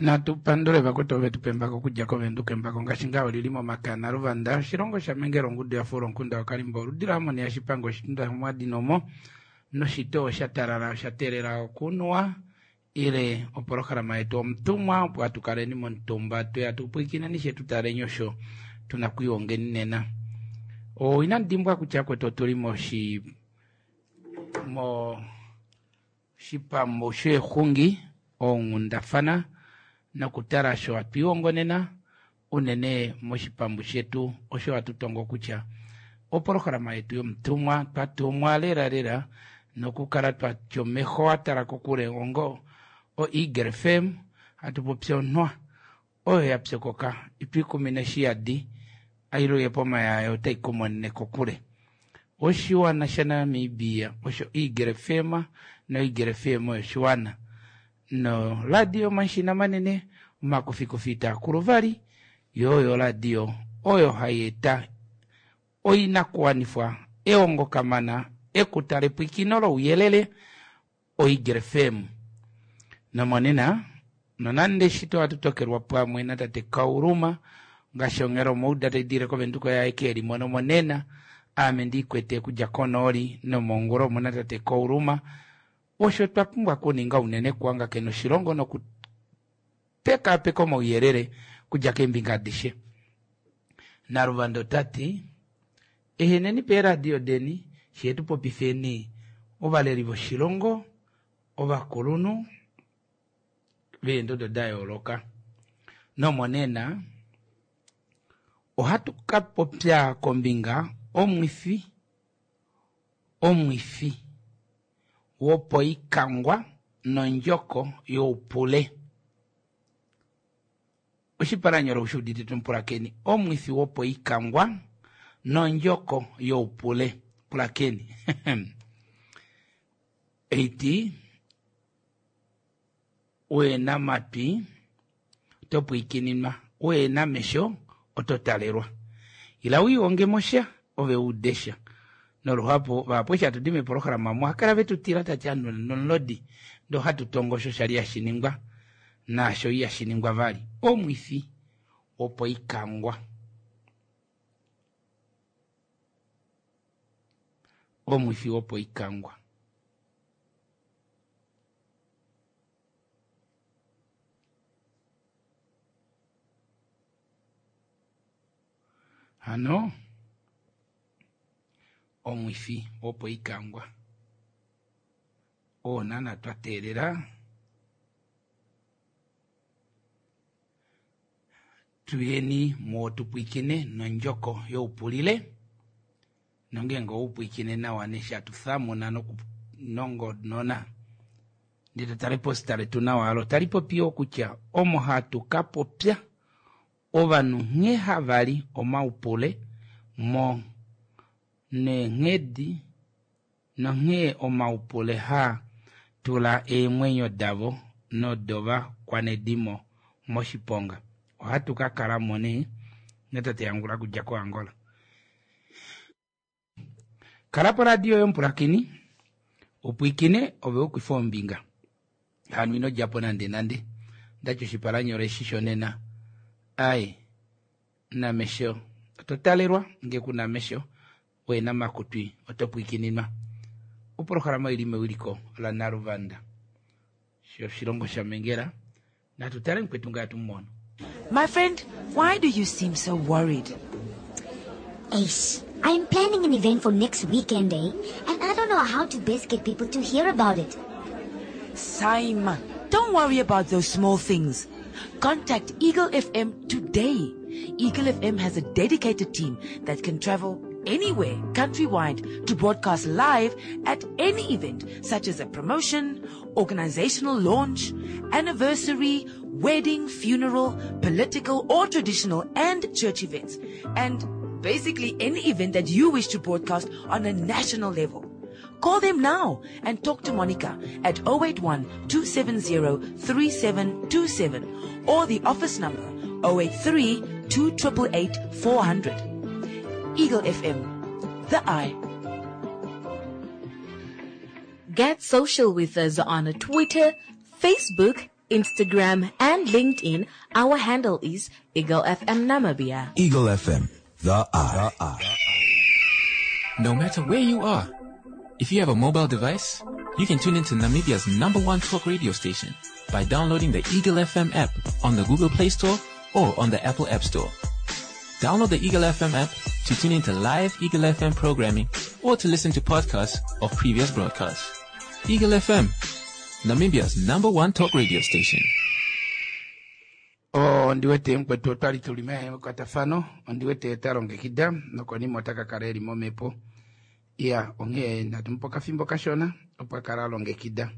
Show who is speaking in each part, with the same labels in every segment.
Speaker 1: Natu pandule vakwetu ove tu pembako okudja koVenduka embako ngaashi ngaa oli li momakana Luvanda oshilongo shaMengela ongudu ya fuula omukunda waKalimba oludi laHamoni yaShipango oshitunda shOmwadinomo noshitoo sha talala osha teelela okunuwa ile opolohalama yetu omutumwa opo hatu kaleni momutumba tweya tu pwiikineni she tu taleni osho tuna kwiihongeni nena. O inamu dimbwa kutya kwetu otuli moshi mo Oshipambu sheexungi, oonghundafana nokutala osho hatu lihongo nena, unene moshipambu shetu osho hatu tongo kutya opolohalama yetu yomutumwa, twa tumwa lela lela nokukala twa tya omeho a tala kokule ongo oEagle FM, hatu popi onhwa oyo ya pyokoka itwiikumine shi yadi, ailuye pomayayo otai kumonene kokule. Oshiwana shaNamibia osho Eagle FM noEagle FM oyo oshiwana. Noradio yomashina manene omakufikufi itaa kulu vali, yo oyo oradio oyo hai eta oinakuwanifwa, ehongo kamana, ekuta lepwiikino louyelele, oEagle FM. Nomonena, nonande shito ohatu tokelwa pamwe natate Kauluma, ngaashi onghela omouda tai diile kOvenduka oye aeke e li mono monena, aame ndi ikwete okudja konooli nomongula omu na tate Kauluma. Osho twa pumbwa okuninga unene kuhangakena oshilongo nokupekaapeka omauyelele okudja keembinga adishe. Naluvanda ota ti, Eheneni peeradio deni, fye tu popifeni ovaleli voshilongo, ovakulunhu veendodo da yooloka. Nomonena ohatu ka popya kombinga omwifi omwifi wopoikangwa nondjoko youpule. Oshipalanyole ou shi udite tumupulakeni, Omwifi wopoikangwa nondjoko youpule. Pulakeni. Eiti, Uena matwi, oto pwiikininwa, uena mesho, oto talelwa. Ila u ihonge mo sha, ove u ude sha. Noluhapu, vahapu eshi hatu di meepolohalama omo, ohava kala ve tu tila tati anu nomulodi, ndee ohatu tongo osho sha li hashi ningwa. Naasho ihashi ningwa vali. Omwifi wopoikangwa. Omwifi wopoikangwa. Hano omwifi wopoikangwa oo naana twa teelela Tuyeni muwo tu pwiikine nondjoko youpulile, nongeenge owe u pwiikine nawa neshi hatu thamuna nokunongonona ndee to tala eposita letu nawa olo tali popi yoo kutya omo hatu ka popya ovanhu nghee hava li omaupule mo neenghedi nonghee omaupule haa tula eemwenyo davo nodovakwanedimo moshiponga. Ohatu ka kala mo nee natate Angula okudja koAngola. Kala poradio yomupulakeni, u pwiikine ove u kufe ombinga. Hano ino dja po nandenande. Ndati oshipalanyole eshi shonena, Aye, namesho oto talelwa, nge ku na mesho Wena makutwi oto pwiikininwa. Opolohalama oili mewiliko la Naluvanda shoshilongo sha Mengela. Natu tale mukwetu ngaa tu mu mono.
Speaker 2: My friend, why do you seem so worried?
Speaker 3: Eish, I'm planning an event for next weekend, eh? And I don't know how to best get people to hear about it.
Speaker 2: Simon, don't worry about those small things. Contact Eagle FM today. Eagle FM has a dedicated team that can travel anywhere countrywide to broadcast live at any event such as a promotion, organizational launch, anniversary, wedding, funeral, political or traditional and church events. And basically any event that you wish to broadcast on a national level. Call them now and talk to Monica at 081 270 3727 or the office number 083 2888 400. Eagle FM, the eye.
Speaker 4: Get social with us on Twitter, Facebook, Instagram, and LinkedIn, our handle is Eagle FM Namibia.
Speaker 5: Eagle FM, the eye.
Speaker 6: No matter where you are, if you have a mobile device, you can tune into Namibia's number one talk radio station by downloading the Eagle FM app on the Google Play Store or on the Apple App Store. Download the Eagle FM app to tune into live Eagle FM programming or to listen to podcasts of previous broadcasts. Eagle FM, Namibia's number one talk radio station.
Speaker 1: Ondi wete mukwetu otwali tuli mekwatafano, ondi wete ta longekida nokonima ota ka kala eli momhepo. Iya, onghee natu mupe okafimbo kashona opo a kale a longekida.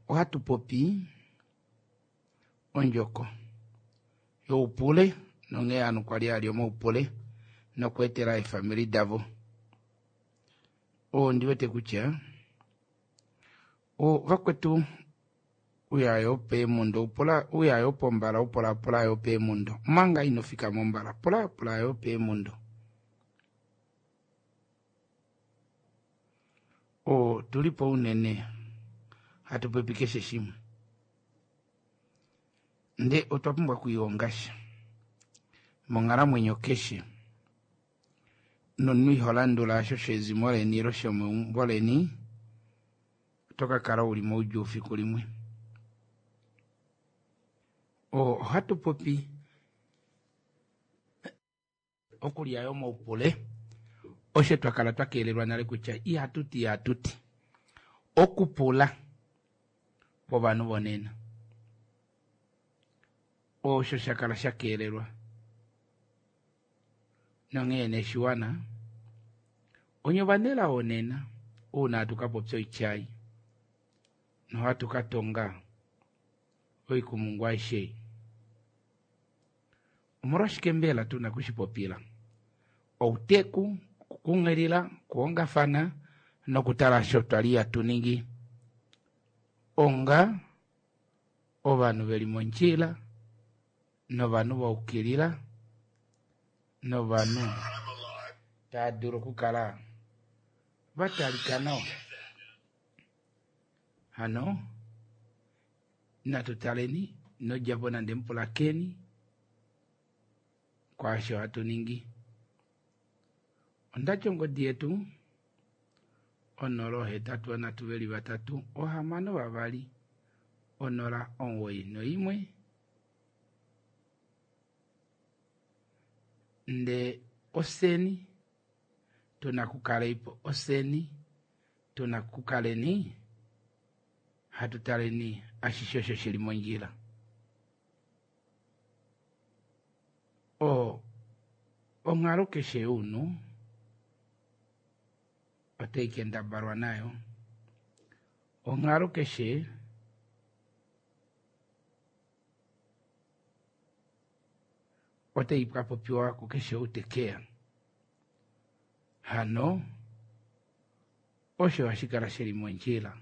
Speaker 1: Ohatu popi ondjoko youpule nonghee ovanhu kwali ali omaupule nokweetela eefamili davo. Ondi wete kutya vakwetu uya yo peemundo, pula uya yo pombala, upula pula yo peemundo, omanga ino fika mombala, pula pula yo peemundo. Tuli po unene hatu popi keshe shimwe, nde otwa pumbwa okwiilonga sha monghalamwenyo keshe, nomunhu iho landula osho shezimo leni ile shomeumbo leni, oto ka kala uli moudjuu fiku limwe. Ohatu popi okulya yo moupule, osho twa kala twa keelelwa nale kutya ihatu ti ihatu ti okupula povanhu vonena, osho sha kala sha keelelwa. Nonghee neshiwana onye ovanelao nena ouna hatu ka popya oityai nohatu ka tonga oikumungu aishe. Omolwashike mbela tuna kushipopila? Outeku, okukunghilila, okuhongafana nokutala osho twali hatu ningi onga ovanhu veli mondjila novanhu va ukilila novanhu tava dulu okukala va talika nawa. Hano natu taleni nodjapo nande mupulakeni kwaasho hatu ningi. Ondati ongodi yetu 083 6 2 091 nde oseni tuna kukaleipo, oseni tuna kukaleni hatu taleni ashishe osho shili mondjila. Onghalo keshe younhu otai kendabalwa nayo. Onghalo keshe otai ka popiwa kukeshe ou te keya. Hano osho hashi kala shili mondjila.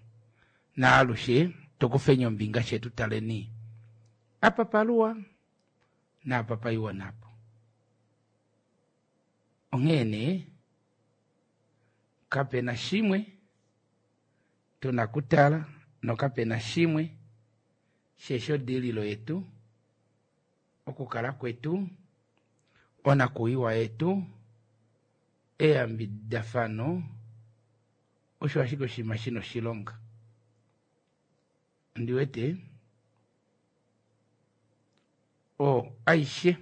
Speaker 1: Naalushe tukufeni ombinga shetu taleni apa paluwa naapa paiwa napo. Onghee nee kapena shimwe tuna kutala nokapena shimwe sheshodililo yetu okukala kwetu onakuiwa yetu eyambidafano osho ashike oshinima shina oshilonga. Ondi wete aishe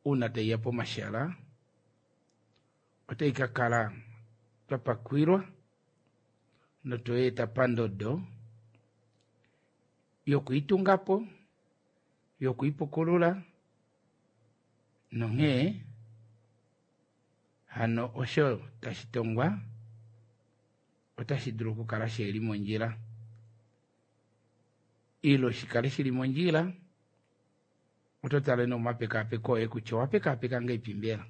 Speaker 1: uuna taiya pomashala otai ka kala twa pakwilwa notoyeeta pandodo yokuitungapo, yokuipukulula, nonghee hano osho tashi tongwa otashi dulu okukala shili mondjila ilo shikale shili mondjila. Oto tale nomapekapeko oye kutya owapekapeka ngaipi mbela.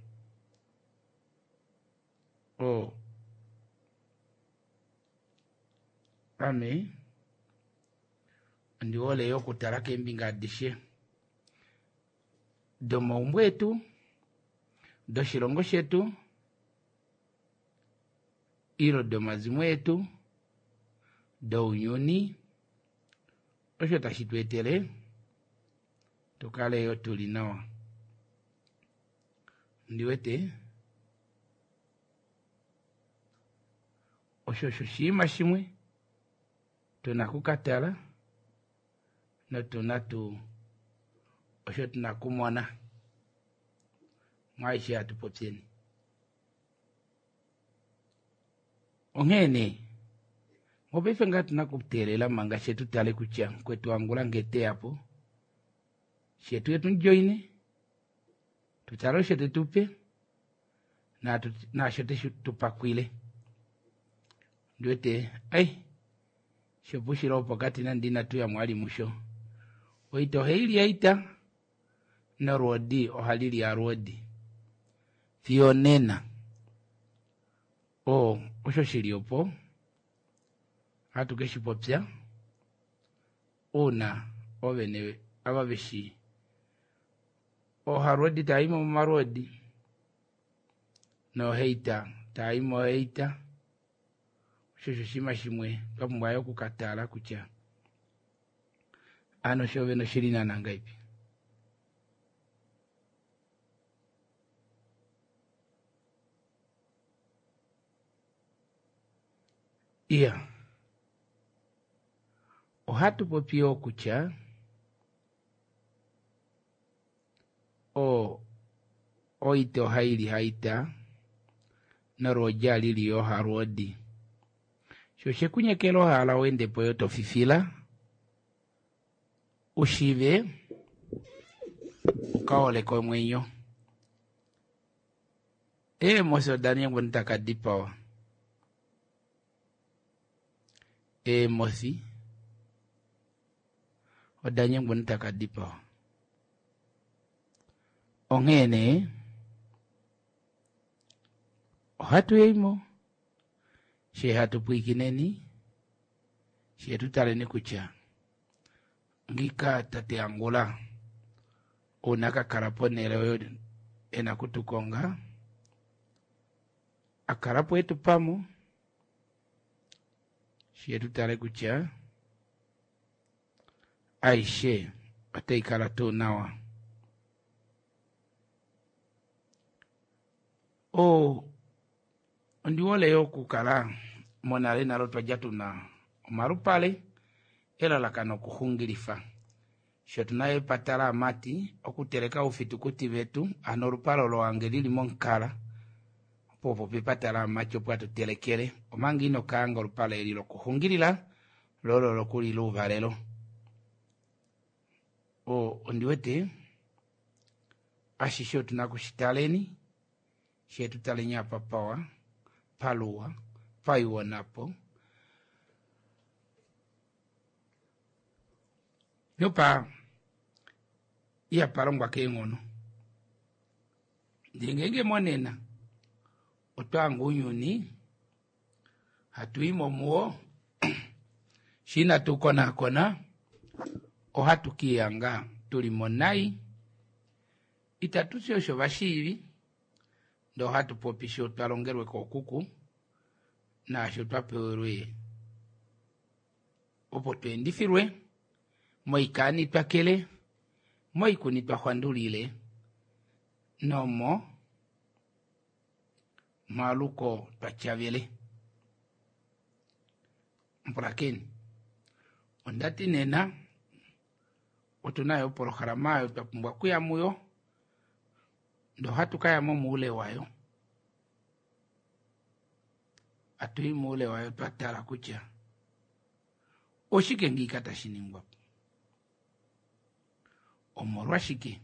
Speaker 1: Ame ondi hole yo okutala keembinga adishe domaumbo etu, doshilongo shetu, ilo domazimo etu, dounyuni. Osho tashi tu etele tu kale yo tu li nawa. Ndi wete osho osho oshinima shimwe tu na okukatala notu na tuu osho tu na okumona mwaaishe hatu popyeni. Onghee nee, mopaife ngaa otu na okuteelela manga she tu tale kutya mukwetu Angula ngee te ya po, she tu ye tu mu joine, tu tale osho te tu pe naasho te tu pakwile. Ondi wete, ai, shopuushilo wopokati nande inatu ya mo vali musho. Oita ohai li oita, nolwoodi ohali li alwoodi. Fiyo onena. Oo osho shi li opo ohatu ke shi popya uuna oovene ava ve shi oohalwoodi tava i mo momalwoodi nooheita tava i mooheita. Osho osho oshinima shimwe twa pumbwa yo oku ka tala kutya ano shoovene oshi li naana ngahelipi. Iya, ohatu popi yoo kutya o oita ohai li haita nolwoodi ohali li yoo halwoodi. Sho oshe ku nyekela ohala u ende po yoo to fifila u shiive u ka holeke omwenyo. Eemosi oda ningwa omunhu taka dipawa. Eemosi oda nyengwa omunhu taka dipawa. Onghee nee ohatu yei mo shee hatu pwiikineni shee tu taleni kutya ngiika tate Angula uuna ka kala ponhele oyo e na okutukonga, a kala po e tu pa mo, shi tu tale kutya aishe otai kala tuu nawa. O, ondi hole yo okukala monale nale otwa dja tu na omalupale elalakano okuxungilifa. Sho tu na epata laamati okuteleka oufitukuti vetu, ano olupale olo wange li li momukala, opo opo pepata laamati opo hatu telekele, omanga ino kaanga olupale eli lokuxungilila lo olo lokulila ouvalelo. O, ondi wete ashishe otu na okushitaleni, shee tu taleni apa pawa, paluwa, paiwonapo. Nopa ihapa longwa keenghono. Ndee ngeenge monena otwa hanga ounyuni hatu i mo muwo, shi inatu konaakona ohatu ke lihanga tu li mo nai. Itatu ti osho vashiivi, ndee ohatu popi sho twa longelwe kookuku naasho twa pewelwe opo tu endifilwe moikaani twa kele, moikuni twa xwandulile nomo maluko twa tyavele. Mpulakeni, onda ti nena otu na yo opolohalama oyo twa pumbwa okuya muyo, ndee ohatu ka ya mo moule wayo. Hatu i moule wayo twa tala kutya oshike ngiika tashi ningwa po, omolwashike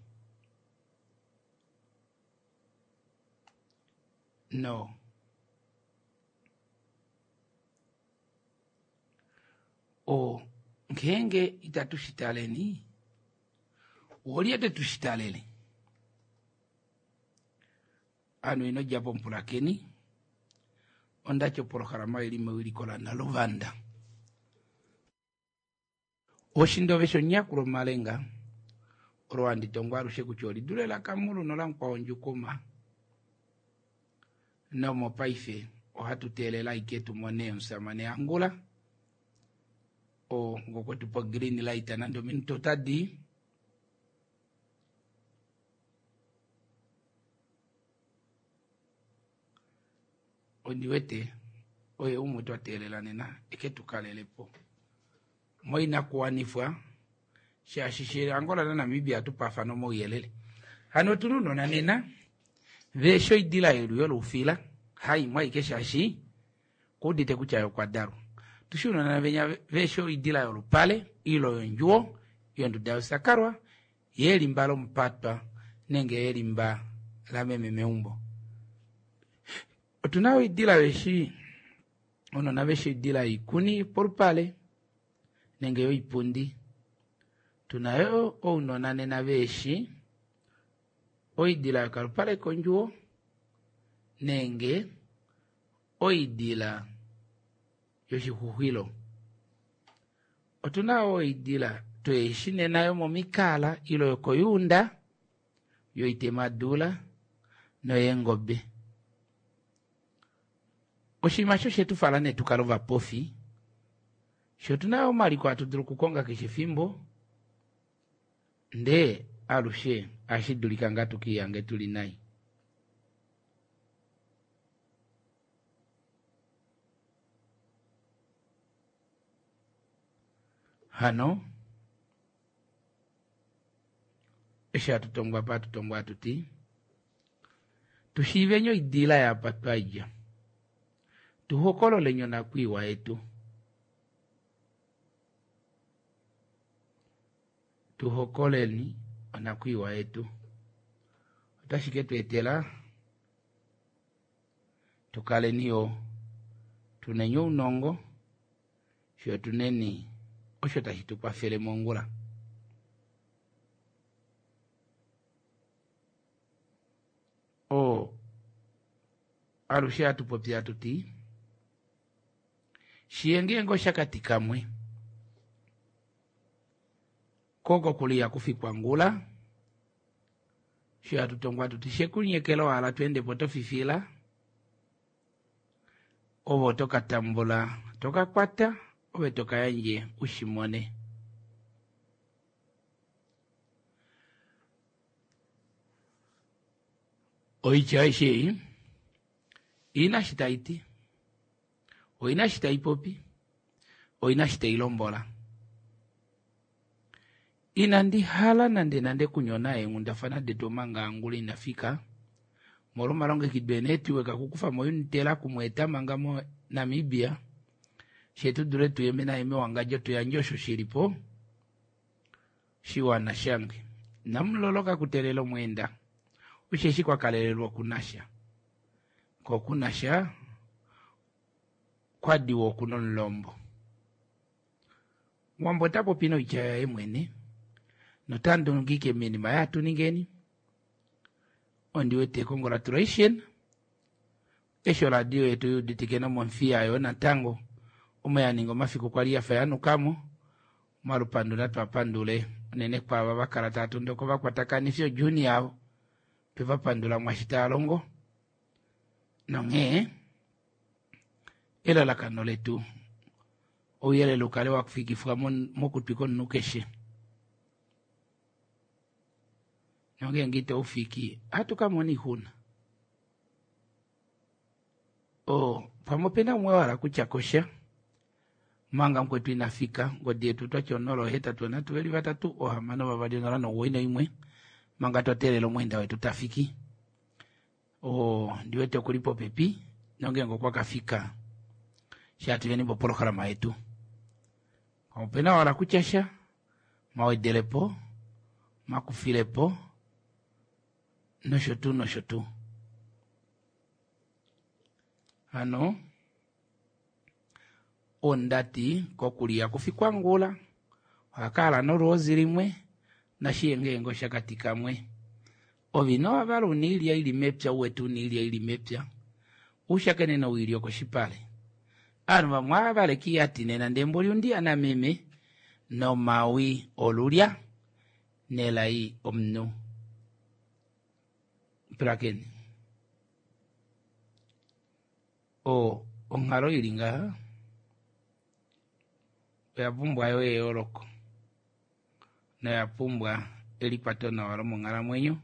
Speaker 1: no o ngeenge itatu shi taleni, olye te tu shi talele? Ovanhu ino dja po mupulakeni, onda ti opolohalama oi li mewiliko laNaluvanda. Oshindove shonyakulo omalenga olo handi tongo alushe kutya oli dule laKamulu nolamukwao Ndjukuma. Nomopaife ohatu teelele ashike tu mone omusamane Angula. Oo ngokwe tu pa green light nande ominute otadi ondi wete oye umwe twa teelela nena eke tu kalele po moinakuwanifwa shaashi she Angola naNamibia atu paafana omauyelele. Hano otuna ounona nena veeshi oidila yelu yolufila haimwe aike shaashi kuudite kutya ye okwa dalwa. Tushi ounona venya veeshi oidila yolupale ilo yondjuwo yonduda yosakalwa yelimba lomupatwa nenge yelimba lameme meumbo. Otuna oidila veshi ounona veshi oidila yoikuni polupale nenge yoipundi. Tuna yo ounona nena veeshi oidila yokalupale kondjuwo nenge oidila yoshixuxwilo. Otuna yo oidila tweeshi nena yomomikala ilo yokoyuunda yoitemadula noyeengobe. Oshinima osho she tu fala nee tu kale ovapofi, sho otuna yo omaliko hatu dulu okukonga keshe efimbo, ndee alushe ohashi dulika ngaa tukiihange tuli nai. Hano eshi hatu tongwa pa hatu tongwa hatu ti tushiiveni oidila yapa twa dja, tu hokololeni onakwiiwa yetu, tu hokoleni onakwiiwa yetu. Otashi ke tu etela tu kaleni yo tuneni ounongo fiyo tuneni osho tashi tu kwafele mongula. Oo alushe hatu popi hatu ti shiye ngeenge oshakati kamwe koko kuli ihaku ngula sho hatu tongwa hatu ti shekunyekela owala to ende po to fifila ove oto ka tambula to ka kwata ove to ka yandje u shi mone. Oitya aishe ei ina shi tai ti, oina shi tai popi, oina shi tai lombola. Inandi hala nande nande kunyona eenghundafana detu omanga angula ina fika molwa omalongekido eenetwork okukufa mo Unitela kumweeta manga moNamibia she tu dule tuyeme naye mewangadjo tuyandje osho shili po shiwana shange. Namuloloka kuteelela omweenda osheshi kwa kalelelwa okunasha ko okunasha kwadiwa okuna omulombo. Wambo ota popi noitya yaye mwene nota ndungike minima yatuningeni. Ondi wete congratulation eshi oradio yetu yuuditike nomomfiya yo natango omo ya ninga omafiku kwali yafa yanukamo. Omalupandu natwapandule unene kwaava vakala tava tondoka ovakwatakanifi ojuni yavo tweva pandula mwashi tava longo. Nonghee elalakano letu ouyelele ukale wafikifwa mokutwi komunhu keshe. Nongeenge itaufiki ohatu ka mona oixuna. Pamwe opena umwe wahala kutya kosha manga mukwetu ina fika ngodi yetu twati 0 8 3 2 6 2 0 9 1 manga twa teelela omweenda wetu tafiki. Ndiwete okuli popepi nongeenge okwa kafika shaatuyeni popolohalama yetu. Opena wahala kutya sha mawedelepo makufilepo nosho tuu nosho tuu. Hano ondati kokuliya kufikwa ngula ohakala nolwoozi limwe nashiye ngeenge oshakati kamwe. Ove ino wavala una oilya ili mepya uwete una oilya ili mepya ushakene noilya okoshipale. Ovanhu vamwe ohava iyati nena ndee mboli undiya nameme nomawi olulya nelai omunhu. Pulakeni. Onghalo ili ngaha Oya pumbwa yo eyooloko noya pumbwa elikwato nawa lomonghalamwenyo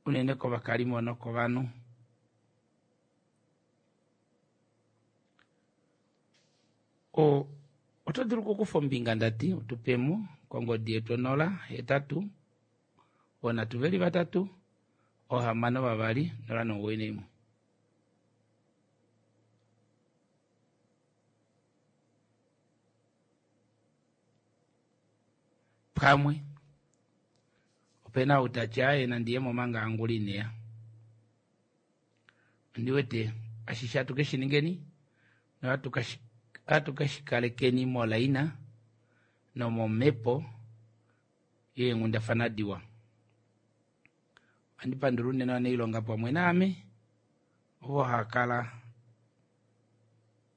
Speaker 1: unene kovakalimo nokovanhu. O, oto dulu okukufa ombinga ndati utupemo kongodi yetu 0 8 4 3 6 2 0 9 1. Pamwe opena ou tati aaye nandi ye mo manga Angula ineya. Ondi wete ashishe hatu ke shi ningeni nohatu ke shi kalekeni molaina nomomhepo yeenghundafana diwa. Ohandi pandula unene ovanailonga pamwe naame ovo hava kala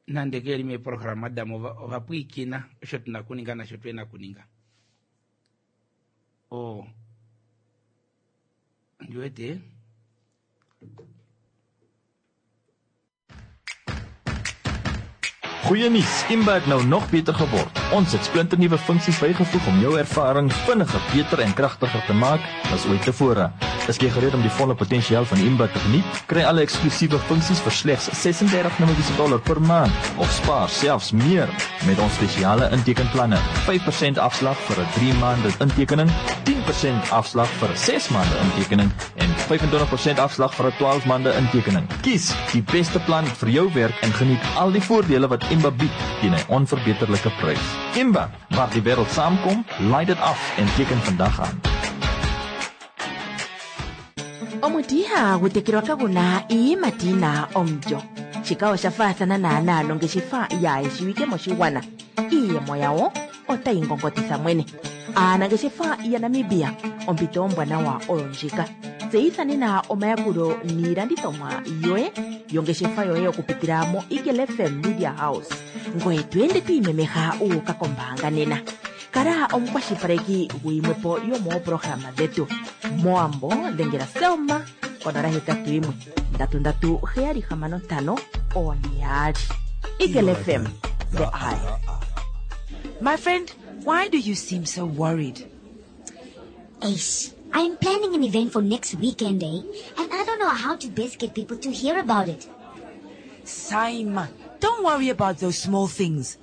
Speaker 1: nande ke li meeprograma damo ova pwiikina osho tuna okuninga nasho tuhe na okuninga. Oo ondi wete
Speaker 5: Goeie nuus, Imba het nou nog beter geword. Ons het splinternuwe funksies bygevoeg om jou ervaring vinniger, beter en kragtiger te maak as ooit tevore. Is jy gereed om die volle potensiaal van Imba te geniet? Kry alle eksklusiewe funksies vir slegs 36 Namibiese dollar per maand of spaar selfs meer met ons spesiale intekenplanne. 5% afslag vir 'n 3 maande intekening, 10% afslag vir 'n 6 maande intekening en 25% afslag vir 'n 12 maande intekening. Kies die beste plan vir jou werk en geniet al die voordele wat Imba bied teen 'n onverbeterlike prys. Imba, waar die wêreld saamkom, laai dit af en teken vandag aan.
Speaker 2: Omuti ihagu tekelwa kagu na iiyimati yi na omulyo. Shika osha faathana naanaa nongeshefa yaa shiwike moshigwana. Iiyemo yawo otayi ngongotitha mwene. Aanangeshefa yaNamibia, ompito ombwanawa oyo ndjika. Tseyitha nena omayakulo niilandithomwa yoye yongeshefa yoye okupitila moEagle FM Media House. Ngoye to ende to imemeha wu uka kombaanga nena. Kala omukwashilipaleki guyimwe po yomooprograma dhetu. Mowambo dhengela Selma konola 81 3 3 7 6 5 4 2. Eagle FM, the eye.
Speaker 4: My friend, why do you seem so worried?
Speaker 3: Ace, I'm planning an event for next weekend, eh? And I don't know how to best get people to hear about it.
Speaker 2: Saima, don't worry about those small things.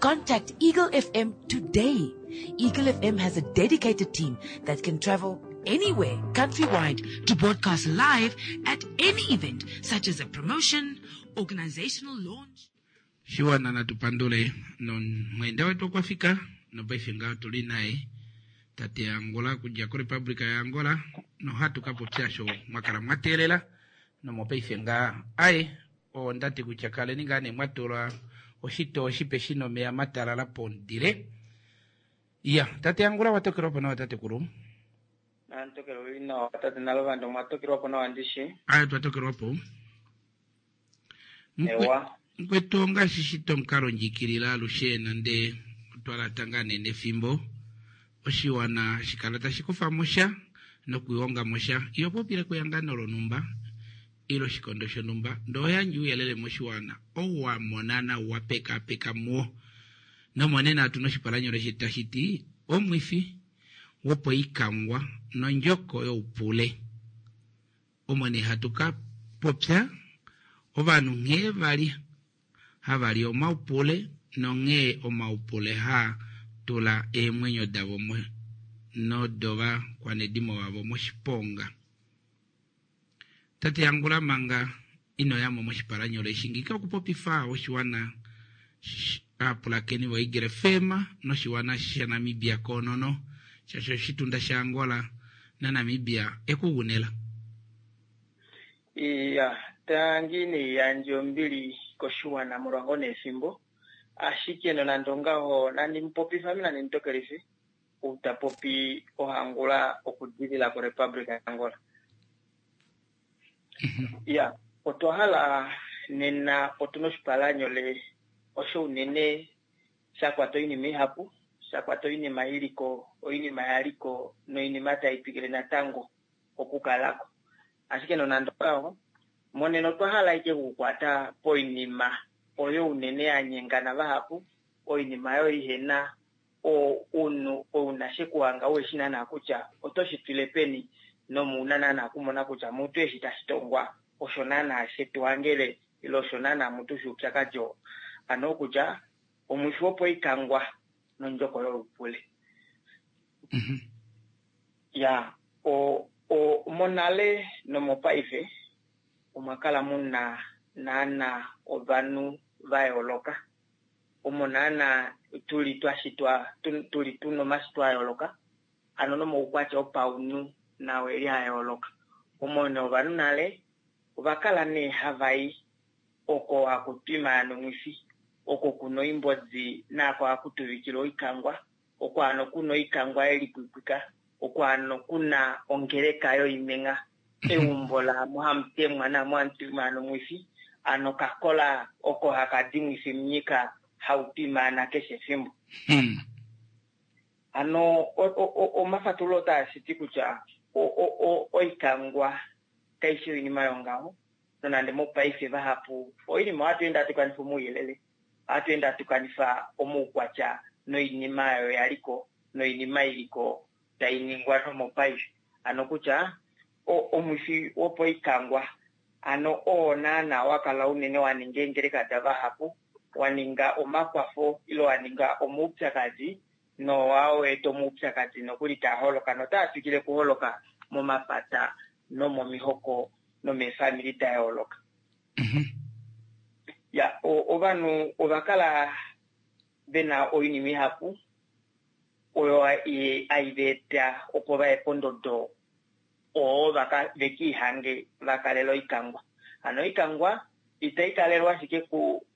Speaker 2: Contact Eagle FM today. Eagle FM has a dedicated team that can travel anywhere countrywide to broadcast live at any event, such as a promotion, organizational launch.
Speaker 1: Shiwana natu pandule nomweenda wetu okwa fika nopaife ngaha otu li naye tate Angola okudja koRepublica yaAngola nohatu ka popya osho mwa kala mwa teelela nomopaife ngaha aye onda ti kutya kaleni ngaa nee mwa tula oshitoo shipe shi na omeya matalala pomudile. Iya, tate Angula wa tokelwa po nawa tatekulu?
Speaker 7: Natokelwa li nawa tate Naluvanda, omwa tokelwa po nawa ndishi?
Speaker 1: Aye, twa tokelwa po.
Speaker 7: Ewa.
Speaker 1: Mukwetu ongaashi shito omukalo ndjikilile alushe nande otwa lata ngaa nee nefimbo oshiwana hashi kala tashi kufa mo sha nokuhonga mo sha. Iho popile kehangano lonhumba ile oshikondo shonhumba ndee oho yandje ouyelele moshiwana ou wa mona nau wa pekaapeka muwo. Nomonena otu na oshipalanyole shetu tashi ti Omwifi wopoikangwa nondjoko youpule. Omo nee hatu ka popya ovanhu nghee vali hava li omaupule nonghee omaupule haa tula eemwenyo davo nodovakwanedimo vavo moshiponga. Tate Angula manga ino ya mo moshipalanyole eshi ngike okupopifa oshiwana aapulakeni voEagle FM noshiwana shaNamibia koonono shaashi oshitunda shaAngola naNamibia ekugunela.
Speaker 7: Iya, tangi naiyandje ombili koshiwana molwa ngoo nee efimbo, ashike nonande ongaho nandi mupopife ame nandi mutokelife ou ta popi oHangula okudilila koRepublic yaAngola. Iya, otwa hala nena otuna oshipalanyole osho unene sha kwata oinima ihapu, sha kwata oinima iliko, oinima yaliko noinima tai twikile natango okukalako. Ashike nonande ongaho, monena otwa hala ashike okukwata poinima oyo unene ya nyengana vahapu. oinima oyo ihena ounhu ouna shekuhanga uheshi naana kutya oto shi twile peni nomuuna naana kumona kutya mutu eshi tashi tongwa osho naana shetuhangele ile osho naana mutu shuupyakadi oo. Ano okutya omwifi wopoikangwa nondjoko youpule. Ya monale nomopaife omwa kala muna naana ovanhu va yooloka. Omo naana tuli twashitwa tuli tuna omashitwa a yooloka ano nomaukwatya opaunhu nao eli a yooloka. Omo nee ovanhu nale ova kala nee hava i oko haku twima nomwifi, oko kuna oimbodi naako haku tuvikilwa oikangwa, oko hano kuna oikangwa yelipwipwika, oko hano kuna ongeleka yoimengha, eumbo laamo hamu temwa naamo hamu twima nomwifi, ano kakola oko haka di mwifi munyika hau twimaana keshe efimbo. Ano omafatululo otaa shiti kutya oikangwa kaishi oinima yongaho, nonande mopaife vahapu oinima ohatu ende hatu kanifa omauyelele, ohatu ende hatu kanifa omaukwatya noinima oyo yaliko noinima iliko tai ningwa nomopaife. Ano kutya omwifi wopoikangwa ano oo naana wa kala unene wa ninga eengeleka davahapu, wa ninga omakwafo ile wa ninga omaupyakadi nowa eta omaupyakadi nokuli taa holoka notaa twikile kuholoka momapata nomomihoko nomeefamili da yooloka. Ya ovanhu ova kala vena oinima ihapu oyo hai va eta opo vaye pondodo oo vekiihange va kalela oikangwa. Hano oikangwa itai kalelwa ashike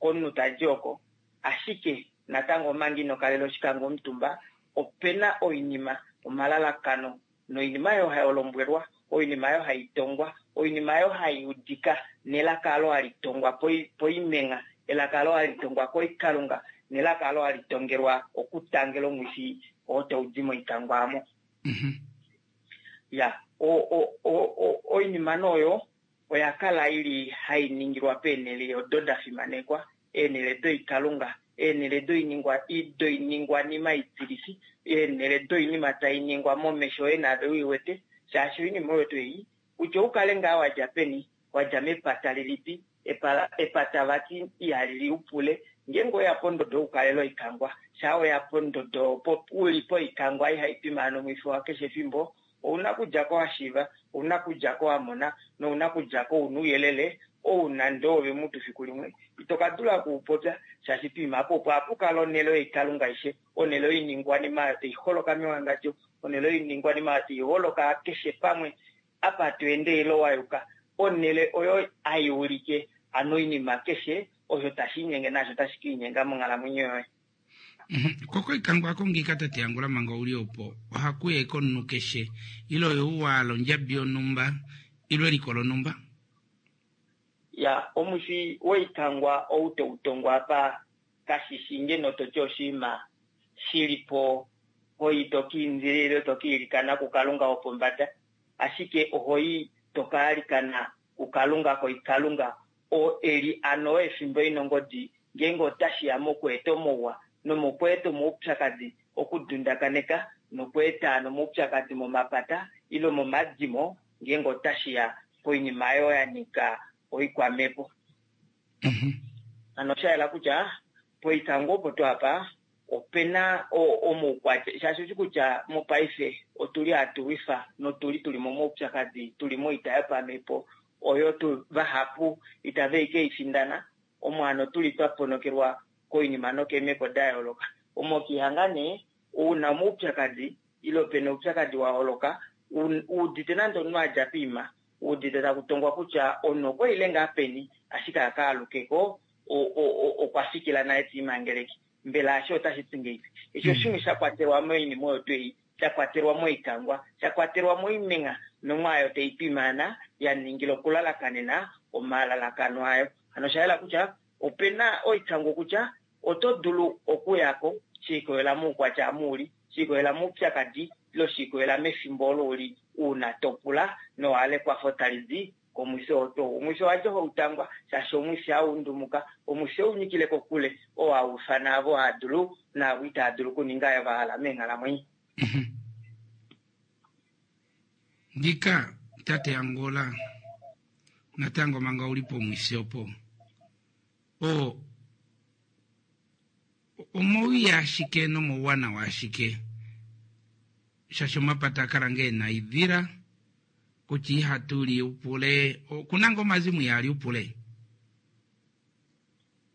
Speaker 7: komunhu tadi oko, ashike natango omanga ino kalela oshikangwa omutumba opena oinima omalalakano noinima oyo hai lombwelwa, oinima oyo hai tongwa, oinima oyo hai udika nelaka alo hali tongwa poimengha, elaka alo hali tongwa koikalunga nelaka alo hali tongelwa okutangela omwifi oo tau di moikangwa amo. Ya oinima noyo oya kala ili hai ningilwa peenhele odo da fimanekwa, eenhele doikalunga, eenhele doiningwanima itilifi, eenhele doinima tai ningwa momesho oye naave uiwete, shaashi oinima oyo tuu ei kutya oukale ngaa wadja peni, wadja mepata lilipi, epata vati ihali liupule ngeenge oya pondodo okukalela oikangwa, shaa oya pondodo uli poikangwa ihai twimaana omwifi wa keshe efimbo, ouna kudja ko wa shiiva, ouna kudja ko wa mona, nouna kudja ko una ouyelele ou nande ove mutu fiku limwe ito ka dula okuupopya, shaashi poima apo opo hapu kala onhele yoikalunga aishe, onhele yoiningwanima oyo tai holoka mewangadjo, onhele yoiningwanima oyo tai holoka keshe pamwe apa to ende ile wa yuka, onhele oyo hai ulike ano oinima keshe osho tashi inyenge naasho tashi ka inyenga monghalamwenyo yoye.
Speaker 1: Koko ikangwa ako ngiika tate Angula manga uli opo ohaku ya komunhu keshe ile oyo u wahala ondjabi yonhumba ile eliko lonhumba?
Speaker 7: Ya omwifi woikangwa ou tau tongwa apa kashishi ngeno toti oshinima shilipo hoi to ka indila ile to ka ilikana kuKalunga wopombada, ashike ohoi to ka alikana kuKalunga koikalunga oo eli ano efimbo inongodi ngeenge otashi ya mokweeta omauwa nomokweeta omaupyakadi okudundakaneka nokweeta nomaupyakadi momapata ile momadimo ngeenge otashi ya poinima oyo ya nyika oikwamhepo. Ano osha yela kutya poikango opo tuu apa opena omaukwatya, shaashi oshi kutya mopaife otuli hatu lwifa notuli tuli momaupyakadi, tuli moita yopamhepo oyo tu vahapu itave i keifindana, omo hano tuli twa ponokelwa koinima nokeemhepo da yooloka. Omo kiihanga nee una omaupyakadi ile opena oupyakadi wa holoka uudite nande omunhu adja poima, uudite taku tongwa kutya omunhu okwa ile ngaa peni ashike aka alukeko okwa fikila naye tiimangeleke. Mbela asho otashi ti ngeipi? Eshi oshimwe sha kwatelwa moinima oyo tuu ei, sha kwatelwa moikangwa, sha kwatelwa moimengha nomwaayo tai twimaana ya ningila okulalakanena omalalakano ayo. Hano osha yela kutya opena oikangwa kutya oto dulu okuyako she ikolela moukwatya amu uli, she ikolela moupyakadi ile she ikolela mefimbo olo uli uuna to pula nowa hala ekwafo tali di Komwifi oo tuu omwifi owadja ohautangwa shaashi omwifi haundumuka, omwifi ounyikile kokule oo hau ifana avo haadulu naavo itaa dulu okuninga eyo vahala meenghalamwenyo.
Speaker 1: Ngika tate Angola natango manga uli pomwifi opo o omowii ashike nomouwanawa ashike shaashi omapata akala ngee ena oidila kutya ihatu li upule okuna ngoo omazimo ihaali upule?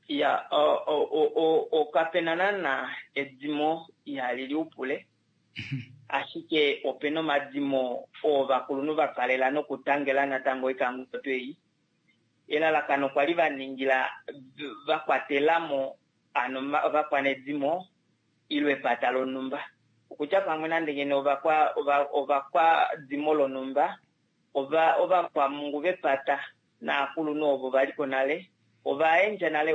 Speaker 7: Ya, kapena naana edimo ihali li upule, ashike opena omadimo oo ovakulunhu va kalela nokutangela natango oikangoto ei. Elalakano kwa li va ningila va kwatelamo ano ovakwanedimo ile epata lonhumba. Okutya pamwe nande ngeno ovakwa ovakwadimo lonhumba, ova ovakwamungu vepata naakulunhu ovo va li ko nale ova yandja nale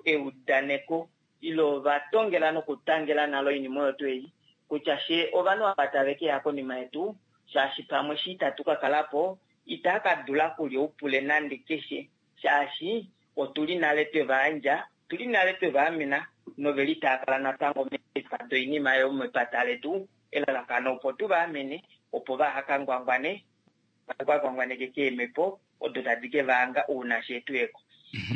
Speaker 7: eudaneko ile ova tongela nokutangela nale oinima oyo tuu ei kutya fye ovanhu ava tave ke ya konima yetu shaashi pamwe eshi itatu ka kala po itaa ka dula okulya oupule nande keshe shaashi otu li nale twe va yandja, otu li nale twe va amena nove li taa kala natango meefa doinima yomepata letu, elalakano opo tu va amene opo vaha ka ngwangwane, va ngwangwaneke keemhepo odo tadi ke va hanga ouna fye tu ye ko.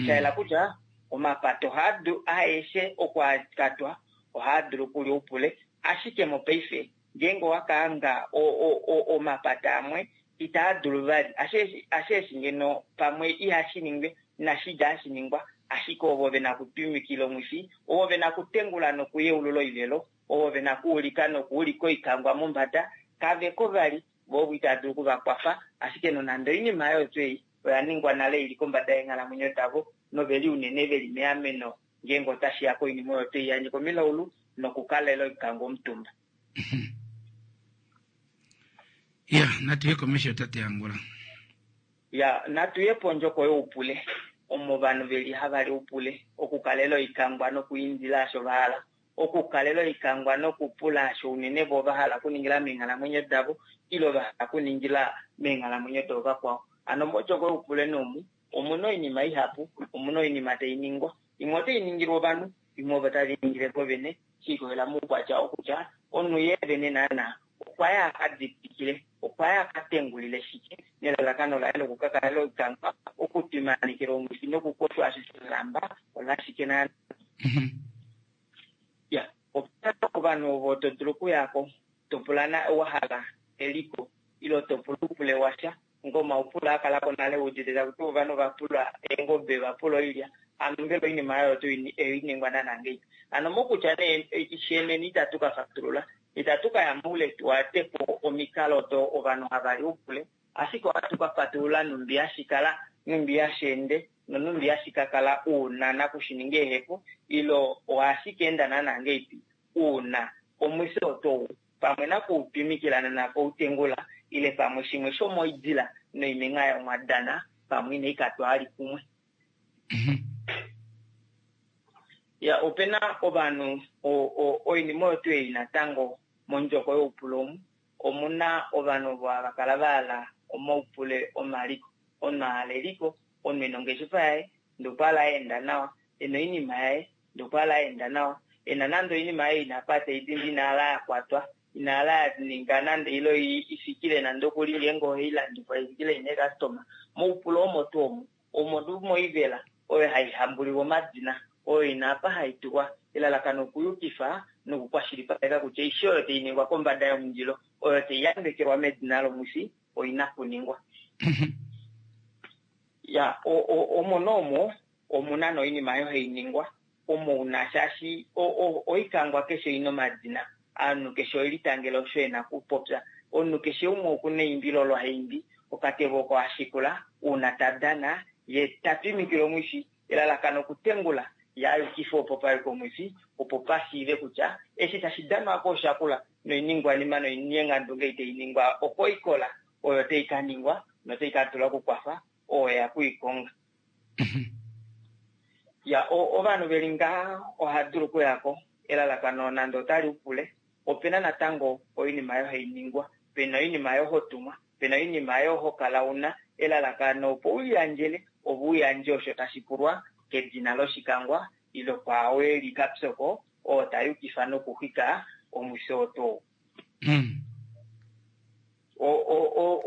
Speaker 7: Sha yela kutya omapata ohaa dulu aeshe oku a katwa ohaa dulu okulya oupule, ashike mopaife ngeenge owa ka hanga omapata amwe itaa dulu vali, ashe eshi ngeno pamwe ihashi ningwe, inashi dja hashi ningwa, ashike ovo ve na okutwimikila omwifi, ovo ve na okutengula nokuyeulula oivelo, ovo ve na okuulika nokuulika oikangwa mombada, kave ko vali, vo ovo itava dulu oku va kwafa, ashike nonande oinima oyo tuu ei oya ningwa nale i li kombada yeenghalamwenyo davo nove li unene ve li meameno ngeenge otashi ya koinima oyo tuu ei ya nyika omilaulu nokukalela oikangwa omutumba.
Speaker 1: Ya, natu ye komesho tate Angula.
Speaker 7: Ya, natu ye pondjoko youpule, omo ovanhu ve li hava li oupule, okukalela oikangwa nokuindila osho va hala, okukalela oikangwa nokupula osho unene vo va hala okuningila meenghalamwenyo davo ile va hala okuningila meenghalamwenyo doovakwao. Hano mondjoko youpule nomu omu na oinima ihapu, omu na oinima tai ningwa. Imwe otai ningilwa ovanhu, imwe ovo tave i ningile vo vene, she likolelela moukwatya oo kutya omunhu ye vene naanaa okwa ya a ka didikile, okwa ya a ka tengulile shike nelalakano laye loku ka kalela oikangwa, okutwimanikila omwifi nokukoshwa osho sha lamba olashike naanaa. Ya, ope na ovanhu ovo to dulu okuya ko, to pula na wa hala eliko ile to pula oupule washa, ngo omaupule a kala ko nale udite taku tiwa ovanhu va pula eengobe, va pula oilya, hano mbela oinima oyo oto i ningwa naana ngahelipi? Hano mokutya nee sheneni itatu ka fatulula, itatu ka ya moule tu ate po omikalo odo ovanhu hava li oupule, ashike ohatu ka fatulula nhumbi hashi kala, nhumbi hashi ende nonhumbi hashi ka kala uuna nakushininga ehepo ile ohashi ka enda naana ngahelipi uuna omwifi oto u pamwe nakuutwimikila nanakoutengula ile pamwe shimwe shomoidila noimengha yomwadana pamwe inai ka twali kumwe. Ya, ope na ovanhu oinima oyo tuu ei natango mondjoko youpule omu, omu na ovanhu ovo hava kala va hala omaupule omaliko. Omunhu a hala eliko, omunhu e na ongeshefa yaye ndee okwa hala ya enda nawa, e na oinima yaye ndee okwa hala ya enda nawa, e na nande oinima yaye ina pa tai dindi ina hala ya kwatwa, ina hala ya ninga nande ile i fikile nande okuli ngeenge ohai landifwa i fikile ina eekastoma. Moupule omo tuu omo, omo tuu moivela oyo hai hambulilwa omadina, oyo ina apa hai tulwa, elalakano okuyukifa nokukwashilipaleka kutya aishe oyo tai ningwa kombada yomundilo, oyo tai yambekelwa medina lomwifi, oi na kuningwa. Ya, omo noomo omu na noinima oyo hai ningwa, omo una shaashi oikangwa keshe oi na omadina, omunhu keshe ohe litangele osho e na okupopya, omunhu keshe umwe oku na eimbilo olo ha imbi, okatevo oko ha shikula uuna ta dana, ye ta twimikile omwifi, elalakano okutengula ye a yukife opo pa yuka omwifi, opo pa shiive kutya eshi tashi danwa ko osha kula, noiningwanima noinyengandunge ei tai ningwa okoikola oyo tai ka ningwa notai ka dula okukwafa oo eya ku i konga. Ya, ovanhu ve li ngaha oha dulu okuya ko, elalakano nande otali upule, ope na natango oinima oyo hai ningwa, pe na oinima oyo ho tumwa. Pena oinima oyo ho kala una elalakano opo uliyandjele ove uyandje osho tashi pulwa kedina loshikangwa ile kwaao eli kapyoko oo ta yukifa nokuxwika omwisho oo tuu.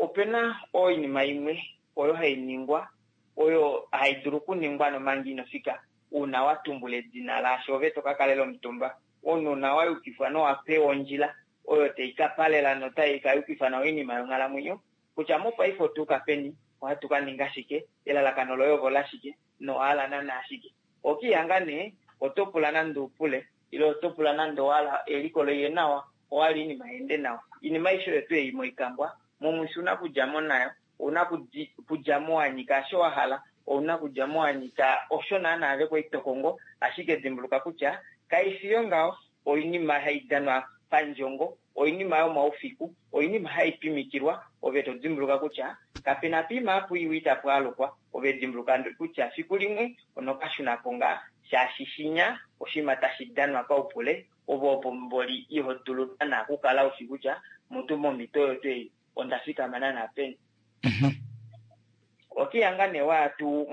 Speaker 7: Opena oinima imwe oyo hai ningwa oyo hai dulu okuningwa nomanga ino fika uuna wa tumbula edina laasho ove to ka kalela omutumba. Omunhu una wa yukifwa nowa pewa ondjila oyo tai ka palela notai ka yukifa nawa oinima yonghalamwenyo kutya mopaife otu uka peni, ohatu ka ninga shike, elalakano loye ovo lashike nowa hala naana shike. Okiihanga nee oto pula nande upule ile oto pula nande owahala eliko loiye nawa, owahala oinima yeende nawa. Oinima aishe oyo tuu ei moikangwa, momwifi ouna okudjamo nayo, ouna okudjamo wa nyika osho wa hala, ouna okudjamo wa nyika osho naana ave kwali to kongo, ashike dimbuluka kutya kaifi yongaho, oinima hai danwa pandjongo, oinima yomaufiku, oinima hai twimikilwa, ove to dimbuluka kutya kapena piima apu iwa itapu alukwa, ove dimbuluka kutya fiku limwe onokashunako ngaa, shaashi shinya oshinima tashi danwa paupule, ove opo mboli iho dulu naana okukala ushi kutya mutu momhito oyo tuu ei onda fikama naana peni. Okihanga nee waya tuu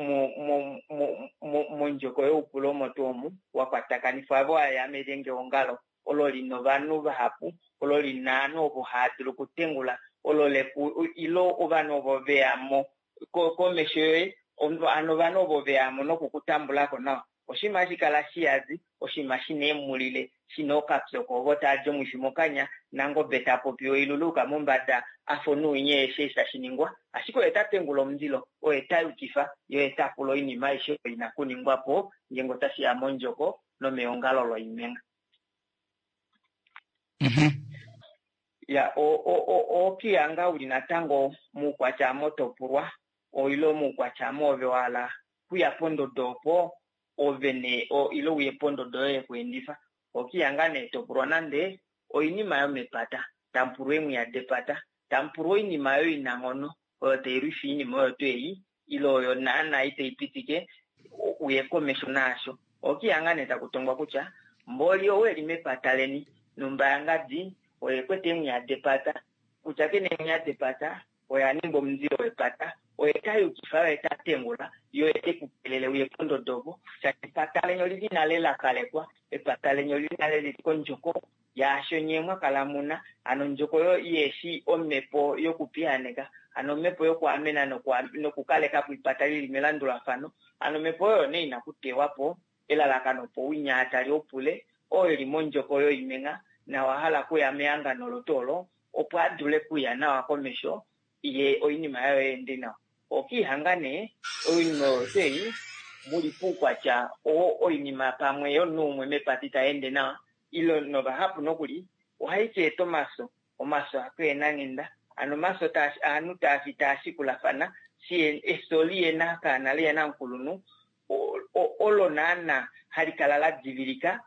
Speaker 7: mondjoko youpule omo tuu omu wa kwatakanifwa ave waya melyenge ongalo olo lina ovanhu vahapu, olo lina ovanhu ovo hava dulu okutengula, olo leku ile ovanhu ovo veyamo komesho yoye, hano ovanhu ovo veyamo nokukutambulako nawa. Oshinima hashi kala shiyadi, oshinima shina eemulile, shina ookapyoko ovo tava li omwifi mokanya, nangobe ta popi oiluluka mombada afa onuunye eshi eshi tashi ningwa, ashike oye ta tengula omundilo, oye ta yukifa, ye oye ta pula oinima aishe oyo ina kuningwa po ngeenge otashi ya mondjoko nomeongalo loimenga. Ya, okihanga uli natango muukwatya motopulwa, oilo muukwatya moove wahala kuya pondodo opo ove ne ile uye pondodo yoye yekuendifa. Okihanga nee topulwa nande oinima yomepata, tamupulwa eemwiya depata, tamupulwa oinima oyo inanghono oyo tailwifa oinima oyo tuu ei ile oyo naana itai pitike uye komesho naasho. Okihanga nee takutongwa kutya mboli ou eli mepata leni numba yangadi oye kwete eemwiya depata, kutya kena eemwiya depata oye a ninga omundilo wepata, oye ta yukifa, oye ta tengula, ye oye te ku kelele uye pondodo opo, shaashi epata leni olili nale la kalekwa, epata leni olili nale lili kondjoko yaasho nyee mwa kala muna, hano ondjoko oyo iheshi omhepo yokupiyaaneka, hano omhepo yokuamena nokukaleka po epata lili melandulafano, hano omhepo oyo nee ina kuteywa po, elalakano opo winya tali opule oo eli mondjoko yoimenga nawa hala kuya mehangano lotu olo opo a dule kuya nawa komesho ye oinima yayo yeende nawa. Okihanga nee oinima oyo tuu ei muli poukwatya oo oinima pamwe yomunhu umwe mepata itayeende nawa ile novahapu nokuli ohai ka eta omafyo, omafyo akeena nghenda, hano omafyo ovanhu taafi taa shikulafana, efyo liyena kaana liyena omukulunhu olo naana hali kala la divilika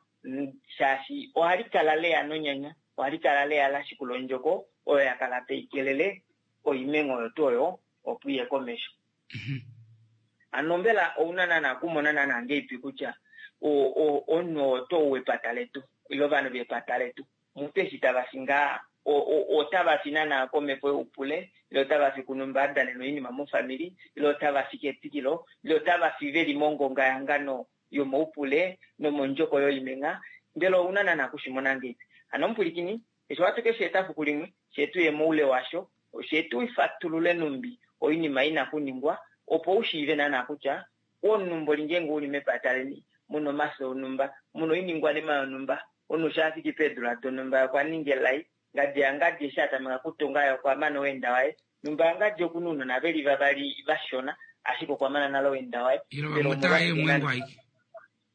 Speaker 7: shaashi ohali kala leya nonyanya, ohali kala leya la shikula ondjoko oyo ya kala tai kelele oimengo oyo tuu oyo opo iye komesho. Hano mbela ouna naana okumona naana ngeipi kutya omunhu oo tuu wepata letu ile ovanhu vepata letu mutu eshi tava fi ngaa otava fi naana komhepo youpule ile otava fi kunumba a danena oinima mofamili ile otava fi ketikilo ile otava fi veli mongonga yehangano yomoupule nomondjoko yoimenga, mbela ouna naana okushimona ngeipi? Hano omupwilikini, eshi ohatu ke shi eta fiku limwe, fye tuye moule washo, fye tu fatulule numbi oinima ina kuningwa opo u shiive naana kutya omunhu mboli ngeenge uli mepata leni muna omafyo onhumba, muna oiningwanima yonhumba, omunhu sha afiki peedula donhumba okwa ninga elai, ngadi yangadi eshi a tameka kutunga ye okwa mana oweenda waye, numba yangadi okuna ounona veli vavali vashona ashike okwa mana nale oweenda waye.
Speaker 1: Ile vamwe otava i eemwengu aike.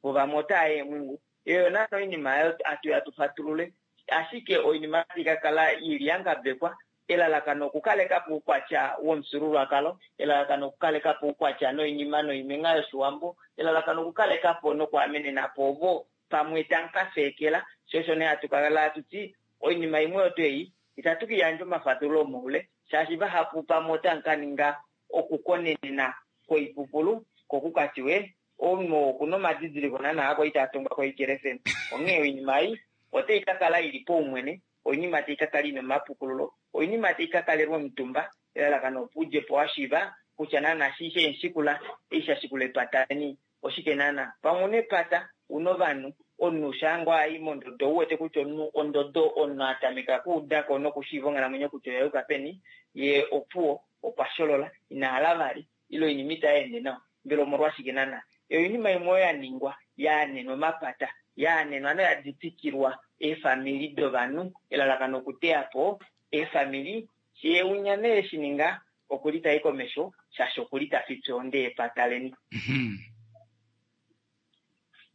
Speaker 7: Vo vamwe otava i eemwengu. Eyo naana oinima oyo hatu ya tu fatulule, ashike oinima otai ka kala ili ya ngabekwa, elalakano okukaleka po oukwatya womufyuululwakalo, elalakano okukaleka po oukwatya noinima noimengha yOshiwambo, elalakano okukaleka po nokuamenena po ovo pamwe tamu ka feekela, sho osho nee hatu kala hatu ti oinima imwe oyo tuu ei itatu ka yandja omafatululo omoule, shaashi vahapu pamwe otamu ka ninga okukonenena kwoipupulu ko ku ka tiwe omunhu okuna omadidiliko naana ako itaa tongwa koikelefeni. Onghee oinima ei otai ka kala ili paumwene, oinima tai ka kala ina omapukululo, oinima tai ka kalelwa omutumba, Elalakano opo udje po wa shiiva kutya naana shi sheenshikula eshi sha shikula epata leni oshike naana. Pamwe una epata, una ovanhu, omunhu shaa ngoo ai mondodo ou wete kutya omunhu ondodo omunhu a tameka okuudako nokushiiva onghalamwenyo kutya oya yuka peni, yee opuwo okwa sholola, ina hala vali ile oinima itai ende nawa. Mbela omolwashike naana? Oinima imwe oyo ya ningwa, ya anenwa omapata, ya anenwa noya ditikilwa eefamili dovanhu, elalakano okuteya po eefamili. Ye unya nee eshi ninga, oku li ta i komesho, shaashi oku li ta fipya ohonde yepata leni.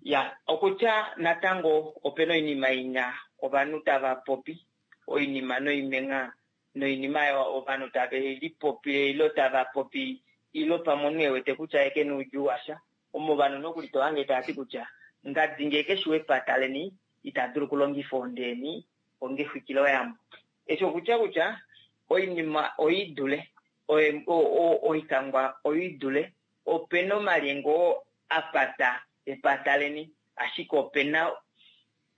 Speaker 7: Ya, okutya natango ope na oinima inya ovanhu tava popi, oinima noimengha noinima oyo ovanhu tave lipopile ilo tava popi ilo pamwe omunhu e wete kutya ye ke na oudjuu washa. Omo ovanhu nokuli to hange tava ti kutya ngadi ngee keshi wepata leni ita dulu okulongifa ohonde yeni onga exwikiloyambo. Eshi okutya kutya oinima oi dule oikangwa oi dule, ope na omalyenge oo a pata epata leni ashike ope na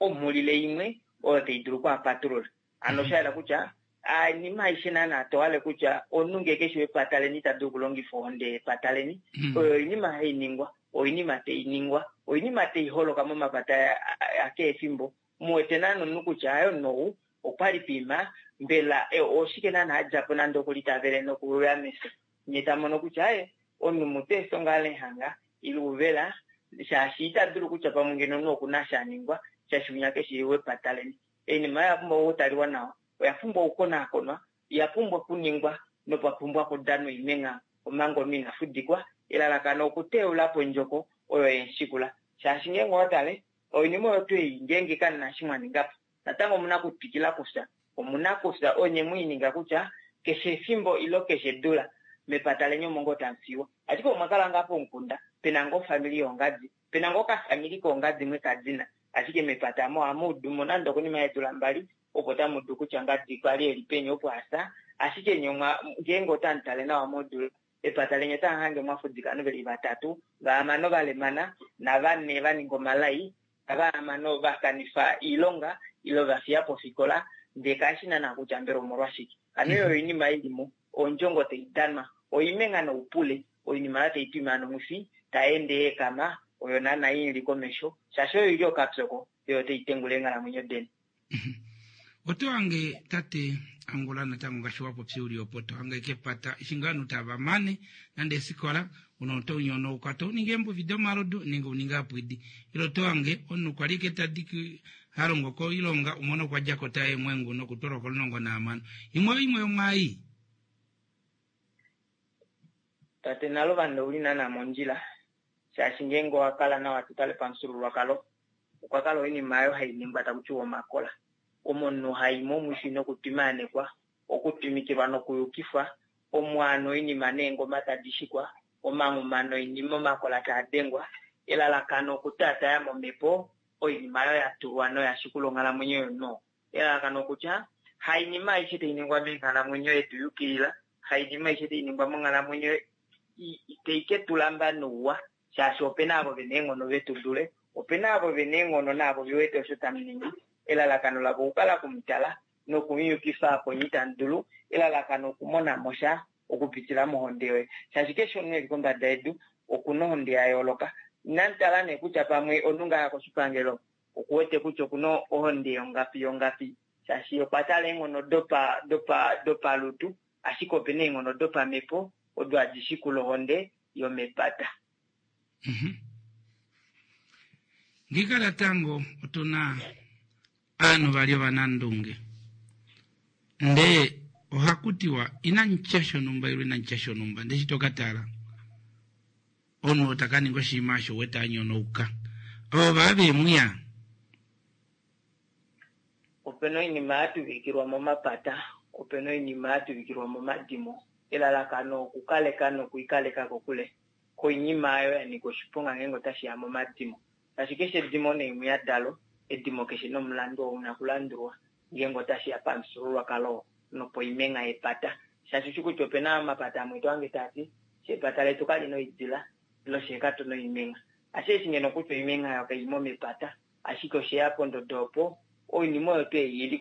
Speaker 7: omhulile imwe oyo tai dulu oku a patulula. Hano osha yela kutya oinima aishe naana to hale kutya omunhu ngee keshi wepata leni ita dulu okulongifa ohonde yepata leni, oyo oinima hai ningwa, oinima tai ningwa, oinima tai holoka momapata akehe efimbo. Mu wete naana omunhu kutya haye omunhu ou okwali piima, mbela oshike naana a dja po nande okuli ta vele nokuya mefyo. Nye ta mono kutya aye omunhu mutu efyo ngaa lenhanga ile uvela shaashi ita dulu kutya pamwe ngeno omunhu oku na sha a ningwa shaashi winya keshi wepata leni. Oinima oyo oya pumbwa okutaliwa nawa, oya pumbwa okukonaakonwa, oya pumbwa okuningwa nopa pumbwa okudanwa oimengha omanga omunhu ina fudikwa. Elalakano okuteula po ondjoko oyo yemushikula shaashi ngeenge owa tale oinima oyo tuu ei ngeenge kamu na eshi mwa ninga po natango omu na okutwikila okufya. Omu na okufya onye mwe i ninga kutya keshe efimbo ilo keshe edula mepata leni omo ngoo tamu fiwa. Ashike omwa kala ngaa pomukunda pe na ngoo ofamili yoongadi, pe na ngoo okafamili koongadi mwe ka dina, ashike mepata amo ohamu udu mo nande okonima yeedula mbali opo tamu udu kutya ngadi kwa li e li peni opo a fya. Ashike nye omwa ngeenge otamu tale nawa modula epata leni otamu hange mwa fudika ovanhu ve li vatatu, vahamano va lemana navane va ninga omalai, navahamano va kanifa oilonga ile va fiya po ofikola ndee kashi na naa kutya mbela omolwashike. Hano oyo oinima i li mo, ondjongo tai danwa, oimengha noupule, oinima oyo tai twima nomwifi tai ende ya ekama oyo naana i li komesho shaashi oyo i li okapyoko oyo tai tengula eenghalamwenyo deni.
Speaker 1: Oto hange tate Angula natango ngaashi wa popya uli opo to hange kepata eshi ngaa ovanhu tava mane nande eefikola una oto nyonouka to ningi eembuvi domalodu nenge u ninge apwidi ile oto hange omunhu kwali ike tadi ha longo koilonga umone okwa djako ta eemwengu nokutwalwa komulongo nahamano imwe oyo imwe yomwaai.
Speaker 7: Tate Naluvanda ouli naana mondjila shaashi ngeenge owa kala nawa to tale pamufyuululwakalo okwa kala oinima oyo hai ningwa taku tiwa omakola, omo omunhu hai momwifi nokutwimaanekwa, okutwimikilwa nokuyukifwa, omo ano oinima neengoma tadi shikwa, omanghuma noinima omakola taa dengwa, elalakano okutaataya momhepo oinima oyo ya tulwa noya shikula onghalamwenyo yomunhu oo. Elalakano okutya, hainima aishe tai ningwa menghalamwenyo yetu yukilila, hainima aishe tai ningwa monghalamwenyo tai ke tu lamba nouwa, shaashi ope na avo ve na eenghono ve tu dule, ope na avo ve na eenghono naavo ve wete osho tamu ningi. Elalakano lavo okukala oku mu tala noku mu yukifa apo nye itamu dulu, elalakano okumona mo sha okupitila mohonde yoye. Shaashi keshe omunhu e li kombada yedu oku na ohonde ya yooloka. Inamu tala nee kutya pamwe omunhu ngaa a ya koshipangelo oku wete kutya oku na ohonde yongapi yongapi, shaashi okwa tala eenghono dopa dopa dopalutu, ashike ope na eenghono dopamhepo odo hadi shikula ohonde yomepata.
Speaker 1: Ngiika natango otu na aanhu vali ovanandunge ndee ohaku tiwa inamu tya shonhumba ile inamu tya shonhumba ndee eshi to ka tala omunhu oo ta ka ninga oshinima osho wete a nyonauka ovo vaa ve mu ya.
Speaker 7: Ope na oinima ya tuvikilwa momapata, ope na oinima ya tuvikilwa momadimo, elalakano okukaleka nokuikaleka kokule koinima oyo ya nyika oshiponga ngeenge otashi ya momadimo. Shaashi keshe edimo neemwiya dalo, edimo keshe nomulandu oo una okulandulwa ngeenge otashi ya pamufyuululwakalo nopoimengha yepata. Shaashi ushi kutya ope na omapata amwe to hange taa ti, Fye epata letu kali na oidila, ile fye katu na oimengha. Ashike eshi ngeno kutya oimengha oyo kai mo mepata, ashike oshe ya pondodo opo oinima oyo tuu ei i li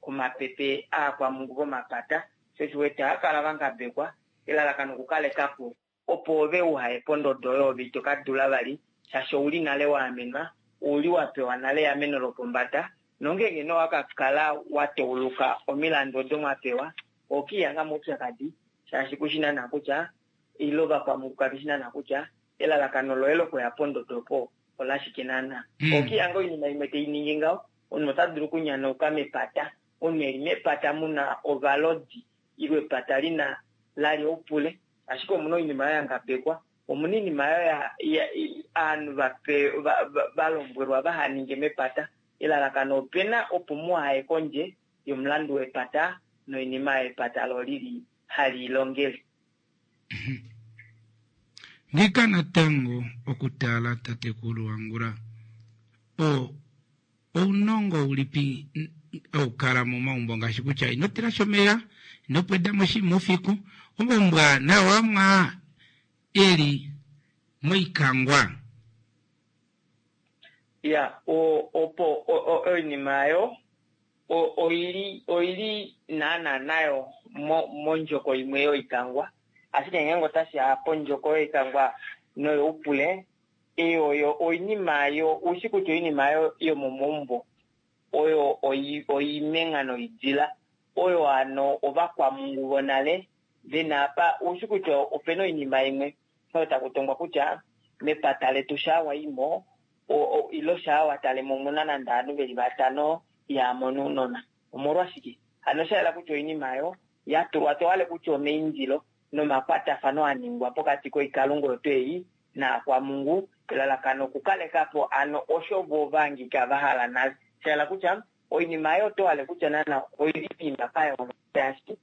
Speaker 7: komapepe aakwamungu vomapata. Sho osho u wete ohava kala va ngabekwa, elalakano okukaleka po opo ove uha ye pondodo oyo ove ito ka dula vali shaashi ouli nale wa amenwa, ouli wa pewa nale eameno lopombada nongeenge nee owa ka kala wa tauluka omilandu odo mwa pewa oho ke lihanga moupyakadi shaashi kushi naana kutya ile ovakwamhuku kave shi naana kutya elalakano loye lokuya pondodo opo olashike naana. Oho ke lihanga oinima imwe tai ningi ngaho, omunhu ota dulu okunyanauka mepata, omunhu eli mepata muna ovalodi ile epata lina lali oupule ashike omuna oinima oyo ya ngabekwa, omuna oinima oyo ovanhu va lombwelwa vaha ninge mepata. Elalakano opena opo muhaye kondje yomulandu wepata noinima oyo epata lo lili hali longele.
Speaker 1: Ngiika natango okutala tatekulu Angula o Ounongo ulipi hau kala momaumbo ngaashi kutya ino tilashi omeya, ino pweda mo oshinima oufiku, omaumbo aa nao amwe aa e li moikangwa.
Speaker 7: Ya, opo oinima oyo oili oili naana nayo mondjoko imwe yoikangwa, ashike ngeenge otashi ya pondjoko yoikangwa noyoupule, Ei oyo oinima yo, u shi kutya oinima yo yomomaumbo oyo oimengha noidila, oyo hano ovakwamungu vonale ve na apa. U shi kutya ope na oinima imwe oyo taku tongwa kutya mepata letu shaa wa i mo, ile shaa wa tale mo omu na nande ovanhu ve li vatano ihaa mono ounona. Omolwashike hano sha yela kutya oinima oyo ya tulwa to hale kutya omeindilo nomakwatafano a ningwa pokati koikalunga oyo tuu ei naakwamungu, elalakano okukaleka po ano osho vo va hangika va hala nale. Sha yela kutya oinima oyo oto hale kutya naana oili poima pa yooloka shaashi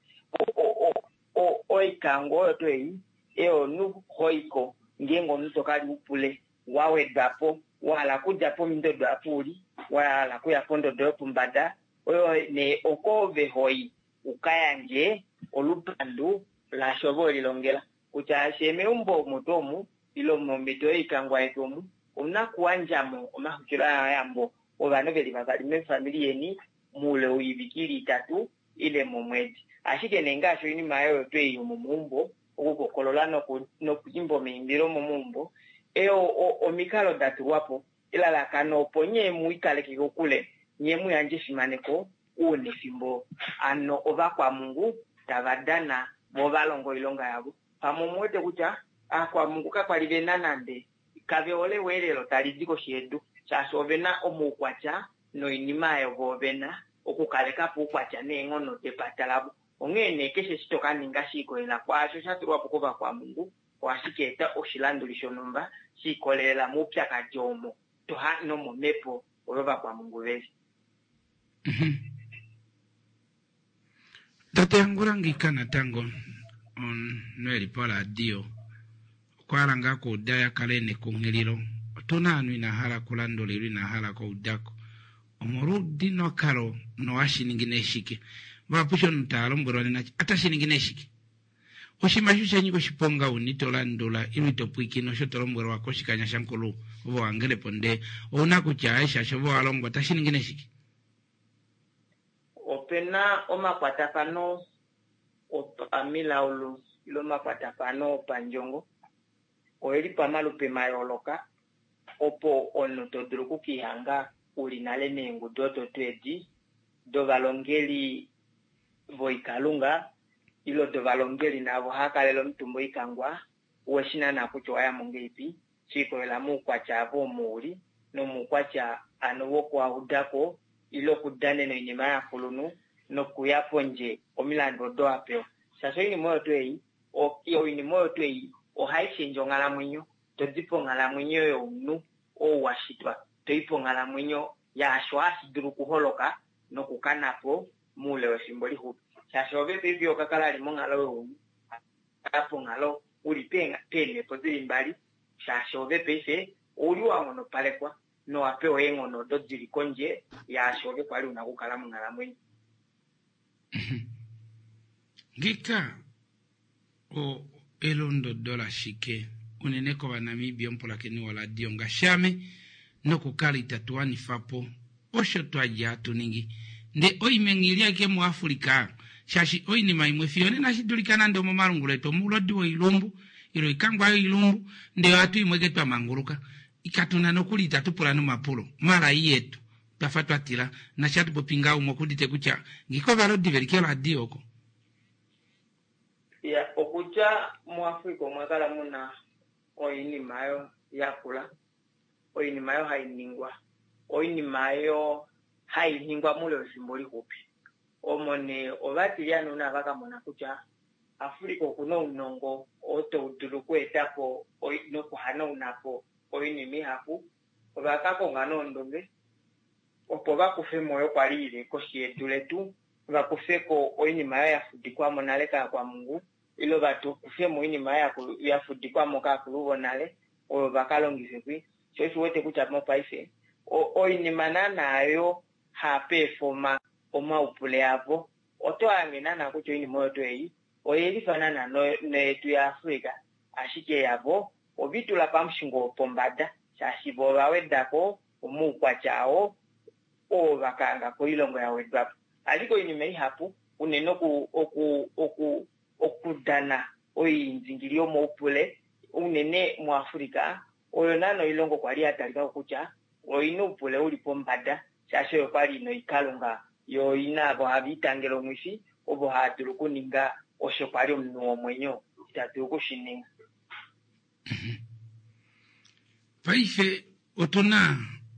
Speaker 7: oikango oyo tuu ei eyo omunhu hoiko ngeenge omunhu to ka li upule wa wedwa po, wa hala okudja pondodo apa uli wa hala okuya pondodo yopombada, oyo nee oko ove hoi u ka yandje olupandu laasho ove we lilongela. Kutya fyee meumbo omo tuu omu, ile momhito yoikangwa yetu omu, omu na okuyandja mo omaxwikiloyambo ovanhu ve li vavali mefamili yeni moule woivike i li itatu ile momwedi. Ashike nee ngaashi oinima oyo tuu ei yomomaumbo, okukokolola nokwiimba omaimbilo omomaumbo, eyo omikalo da tulwa po, elalakano opo nye mu ikaleke kokule, nye mu yandje efimaneko ounefimbo ano ovakwamungu tava dana vo va longa oilonga yavo. Pamwe omu wete kutya aakwamungu kakwa li ve na nande kave hole eweelelo tali di koshi yedu shaashi ove na omaukwatya noinima oyo vo ve na okukaleka po oukwatya neenghono depata lavo. Onghee nee keshe eshi to ka ninga she ikolelela kwaasho sha tulwa po kovakwamungu ohashi ka eta oshilanduli shonhumba she ikolelela moupyakadi omo to ha nomomhepo oyo ovakwamungu ve li.
Speaker 1: Tate Angula ngiika natango omunhu eli poradio okwa hala ngaa kuuda ya kale nekunghililo. Otuna ovanhu ina hala kulandula ile ina hala kuudako omolwoudi nokalo nohashi ningi nee shike. Vahapu eshi omunhu ta lombwelwa nena otashi ningi nee shike. Oshinima eshi osha nyika oshiponga unene ito landula ile ito pwiikine osho to lombwelwa koshikanya shankulu ove wa po ndee ou na kutya aaye shaashi ove wa longwa tashi ningi nee shike?
Speaker 7: Ope na omakwatafano opamilaulu ile omakwatafano opandjongo oeli pamalupe mayooloka opo omunhu to dulu okukihanga uli nale meengudu odo tuu edi dovalongeli voikalunga ile dovalongeli naavo hava kalele omutumba oikangwa, uwe shi naana kutya owa ya mo ngeipi, she ikolelela moukwatya avo omo u li, nomoukwatya ano wokuhauda ko ile okudanena oinima yovakulunhu nokuya pondje omilandu odo wa pewa. Shaashi oinima oyo tuu ei, oinima oyo tuu ei ohai shendje onghalamwenyo, to di ponghalamwenyo yomunhu ou wa shitwa, to i ponghalamwenyo yaasho hashi dulu okuholoka nokukana po moule wefimbo lixupi. Shaashi ove paife oka kala li monghalo younhu, kala ponghalo u li peemhepo di li mbali, shaashi ove paife ou li wa nghonopalekwa nowa pewa eenghono odo di li kondje yaasho ove kwa li u na okukala monghalamwenyo.
Speaker 1: Ngiika o elondodo lashike unene kOvanamibia omupulakeni woradio ngaashi ame nokukala itatu wanifa po osho twa dja hatu ningi. Ndee oimengha ili ashike muAfrica. Shaashi oinima imwe fiyo nena shi dulika nande omomalungula etu omoulodi woilumbu ile oikangwa yoilumbu ndee ohatu imwe ke twa manguluka. Katu na nokuli itatu pula nomapulo. Malai yetu twa fa twa tila. Nashi hatu popi ngaha umwe okuudite kutya ngiika ovalodi ve li keradio oko.
Speaker 7: Ya, okutya muAfrica omwa kala mu na oinima oyo yakula, oinima oyo hai ningwa, oinima oyo hai ningwa moule wefimbo lixupi. Omo nee ovatilyane una va ka mona kutya Africa oku na ounongo oo tau dulu oku eta po nokuhanauna po oinima ihapu, ova ka konga nee ondunge opo va kufe mo oyo kwa li i li koshi yedu letu, va kufe ko oinima oyo ya fudikwa mo nale kaakwamhungu, ile va kufe mo oinima oyo ya fudikwa mo kaakulu vonale oyo va ka longife kwi. Sho osho u wete kutya mopaife oinima naana oyo haa peefoma omaupule avo, oto hange naana kutya oinima oyo tuu ei oye lifa naana noyetu yaAfrica, ashike yavo ove i tula pamushingo wopombada shaashi vo ova weda ko omaukwatya ao oo va ka hanga koilongo ya wedwa po. Ashike oinima ihapu, unene oku, oku, oku, okudana oiindingili yomoupule, unene muAfrica, oyo naana oilongo kwa li ya talika ko kutya oi na oupule u li pombada, shaashi oyo kwa li i na oikalunga, yo oi na avo have i tangele omwifi, ovo hava dulu okuninga osho kwa li omunhu womwenyo ita dulu oku shi ninga.
Speaker 1: Paife otu na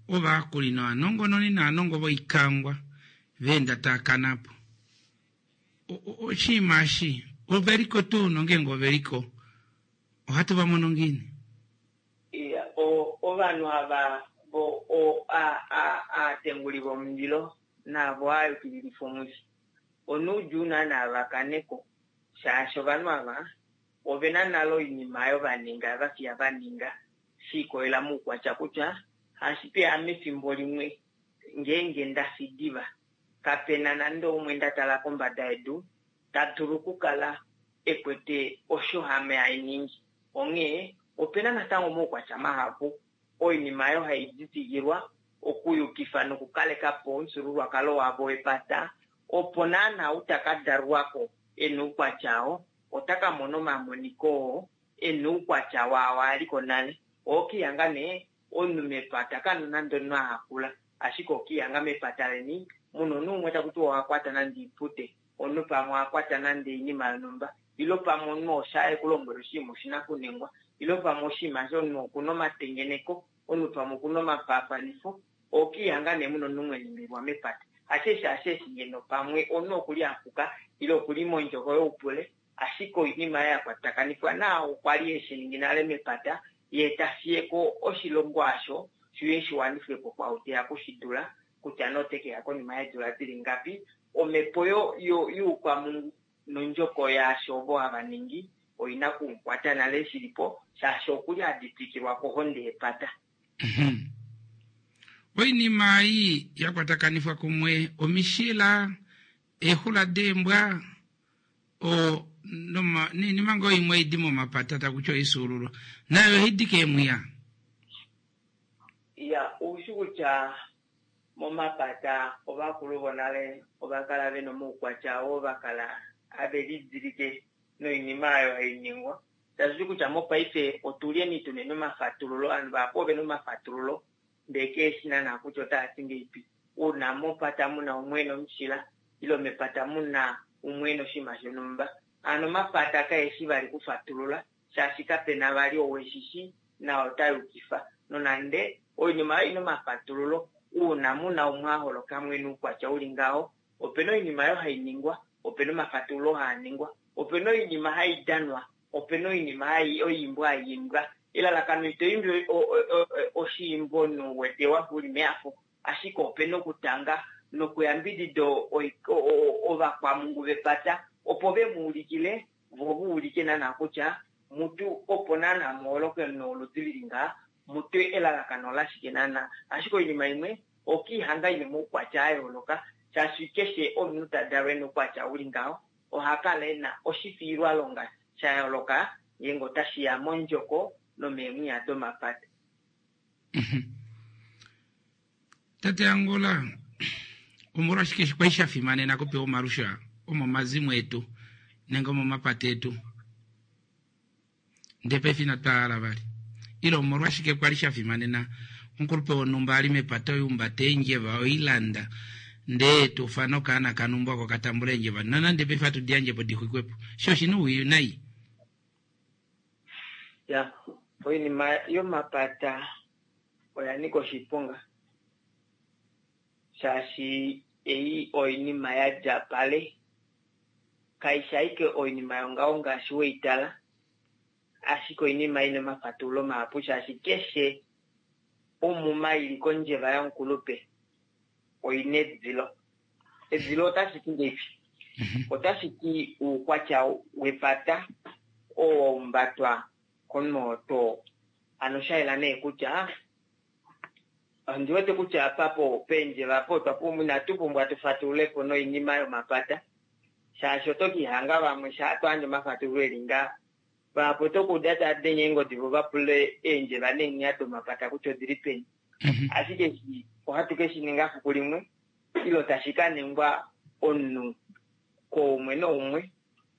Speaker 1: ovayakuli novanongononi naanongo voikangwa va enda taa kana po. Oshinima eshi ove li ko tuu nongeenge ove li ko ohatu va mono ngiini?
Speaker 7: Iya, o, ovanhu ava vo o, a, a, aatenguli vomundilo naavo aayukililifa omwifi, onoudjuu naana va kane ko, shaashi ovanhu ava ove na nale oinima oyo va ninga, va fiya va ninga, she ikolela moukwatya kutya hashi peya mefimbo limwe ngeenge nda fi diva, kape na nande oumwe nda tala kombada yedu ta dulu okukala e kwete osho ame hai ningi. Onghee ope na natango omaukwatya mahapu oinima oyo hai ditikilwa okuyukifa nokukaleka po omufyuululwakalo wavo wepata, opo naana ou ta ka dalwa ko e na oukwatya oo ota ka mona omamoniko oo e na oukwatya waao a li ko nale. Oho ka ihanga nee omunhu mepata ka na nande omunhu a hakula, ashike oho ka ihanga mepata leni mu na omunhu umwe taku tiwa oha kwata nande oipute, omunhu pamwe oha kwata nande oinima yonhumba, ile pamwe omunhu osha e ku lombwela oshinima oshi na okuningwa, ile pamwe oshinima eshi omunhu oku na omatengeneko, omunhu pamwe oku na omafaafanifo. Oho ka ihanga nee mu na omunhu mwe limbililwa mepata. Hasheshi hasheshi ngeno pamwe omunhu oku li a puka ile oku li mondjoko youpule, ashike oinima ya kwatakanifwa naao kwa li e shi ningi nale mepata, ye ta fiye ko oshilongo asho shi uye shi wanifwe po kwaau te ya oku shi dula, kutya nee ote ke ya konima yeedula di li ngapi. Omhepo yo, yo, youkwamungu nondjoko yaasho ovo hava ningi oi na oku mu kwata nale shi li po, shaashi oku li a ditikilwa kohonde yepata.
Speaker 1: Oinima ei ya kwatakanifwa kumwe omishila, eexula deembwa, o, noma, noinima ngoo imwe ei di momapata taku ti oisuululwa, nayo ohai di keemwiya.
Speaker 7: Ya, ou shi kutya momapata ovakulu vonale ova kala ve na omaukwatya oo va kala have lidilike noinima oyo hai ningwa. Tashi ti kutya mopaife otu lyeni tu neni omafatululo, ovanhu vahapu ove na omafatululo ndee keeshi naana kutya otaa ti ngeipi. Uuna mopata mu na umwe e na omushila ile mepata mu na umwe e na oshinima shonhumba, hano omapata kaeshi vali kufatulula shaashi kape na vali ou eshi shi na ota yukifa. Nonande oinima oyo i na omafatululo, uuna mu na umwe a holoka mo e na oukwatya u li ngaho, ope na oinima oyo hai ningwa, ope na omafatululo haa ningwa, ope na oinima hai danwa, ope na oinima hai oiimbo hai imbwa. Elalakano ito imbi oshiimbo omunhu u wete wa fa u li mehafo, ashike ope na okutanga nokuyambidida ovakwamhungu vepata opo ve mu ulikile vo va ulike naana kutya mutu opo naana mu holoke omunhu woludi lili ngaha, mutu elalakano olashike naana. Ashike oinima imwe okiihanga ina omaukwatya a yooloka, shaashi keshe omunhu ta dalwa ena oukwatya uli ngaho oha kala ena oshifiilwalonga sha yooloka ngeenge otashi ya mondjoko nomeemwiya domapata.
Speaker 1: Tate Angola, omolwashike kwa li sha fimanena kupewa omalusha? Omomazimo etu nenge omomapata etu ndee paife inatu a hala vali. Ile omolwashike kwa li sha fimanena omukulupe wonhumba a li mepata oihumbata eendjeva oilanda ndee tu ufana okaana kanhumba oko ka tambula eendjeva nonande paife hatu di yandje po di xwikwe po. Sho oshi na ouwinayi.
Speaker 7: Ya, oinima yomapata oya nika oshiponga shaashi ei oinima ya dja pale, kaishi ashike oinima yongaho ngaashi weitala, ashike oinima ina omafatululo mahapu shaashi keshe omuma ili kondjeva yomukulupe oina edilo. Edilo otashi ti ngeipi? Otashi ti uukwatya wepata oo wa umbatwa komunhu oo too. Ano sha yela nee kutya ondi wete kutya apa po peendjeva apo otwa pumbwa inatu pumbwa tu fatulule po noinima yomapata shaashi oto kihanga vamwe shaa to yandje omafatululo eli ngaa vahapu oto kuuda tava denge eengodi vo va pule eendjeva neenghiya domapata kutya odili peni. Ashike eshi ohatu ke shi ninga fiku limwe ilo tashi ka ningwa omunhu koumwe noumwe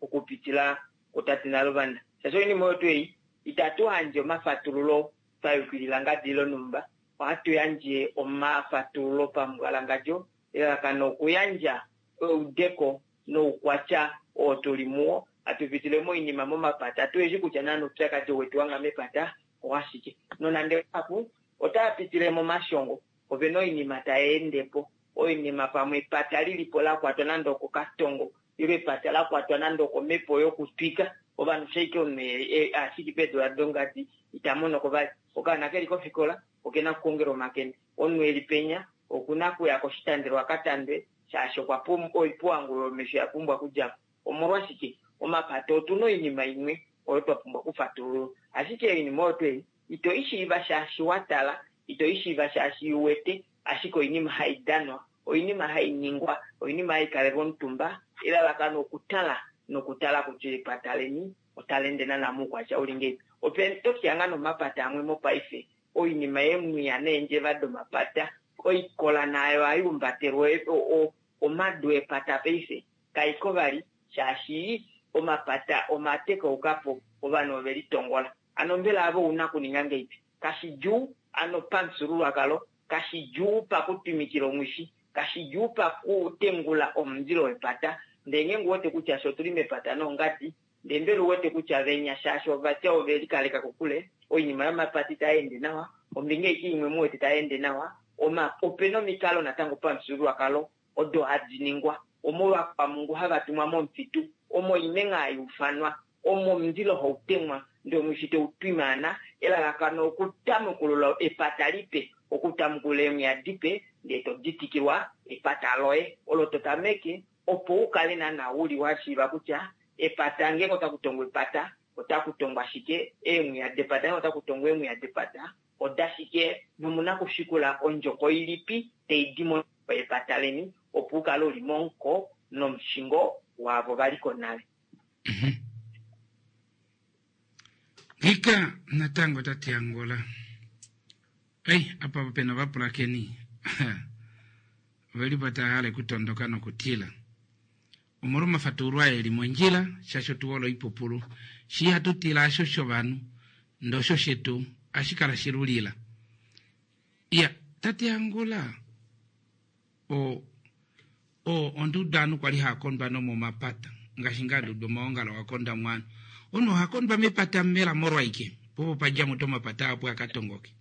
Speaker 7: okupitila kutate Naluvanda. Shaashi oinima oyo tuu ei itatu yandje omafatululo twa yukilila ngadi lonhumba, ohatu yandje omafatululo pambwalangadjo, elalakano okuyandja eudeko noukwatya oo tuli muwo, hatu pitile moinima momapata, tu eshi kutya naana oupyakadi wetu wanga mepata owashike. Nonande vahapu otava pitile momashongo, ovena oinima tai ende po, oinima pamwe epata lilipo la kwatwa nande okokatongo ile epata la kwatwa nande okomhepo yokutwika ovanhu shaike omunhu ashiki peedula dongadi ita monoko vali. Okaana keli kofikola okena okukongela omakende, omunhu eli penya okuna okuya koshitandelo a ka tandwe shaashi okwa pumbwa oipuwangulo yomesho ya pumbwa okudja po. Omolwashike? Omapata otuna oinima imwe oyo twa pumbwa okufatululwa, ashike oinima oyo tuu ei ito i shiiva shaashi wa tala, ito i shiiva shaashi u wete, ashike oinima hai danwa, oinima hai ningwa, oinima hai kalelwa omutumba, elalakano okutala nokutala kutya epata leni otali ende naana moukwatya uli ngeipi. Ope to kihanga nomapata amwe mopaife, oinima yeemwiya neendjeva domapata, oikola naayo hai umbatelwa omadu epata paife kaiko vali shaashi omapata omatekauka po, ovanhu ove litongola. Ano mbela ave ouna okuninga ngeipi? Kashidjuu ano pamufyuululwakalo, kashidjuu pakutwimikila omwifi, kashidjuu pakutengula omundilo wepata. Ndee ngeenge uwete kutya fye otuli mepata noongadi, ndee mbela uwete kutya venya shaashi ovatya ove likaleka kokule, oinima yomapata itai ende nawa, ombinga aike imwe muwete tai ende nawa, oma, opena omikalo natango pamufyuululwakalo odo hadi ningwa, omo ovakwamungu hava tumwa momufitu, omo oimengha hai ufanwa, omo omundilo hau temwa ndee omwifi tau twimaana, elalakano okutamukulula epata lipe, okutamukulula eemwiya dipe ndee to ditikilwa epata loye olo to tameke opo u kale naana uli wa shiiva kutya epata ngeenge ota kutongwa epata ota kutongwa shike, eemwiya depata ngeenge ota kutongwa eemwiya depata oda shike nomuna kushikula ondjoko ilipi tai di mo epata leni opo u kale uli momuko nomushingo waavo va liko nale.
Speaker 1: Ngika natango tate Angola. Ei, apa pena ovapulakeni oveli po tava hale kutondoka nokutila. Omolwa omafatululo aa eli mondjila, shaashi otu hole oipupulu. Shi ihatu tila asho shovanhu, ndee osho shetu ohashi kala shilulila. Iya, tate Angola, o, o, onda uda ovanhu kwali hava kondwa nomomapata, ngaashi ngaa nda uda omaongalo ga kondwa mwaano. Omunhu oha kondwa mepata mbela molwaike? Po opo pa dja mutu omapata ahapu a ka tongoke.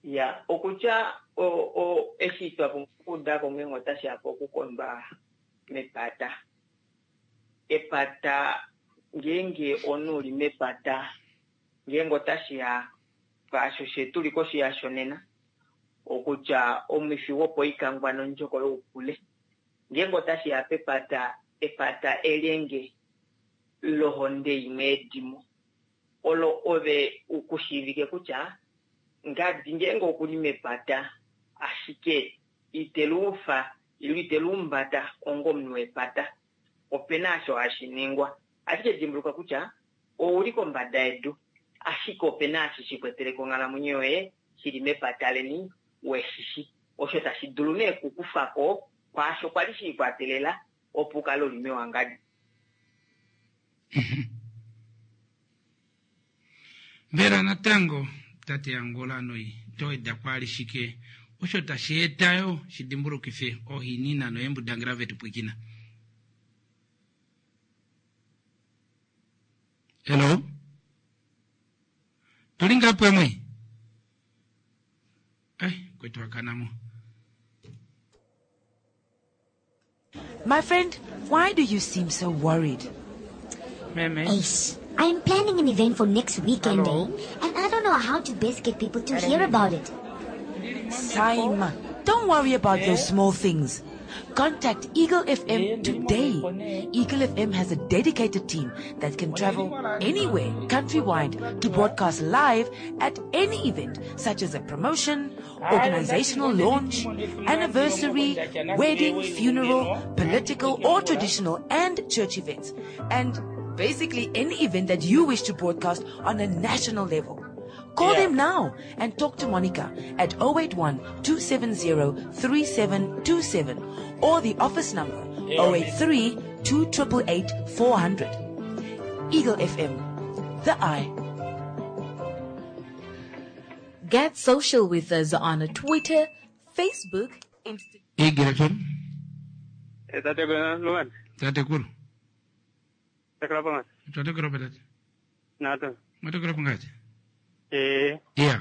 Speaker 7: Ya, okutya o, o, eshi twa pumbwa okuuda ko ngeenge otashi ya pokukondwa mepata. Epata, ngeenge omunhu u li mepata, ngeenge otashi ya pwaasho she tu li koshi yasho nena, okutya omwifi wopoikangwa nondjoko youpule. Ngeenge otashi ya pepata, epata elyenge lohonde imwe yedimo, olo ove u ku shiivike kutya ngadi ngeenge oku li mepata ashike ite luufa ile ite luumbata onga omunhu wepata, ope na osho hashi ningwa. Ashike dimbuluka kutya ou li kombada yedu, ashike ope na eshi shi kwetele ko onghalamwenyo yoye shi li mepata leni we shi shi. Osho tashi dulu nee ku kufa ko kwaasho kwa li shi ikwatelela. Opo u kale u li mewangadjo.
Speaker 1: Mbela natango tate Angola noi to weda kwaali shike osho tashi eta yo shi dimbulukife oohinina noembudangela vetu pwikina? Hello? Tuli ngaa pamwe? Ai, kwetu akanamo.
Speaker 2: My friend, why do you seem so worried?
Speaker 1: Meme.
Speaker 3: Eish, I'm planning an event for next weekend, eh? And I don't know how to best get people to hear about it.
Speaker 2: Saima, don't worry about those small things. Contact Eagle FM today. Eagle FM has a dedicated team that can travel anywhere countrywide to broadcast live at any event such as a promotion, organizational launch, anniversary, wedding, funeral, political or traditional and church events. And basically any event that you wish to broadcast on a national level. Call them now and talk to Monica at 081 270 3727 or the office number 083 2888 400. Eagle FM, the eye.
Speaker 4: Get social with us on Twitter, Facebook, Instagram.
Speaker 1: Eagle FM,
Speaker 8: Eh, tate Luan,
Speaker 1: tatekulu.
Speaker 8: tekela pa
Speaker 1: Twatekula pa tate.
Speaker 8: Nato.
Speaker 1: Mwatekula pa ngati?
Speaker 8: Eh,
Speaker 1: Yeah.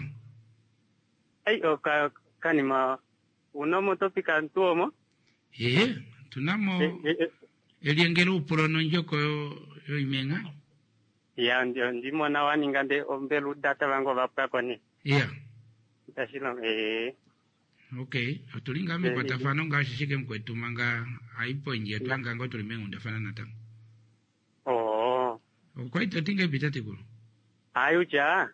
Speaker 8: ai o ka kanima unomo topika ntuomo.
Speaker 1: Ee, tunamo
Speaker 8: Eh, eh, eh,
Speaker 1: eliengelo upulo nondjoko yo yoimenga.
Speaker 8: ya ndio ndimona waninga nde ombelu data vangu vapwako ni.
Speaker 1: Yeah.
Speaker 8: Tashilo eh
Speaker 1: Okay, otuli nga mekwatafano ngaashi shike mukwetu manga aipo nje twanga ngo tuli mengundafana natango.
Speaker 8: oh
Speaker 1: Okwaita tinga tatekulu.
Speaker 8: ayucha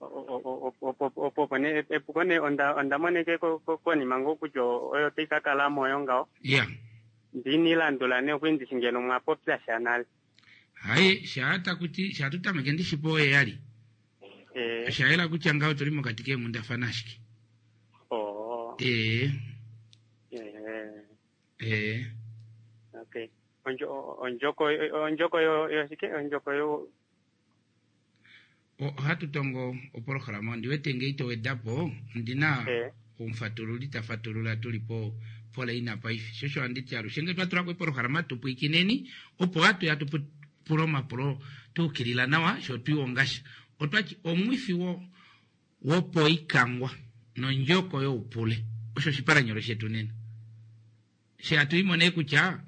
Speaker 8: opo ne epuko ne onda onda moneke ko ko- konima ngo kutya oyo tayi ka kala moyo ngawo
Speaker 1: Yeah.
Speaker 8: ndinilandula ne okwindisi ngeno mwapopya sha nale
Speaker 1: Hayi, shaata kuti shatutameke ndishipo oye yali.
Speaker 8: eh
Speaker 1: Shayela kutya ngawo tuli mokati kengundafana ashike.
Speaker 8: oh
Speaker 1: Eh,
Speaker 8: eh
Speaker 1: eh.
Speaker 8: okay onjo onjoko onjoko yo yo shike onjoko yo
Speaker 1: Ohatu tongo opolohalama ondiwete ngei towedapo ndina
Speaker 8: eh
Speaker 1: omufatululi tafatulula tuli po pola ina paife shosho anditi alushe nge twatulako epolohalama tupwikineni opo atuya tupula omapulo tuukilila nawa sho twiwongasha otwati omwifi wo wopoikangwa nondjoko youpule osho oshipalanyolo shetu nena she hatu kutya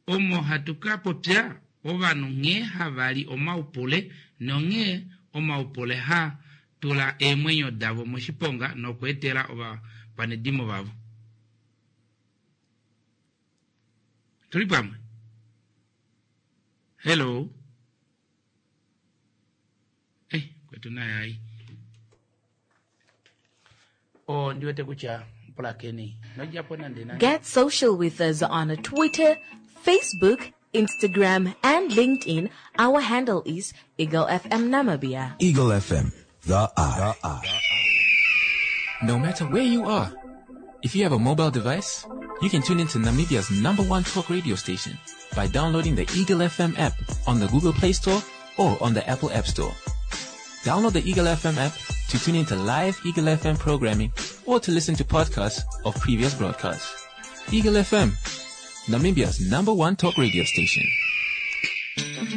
Speaker 1: omo hatu ka popya ovanhu nghee havali omaupule nonghee omaupule ha tula eemwenyo davo moshiponga nokweetela ovakwanedimo vavo. Tuli pamwe? Hello? Eh, kwetu naye ai. O ndiwete kutya pulakeni nodjapo nande nande.
Speaker 4: Get social with us on Twitter, Facebook, Instagram, and LinkedIn. Our handle is Eagle FM Namibia.
Speaker 9: Eagle FM, the eye.
Speaker 6: No matter where you are, if you have a mobile device, you can tune into Namibia's number one talk radio station by downloading the Eagle FM app on the Google Play Store or on the Apple App Store. Download the Eagle FM app to tune into live Eagle FM programming or to listen to podcasts of previous broadcasts. Eagle FM, Namibia's number one talk radio station.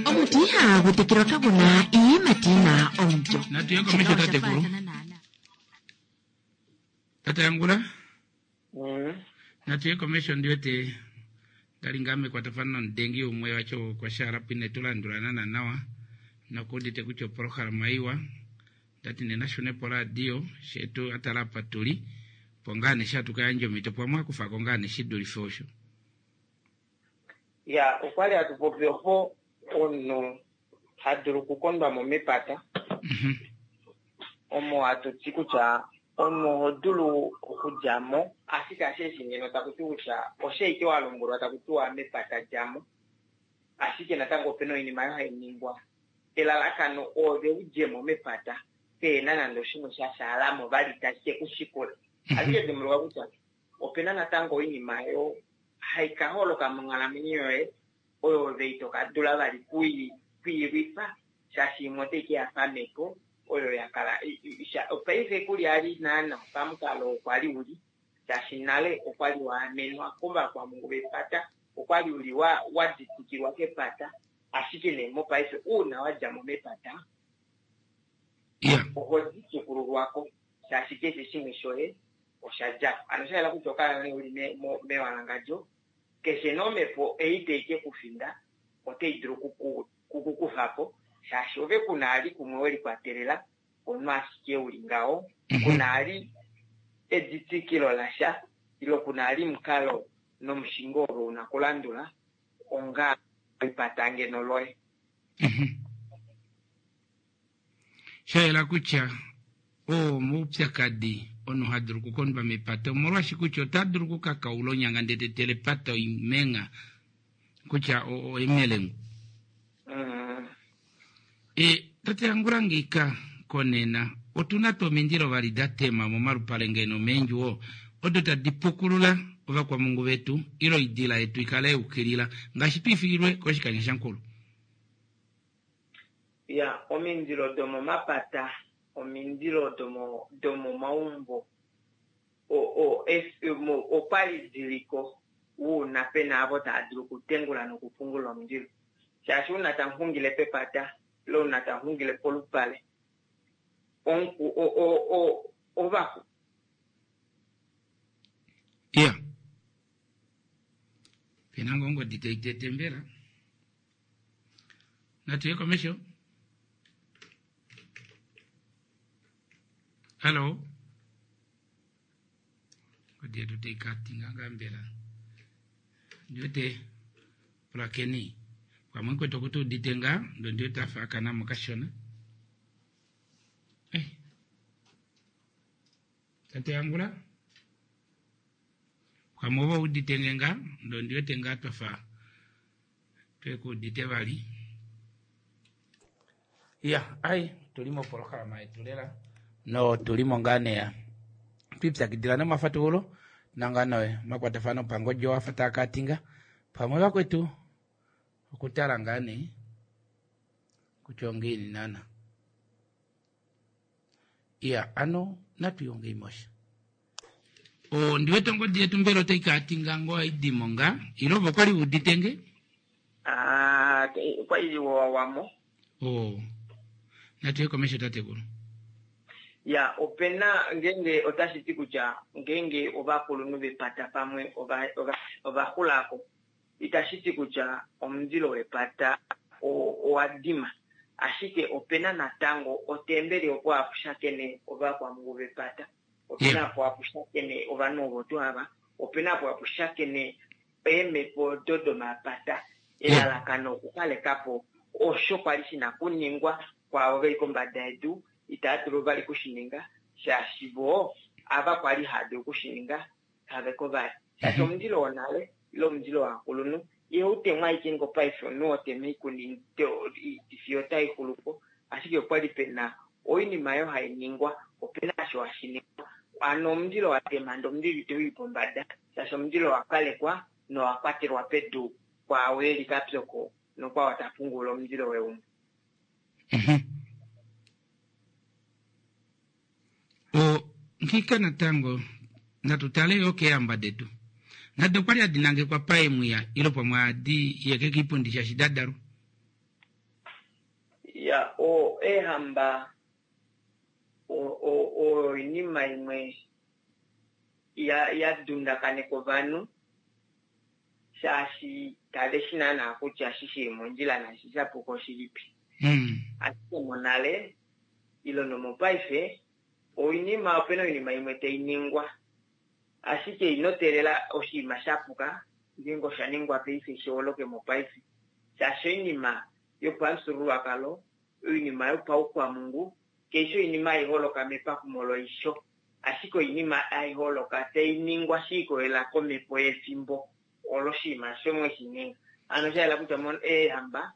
Speaker 10: Omutiha gutekirwa kabona iye matina omutyo.
Speaker 1: Natuye komesho tatekulu. Tata yangula? Natuye komesho ndiwete ndali mekwatafano nomudengi umwe wacho kwashala pwine tulandulana na nawa nokudite kutya opolohalama iwa ndati nena shune poradio shetu atala apa tuli po ngaa neshatukayandja omito pwamwe akufako ngaa neshidulife osho.
Speaker 7: Ya okwali hatu popi opo omunhu hadulu okukondwa mo mepata omo hatu ti kutya omunhu oho dulu okudja mo ashike asheeshi ngeno taku ti kutya osheike wa lombwelwa taku tiwa mepata djamo ashike natango opena oinima oyo hai ningwa elalakano ove udjemo mepata pehena nande oshimwe sha shaalamo vali tashi ke kushikula. Ashike dimbuluka kutya opena natango oinima oyo hai ka holoka monghalamwenyo yoye oyo ove ito ka dula vali kwiilwifa shaashi imwe otai ke ya pamhepo oyo ya kala paife kuli ali naana pamukalo okwa li uli shaashi nale okwa li wa amenwa kovakwamhungu vepata, okwa li uli wa ditikilwa kepata, ashike nee mopaife uuna wa dja mo mepata oho ditukululwako shaashi keshe shimwe shoye osha dja ko. Ano sha yela kutya okala nee uli mewalangandjo, keshe nee omhepo ei tai ke ku finda otai dulu kukukufa po shaashi ove ku na ali kumwe we likwatelela omunhu ashike uli ngaho, ku na ali editikilo lasha ile ku na ali omukalo nomushingo ove una kulandula onga epata ngeno loye.
Speaker 1: Sha yela kutya oo omaupyakadi omunhu ha dulu okukondwa mepata omolwaashi kutya ota dulu okukakaula onyanga ndele ta etele epata oimengha kutya oimelengu. E, tate Angula ngiika konena otu na tuu omindilo vali da tema momalupale ngeno meendjuwo odo tadi pukulula ovakwamungu vetu ile oidila yetu ikale yukilila ngaashi twiifililwe koshikanya shankulu?
Speaker 7: Ya, omindilo domomapata, omindilo domo domomaumbo okwali diliko uuna pena avo tava dulu okutengula nokupungula omundilo. Shaashi uuna tamu xungile pepata ile uuna tamu xungile polupale, ovaku.
Speaker 1: Iya. Pena ngoo ongodi tai tete mbela. Natu ye komesho. Hallo. Ongodi yetu tai katinga ngaa mbela. Ndiwete pulakeni. Pamwe kwetu okutu udite ngaa, ndo ndiwete afa akana mo kashona. Eh. Tate Angula. Pamwe ove udite nge ngaa, ndo ndiwete ngaa twafa tweku udite vali. Ya, ai, tuli mopolohalama yetu lela no tuli mo ngaa neya twipyakidila nomafatululo nanga noye omakwatafano pangodi owafa taa katinga pamwe vakwetu okutala ngaa nee kutya ongiini naana. Iya, ano natu yongei mosha. Ondi wete ongodi yetu mbela otai katinga ngoo aidimo ngaa ile ove okwali udite nge?
Speaker 7: Ah, okwali wawamo.
Speaker 1: Oh. Natu ye komesho tatekulu.
Speaker 7: Ya, opena ngeenge otashi ti kutya ngeenge ovakulunhu vepata pamwe ova ova ova xulako itashi ti kutya omundilo wepata owa dima, ashike opena natango otembeli opo hapu shakene ovakwamhungu vepata, opena opo hapu shakene ovanhu ovo tuu ava, opena opo hapu shakene eemhepo odo domapata. Elalakano okukaleka po osho kwali shina kuningwa kwaavo veli kombada yedu itava dulu vali kushininga shaashi voo ava kwali hava dulu kushininga kave ko vali. Shaashi omundilo wonale ile omundilo wovakulunhu ihau temwa ashike ngo paife omunhu ho tema oikuni fiyo otai xulu po, ashike okwali pena oinima oyo hai ningwa, opena osho hashi ningwa. Hano omundilo wa tema ndee omundilo itau i pombada shaashi omundilo owa kalekwa nowa kwatelwa pedu kwaao eli kapyoko nokwao ta pungula omundilo weumbo.
Speaker 1: O, nghika natango, natu tale yo keehamba detu. Nado okwali hadi nangekwa paemwiya ilo pamwe ohadi yeke kiipundi shaashi da dalwa.
Speaker 7: Ya, o, eehamba o, o, oyo oinima imwe ya, ya dundakaneka ovanhu shaashi kave shi naanaa kutya eshi shili mondjila naashi sha puka oshilipi. Ashike monale ile nomopaife oinima opena oinima imwe tai ningwa ashike ino teelela oshinima sha puka ngeenge osha ningwa paife shi holoke mopaife shaashi oinima yopamufyuululwakalo oinima yopaukwamhungu kaishi oinima hai holoka mepakumo loisho ashike oinima hai holoka tai ningwa shi ikolelela komhepo yefimbo olo oshinima osho mwe shi ninga. Hano osha yela kutya eehamba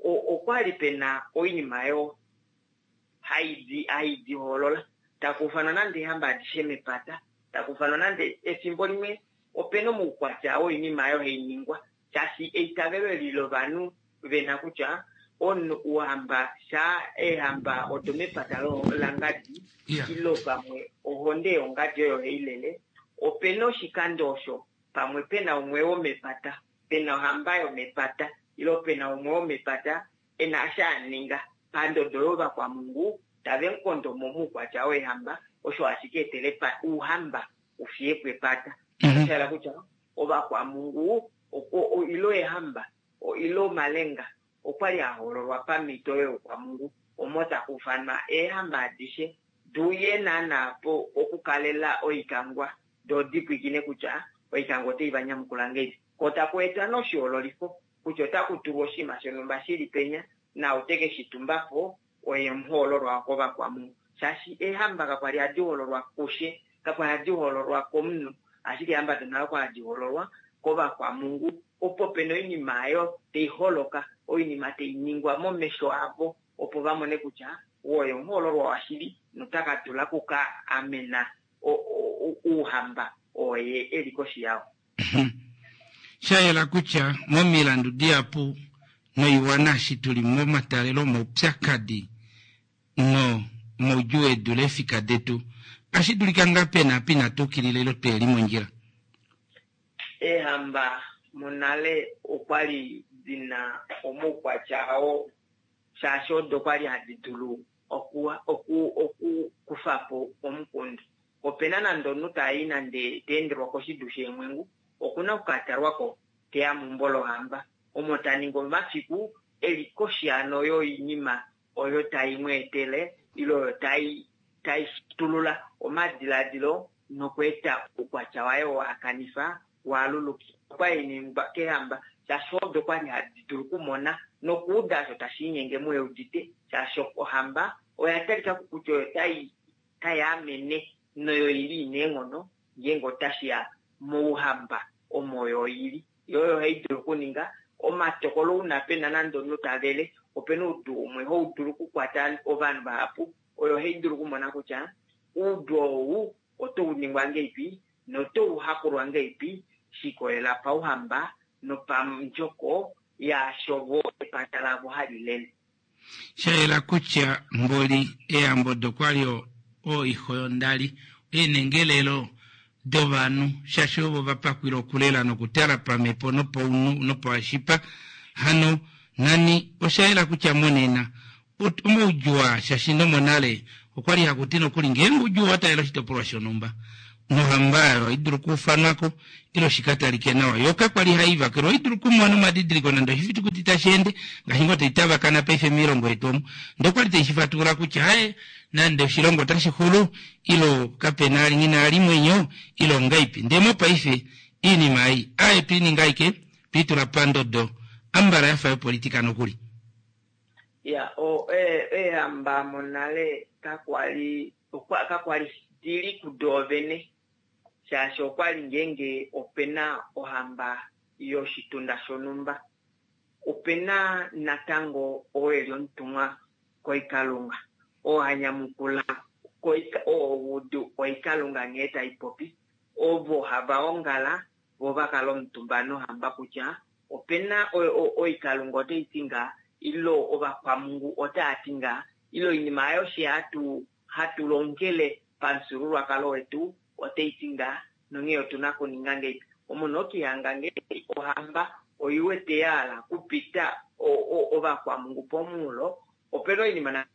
Speaker 7: okwali pena oinima yo haidi hoolola takuufanwa nande eehamba adishe mepata takuufanwa nande efimbo limwe. Opena omaukwatya oinima oyo hai ningwa shaashi eitavelo eli lovanhu vena kutya omunhu uhamba shaa eehamba odo mepata langadi ilo pamwe ohonde yongadi oyo hai lele, opena oshikando osho pamwe pena umwe womepata, pena ohamba yomepata ilo pena umwe womepata ena eshi a ninga pandodo yovakwamungu tave mu kondo mo moukwatya weehamba, osho hashi ka etela ouhamba u fiye po epata. Osha yela kutya ovakwamungu ilo eehamba ile omalenga okwali a hoololwa pamhito youkwamungu omo taku ufanwa eehamba adishe di uye naana po okukalela oikangwa doo di pwiikine kutya oikangwa otai va nyamukula ngahelipi. Ko taku etwa nee oshihoololifo kutya otaku tulwa oshinima shonhumba shi li penya naau te ke shi tumba po oye omuhoololwa kovakwamungu. Shaashi eehamba kakwali hadi hoololwa kushe, kakwali hadi hoololwa komunhu, ashike eehamba donale okwali hadi hoololwa kovakwamungu opo pena oinima oyo tai holoka, oinima tai ningwa momesho avo opo va mone kutya ou oye omuhoololwa washili nota ka dula oku ka amena ouhamba oo ye e li koshi yao.
Speaker 1: Sha yela kutya momilandu dihapu noiwana eshi tu li momatalelo omaupyakadi no moudjuu e dule eefika detu, otashi dulika ngaa pe na apa inatu ukilila ile tuhe li mondjila.
Speaker 7: Eehamba monale okwa li di na omaukwatya ao shaashi odo kwa li hadi dulu okukufa po omukundu. Ope na nande omunhu ta i nande ta endelwa koshidu sheemwengu, oku na oku ka talwa ko te ya meumbo lohamba, omo ta ningi omafiku e li koshi hano yoinima oyo tai mu etele ile oyo tai tai shitulula omadiladilo nokweeta oukwatya waye oo a kanifa wa lulukila. Okwa li ningwa keehamba shaashi odo kwa li hadi dulu okumona nokuuda osho tashi linyenge muye udite shaashi ohamba oya talika ko kutya oyo tai tai amene noyo i li ina eenghono ngeenge otashi ya mouhamba omo oyo i li. Yo oyo hai dulu okuninga omatokolo ouna pe na nande omunhu ta vele. Ope na oudu umwe hau dulu okukwata ovanhu vahapu, oyo hai dulu okumona kutya oudu ou otau ningwa ngahelipi notau hakulwa ngahelipi she likolelela pauhamba nopandjoko yaasho vo epata lavo hali lele.
Speaker 1: Sha yela kutya mboli eeyambo odo kwa li oiho yondali eenengelelo dovanhu shaashi ovo va pakwila okulela nokutala pamhepo nopaunhu nopashipa. Hano nani osha yela kutya monena omaudjuu aa shaashi nomonale okwa li haku ti nokuli ngeenge oudjuu owa taalela oshitopolwa shonhumba nohamba oyo ohai dulu okuufanwa ko ile shi ka talike nawa. Yo kakwa li hai vakelwa, ohai dulu okumona omadidiliko nande oshifitukuti tashi ende, ngaashi ngoo tai tavakana paife moilongo yetu omu. Ndee okwa li tai shi fatulula kutya haye nande oshilongo otashi xulu ile kape na nghi na ali mwenyo ile ongaipi. Ndee mopaife iinima ei aye twe i ninga aike twe i tula pandodo ambala ya fa yopolitika nokuli.
Speaker 7: Ya, o, e, eehamba monale kakwa li, okwa, kakwa li di li kudoovene, shaashi okwa li ngeenge ope na ohamba yoshitunda shonhumba, ope na natango oo e li omutumwa koikalunga, oo ha nyamukula koika, oo udu oikalunga nghee tai popi, ovo hava ongala vo va kala omutumba nohamba kutya ope na oikalunga otai ti ngaa, ile ovakwamungu otava ti ngaa, ile oinima ayo she hatu hatu longele pamufyuululwakalo wetu otai ti ngaa, nonghee otu na okuninga ngahelipi. Omunhu okihanga ngee ohamba oi wete ya hala okupita ovakwamungu pomunghulo, ope na oinima na.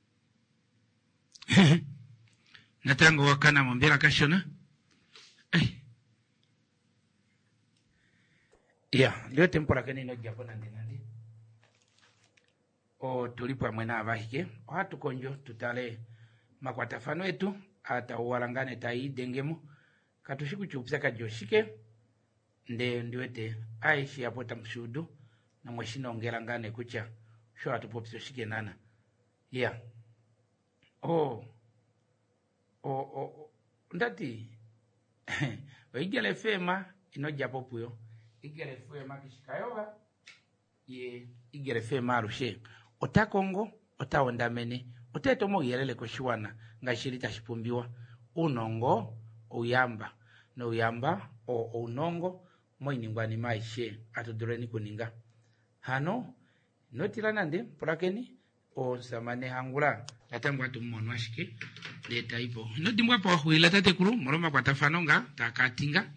Speaker 1: Natango owa kana mo mbela kashona? Ya, ndi wete mupulakeni ino dja po nande nande. Otu li pamwe naavahike, ohatu kondjo tu tale omakwatafano etu aa taa uwala ngaa nee taa idenge mo. Katu shi kutya oupyakadi oshike, ndee ondi wete aishe apo otamu shi udu nomwe shi nongela ngaa nee kutya osho hatu popi oshike naana. Ya, o, o, o, onda ti oEagle FM ino dja po puyo. Eagle FM keshi kayova. Ye Eagle FM alushe ota kongo, ota hondamene, ota eta omauyelele koshiwana ngaashi shili tashi pumbiwa. Uunongo ouyamba. nouyamba oo ounongo moiningwanima aishe atu duleni kuninga. Hano ino tila nande, pulakeni, omusamane Hangula natango atu mu mono ashike ndee ta i po. Ino dimbwa apa wa xulila tatekulu molwa omakwatafano nga taa ka tinga.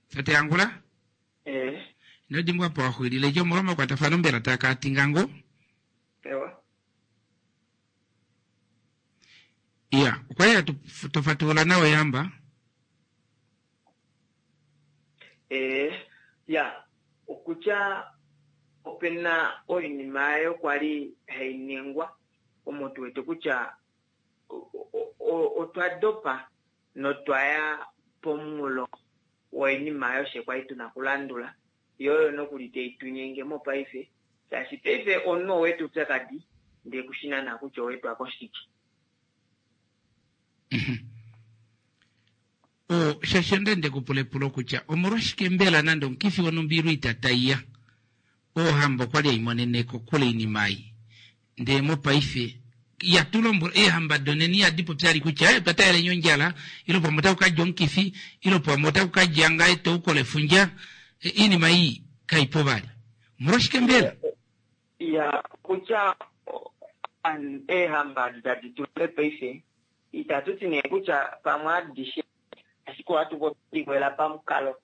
Speaker 1: Tate Hangula?
Speaker 7: Eh.
Speaker 1: Ino dimbwa apa wa xulile dje omolwa omakwatafano mbela taa ka tinga ngoo?
Speaker 7: Ewa.
Speaker 1: Iya, okwa li hatu to fatulula nawa eehamba.
Speaker 7: Ee, ya, okutya ope na oinima oyo kwa li hai ningwa omo tu wete kutya otwa dopa notwa ya pomunghulo woinima oyo fye kwa li tu na okulandula, yo oyo nokuli tai tu nyenge mopaife, shaashi paife omunhu owa eta oupyakadi ndee kushi naana kutya owa etwa koshike.
Speaker 1: O, shaashi onda nde ku pula epulo kutya omolwashike mbela nande omukifi wonhumba ile oita tai ya, ohamba okwa li hai monene kokule oinima ei. Ndee mopaife ihatu lombwelwa, eehamba donena ihadi popi vali kutya eh, otwa taalela ondjala, ile pamwe otaku ka dja omukifi, ile pamwe otaku ka dja ngaa etouko lefundja. Oinima ei kai po vali. Omolwashike mbela?
Speaker 7: Ya, kutya eehamba edi tadi tulile paife Itatu ti nee kutya pamwe adishe, ashike ohatu popi likolela pamukalo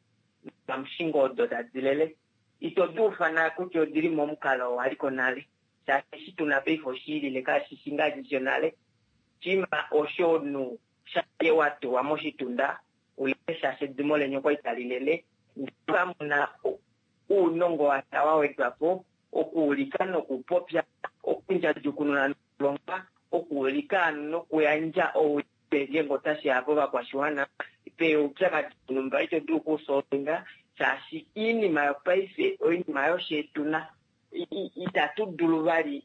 Speaker 7: nopamushingo odo tadi lele. Ito di ufana kutya odi li momukalo oo wa li ko nale, shaashi eshi tu na paife oshi ilile kashi shi ngaashi shonale. Oshinima osho omunhu shamha wa tulwa moshitunda ulele shaashi edimo leni okwa li tali lele, ndele kamu na uunongo washa wa wedwa po okuulika nokupopya, okundjadjukununa nokulonga, okuulika nokuyandja ouyelele ngeenge otashi ya povakwashiwana pe oupyakadi wonhumba ito dulu okuusolvinga shaashi oinima yopaife oinima yosheetuna itatu dulu vali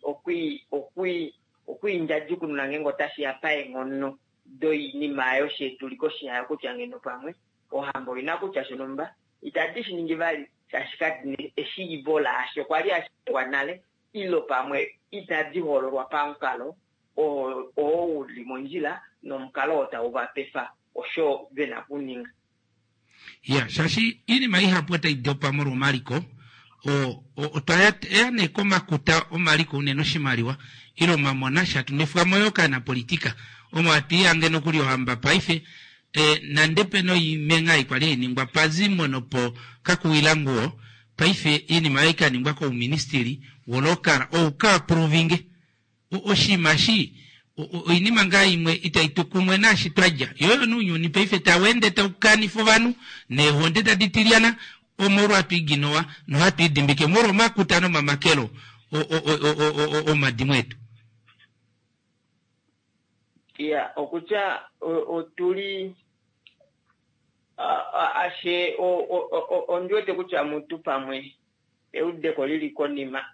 Speaker 7: okwiindjadjukununa ngeenge otashi ya paenghono doinima yosheetuli koshi yayo kutya ngeno pamwe ohamba oina kutya shonhumba Itadi shi ningi vali shaashi kadi na eshiivo laasho kwa li hashi ningwa nale ile pamwe itadi hoololwa pamukalo oo u li mondjila nomukalo oo tau va pefa osho ve na okuninga.
Speaker 1: Ya, shaashi oinima ihapu otai dopa molwa omaliko. Otwa ya nee komakuta omaliko unene oshimaliwa ile omamona sha tu nwefwa mo yoo kaanapolitika. Omo hatu ihange nokuli ohamba paife E, nande pe na oimengha ei kwali hai ningwa pazimo nopo kakuwilanguwo, paife iinima oyo ka ningwa kouministili wolokala ou ka approvinge. O, oshinima eshi, oinima ngaa imwe itai tu kumwe naashi twa dja. Yo oyo nounyuni paife tau ende tau kanifa ovanhu, neehonde tadi tilyana, omolwa hatu iginowa nohatu idimbike molwa omakuta nomamakelo o, o, o, o, o, o, omadimo etu.
Speaker 7: Ya, okutya otu li ashe ondi wete kutya mutu pamwe eudeko li li konima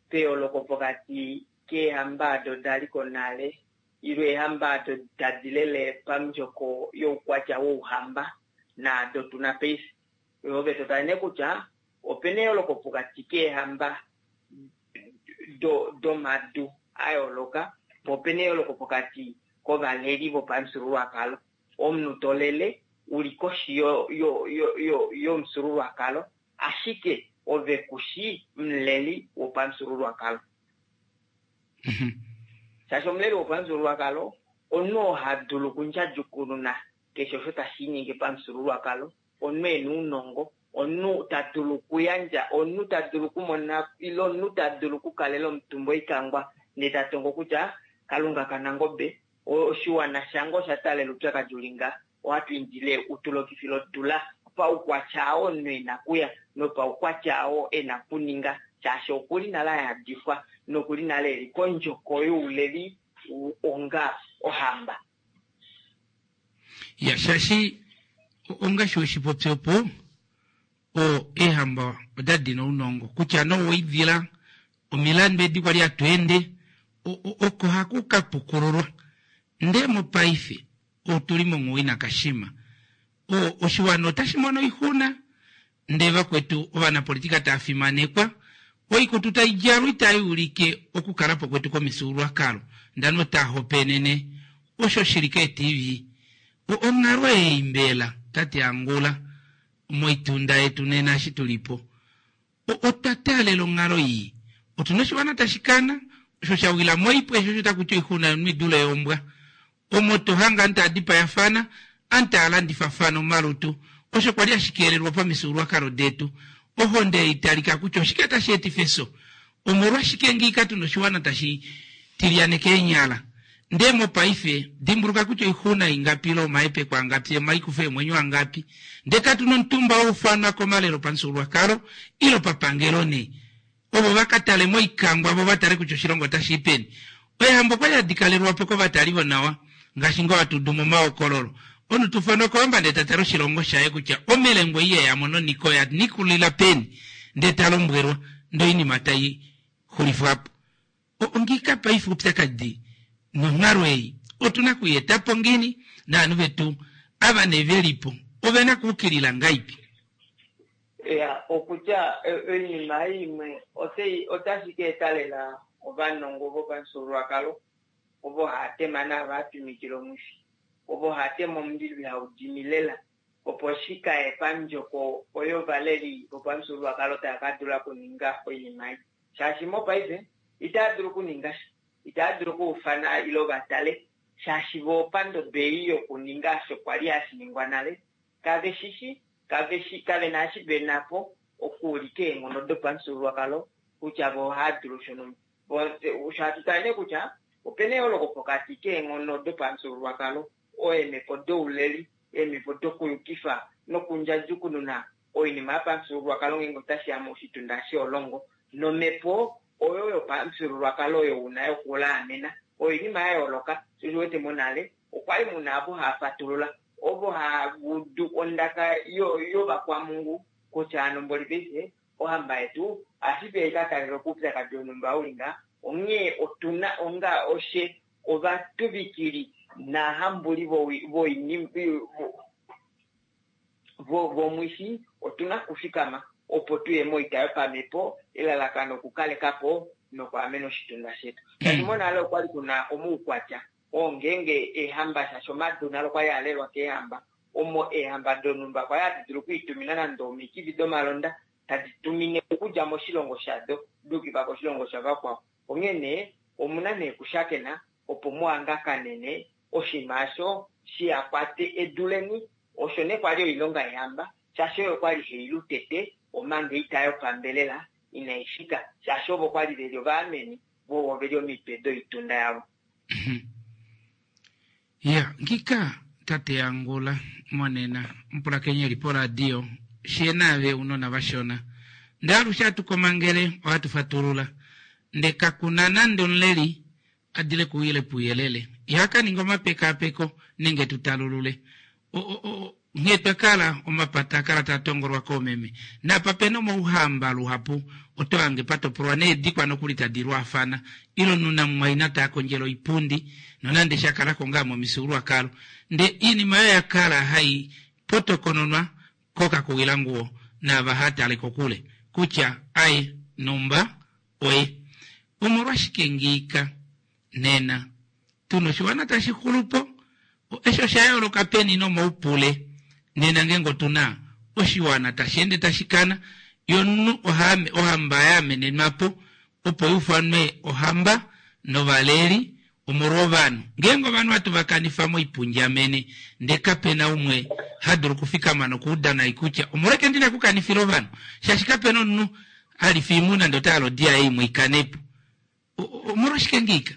Speaker 7: peyooloko pokati keehamba ado da li ko nale ile eehamba ado tadi lele pamundjoko youkwatya wouhamba naado tu na paife. Ove to tale nee kutya ope na eyooloko pokati keehamba domadu a yooloka, po ope na eyooloko pokati kovaleli vopamufyuululwakalo. Omunhu to lele u li koshi yomufyuululwakalo, ashike ove ku shi omuleli wopamufyuululwakalo. Shaashi omuleli wopamufyuululwakalo omunhu oo ha dulu okundjadjukununa keshe osho tashi linyenge pamufyuululwakalo, omunhu e na ounongo, omunhu ta dulu okuyandja, omunhu ta dulu okumona ile omunhu ta dulu okukalela omutumba oikangwa ndee ta tongo kutya Kalunga kaNangobe, oshiwana shange osha taalela oupyakadi uli nga, ohatu indile u tu lokifile odula paukwatya oo omunhu e na kuya nopaukwatya oo e na kuninga shaashi oku li nale a yadifwa noku li nale e li kondjoko youleli onga ohamba.
Speaker 1: Ya, shaashi ongaashi we shi popi opo, o, eehamba oda dina ounongo, kutya nee owoidila, omilandu edi kwali hatu ende, o, o, oko haku ka pukululwa. Ndee mopaife, otu li monghuwo ina kashima. O, oshiwana otashi mono oixuna, ndee vakwetu ovanapolitika tava fimanekwa, oikutu tai djalwa itai ulike okukala po kwetu komifyuululwakalo, ndano taa hopaenene osho shi li keeTV. Onghalo ei mbela, tate Angula, moitunda yetu nena eshi tu li po, otwa taalela onghalo ii. Otu na oshiwana tashi kana, osho sha wila moipwe, sho osho taku ti oixuna yomunhu i dule yombwa. Omo to hange aantu tava dipayafana, aantu tava landifafana omalutu, osho kwa li hashi keelelwa pamifyuululwakalo detu. Ohonde ei talika kutya oshike tashi etifa efyo? Omolwashike ngiika tu na oshiwana tashi tilyaneke eenyala? Ndee mopaife, dimbuluka kutya oixuna ingapi ile omahepeko angapi omaikufo eemwenyo angapi, ndee katu na omutumba wa ufanwa komalelo opamufyuululwakalo ile opapangelo nee ovo va ka tale moikangwa vo va tale kutya oshilongo otashi i peni. Eehamba okwa li hadi kalelwa po kovatali vonawa, ngaashi ngoo hatu udu momahokololo. Omunhu ta ufanwa kohamba ndee ta tale oshilongo shaye kutya omelengo ei ye ya mo noniko oya nikulila peni, ndee ta lombwelwa, ndee oinima tai xulifwa po. Ongiika paife oupyakadi nonghalo ei otu na kui eta po ngiini, naanhu vetu ava nee ve li po ove na kuukilila ngaipi?
Speaker 7: Ya, okutya oinima ei imwe otai otashi ka eta lela ovanongo vopamufyuululwakalo ovo haa tema naava haa twimikile omwifi, ovo haa tema omundilo ihau dimi lela, opo shi ka ye pandjoko oyo ovaleli vopamufyuululwakalo tava ka dula okuninga oinima ei. Shaashi mopaife itava dulu okuninga sha, itava dulu okuufana ile va tale, shaashi vo pandodo ei yokuninga osho kwa li hashi ningwa nale kave shi shi, kave shi, kave na eshi ve na po okuulika eenghono dopamufyuululwakalo kutya vo ohava dulu shonhumba. Osho hatu tale nee kutya ope na eyooloko pokati keenghono dopamufyuululwakalo, eemhepo douleli, eemhepo dokuyukifa nokundjadjukununa oinima yopamufyuululwakalo ngeenge otashi ya moshitunda sheolongo nomhepo oyo yopamufyuululwakalo oyo u na yokulaamena. Oyo oinima ya yooloka, sho osho u wete monale okwa li mu na ovo hava fatulula, ovo hava udu ondaka yovakwamhungu kutya hano mboli paife ohamba yetu ohashi dulika i ka talelwe koupyakadi wonhumba u li ngaha, onghee otu na onga oshe ovatuvikili naahambuli vomwifi otu na okufikama opo tu ye moita yopamhepo, elalakano okukaleka po nokwaamena oshitunda shetu. Shaashi monale okwa li ku na omaukwatya oo ngeenge eehamba shaashi omadu nalo okwali a lelwa keehamba, omo eehamba donhumba kwali hadi dulu okwiitumina nande omikifi domalonda tadi tumine okudja moshilongo shado da yukifa koshilongo shavakwao. Onghee nee omuna nee okushakena opo mu hangakanene oshinima osho shiha kwate edu leni. Osho nee kwali oilonga yeehamba shaashi oyo kwali hai lu tete omanga oita yopambelela inai fika shaashi ovo kwali veli ovaameni vo ovo veli omitwe doitunda yavo.
Speaker 1: Ya, ngika tate Angula monena omupulakeni eli poradio she naave unona vashona. Nde alushe hatu komangele ohatu fatulula. Nde kakuna nande omuleli a dile kuuyele puuyelele. Iha ka ninga omapekaapeko nenge tu talulule. O, o, o, Nghee twa kala, omapata a kala taa tongolwa koomeme. Naapa pe na omauhamba luhapu oto hange pa topolwa needikwa nokuli tadi lwaafana, ile omunhu namumwaina taa kondjele oipundi, nonande sha kala ko ngaa momifyuululwakalo. Ndee iinima oyo ya kala hai potokononwa kokakuwilanguwo naava haa tale kokule, kutya aye numba oye. Omolwashike ngiika nena tu na oshiwana tashi xulu po? Eshi osha yooloka peni nomoupule nena ngeenge otu na oshiwana tashi ende tashi kana, ye omunhu ohamba ya amenenwa po opo i ufanwe ohamba novaleli omolwovanhu. Ngeenge ovanhu hatu va kanifa moipundjamene ndee kape na umwe ha dulu okufikama nokuuda nai kutya omolwashike ndi na okukanifila ovanhu shaashi kape na omunhu ha lifa oimuna ndee ota hala odi yaye imwe i kane po. Omolwashike ngiika?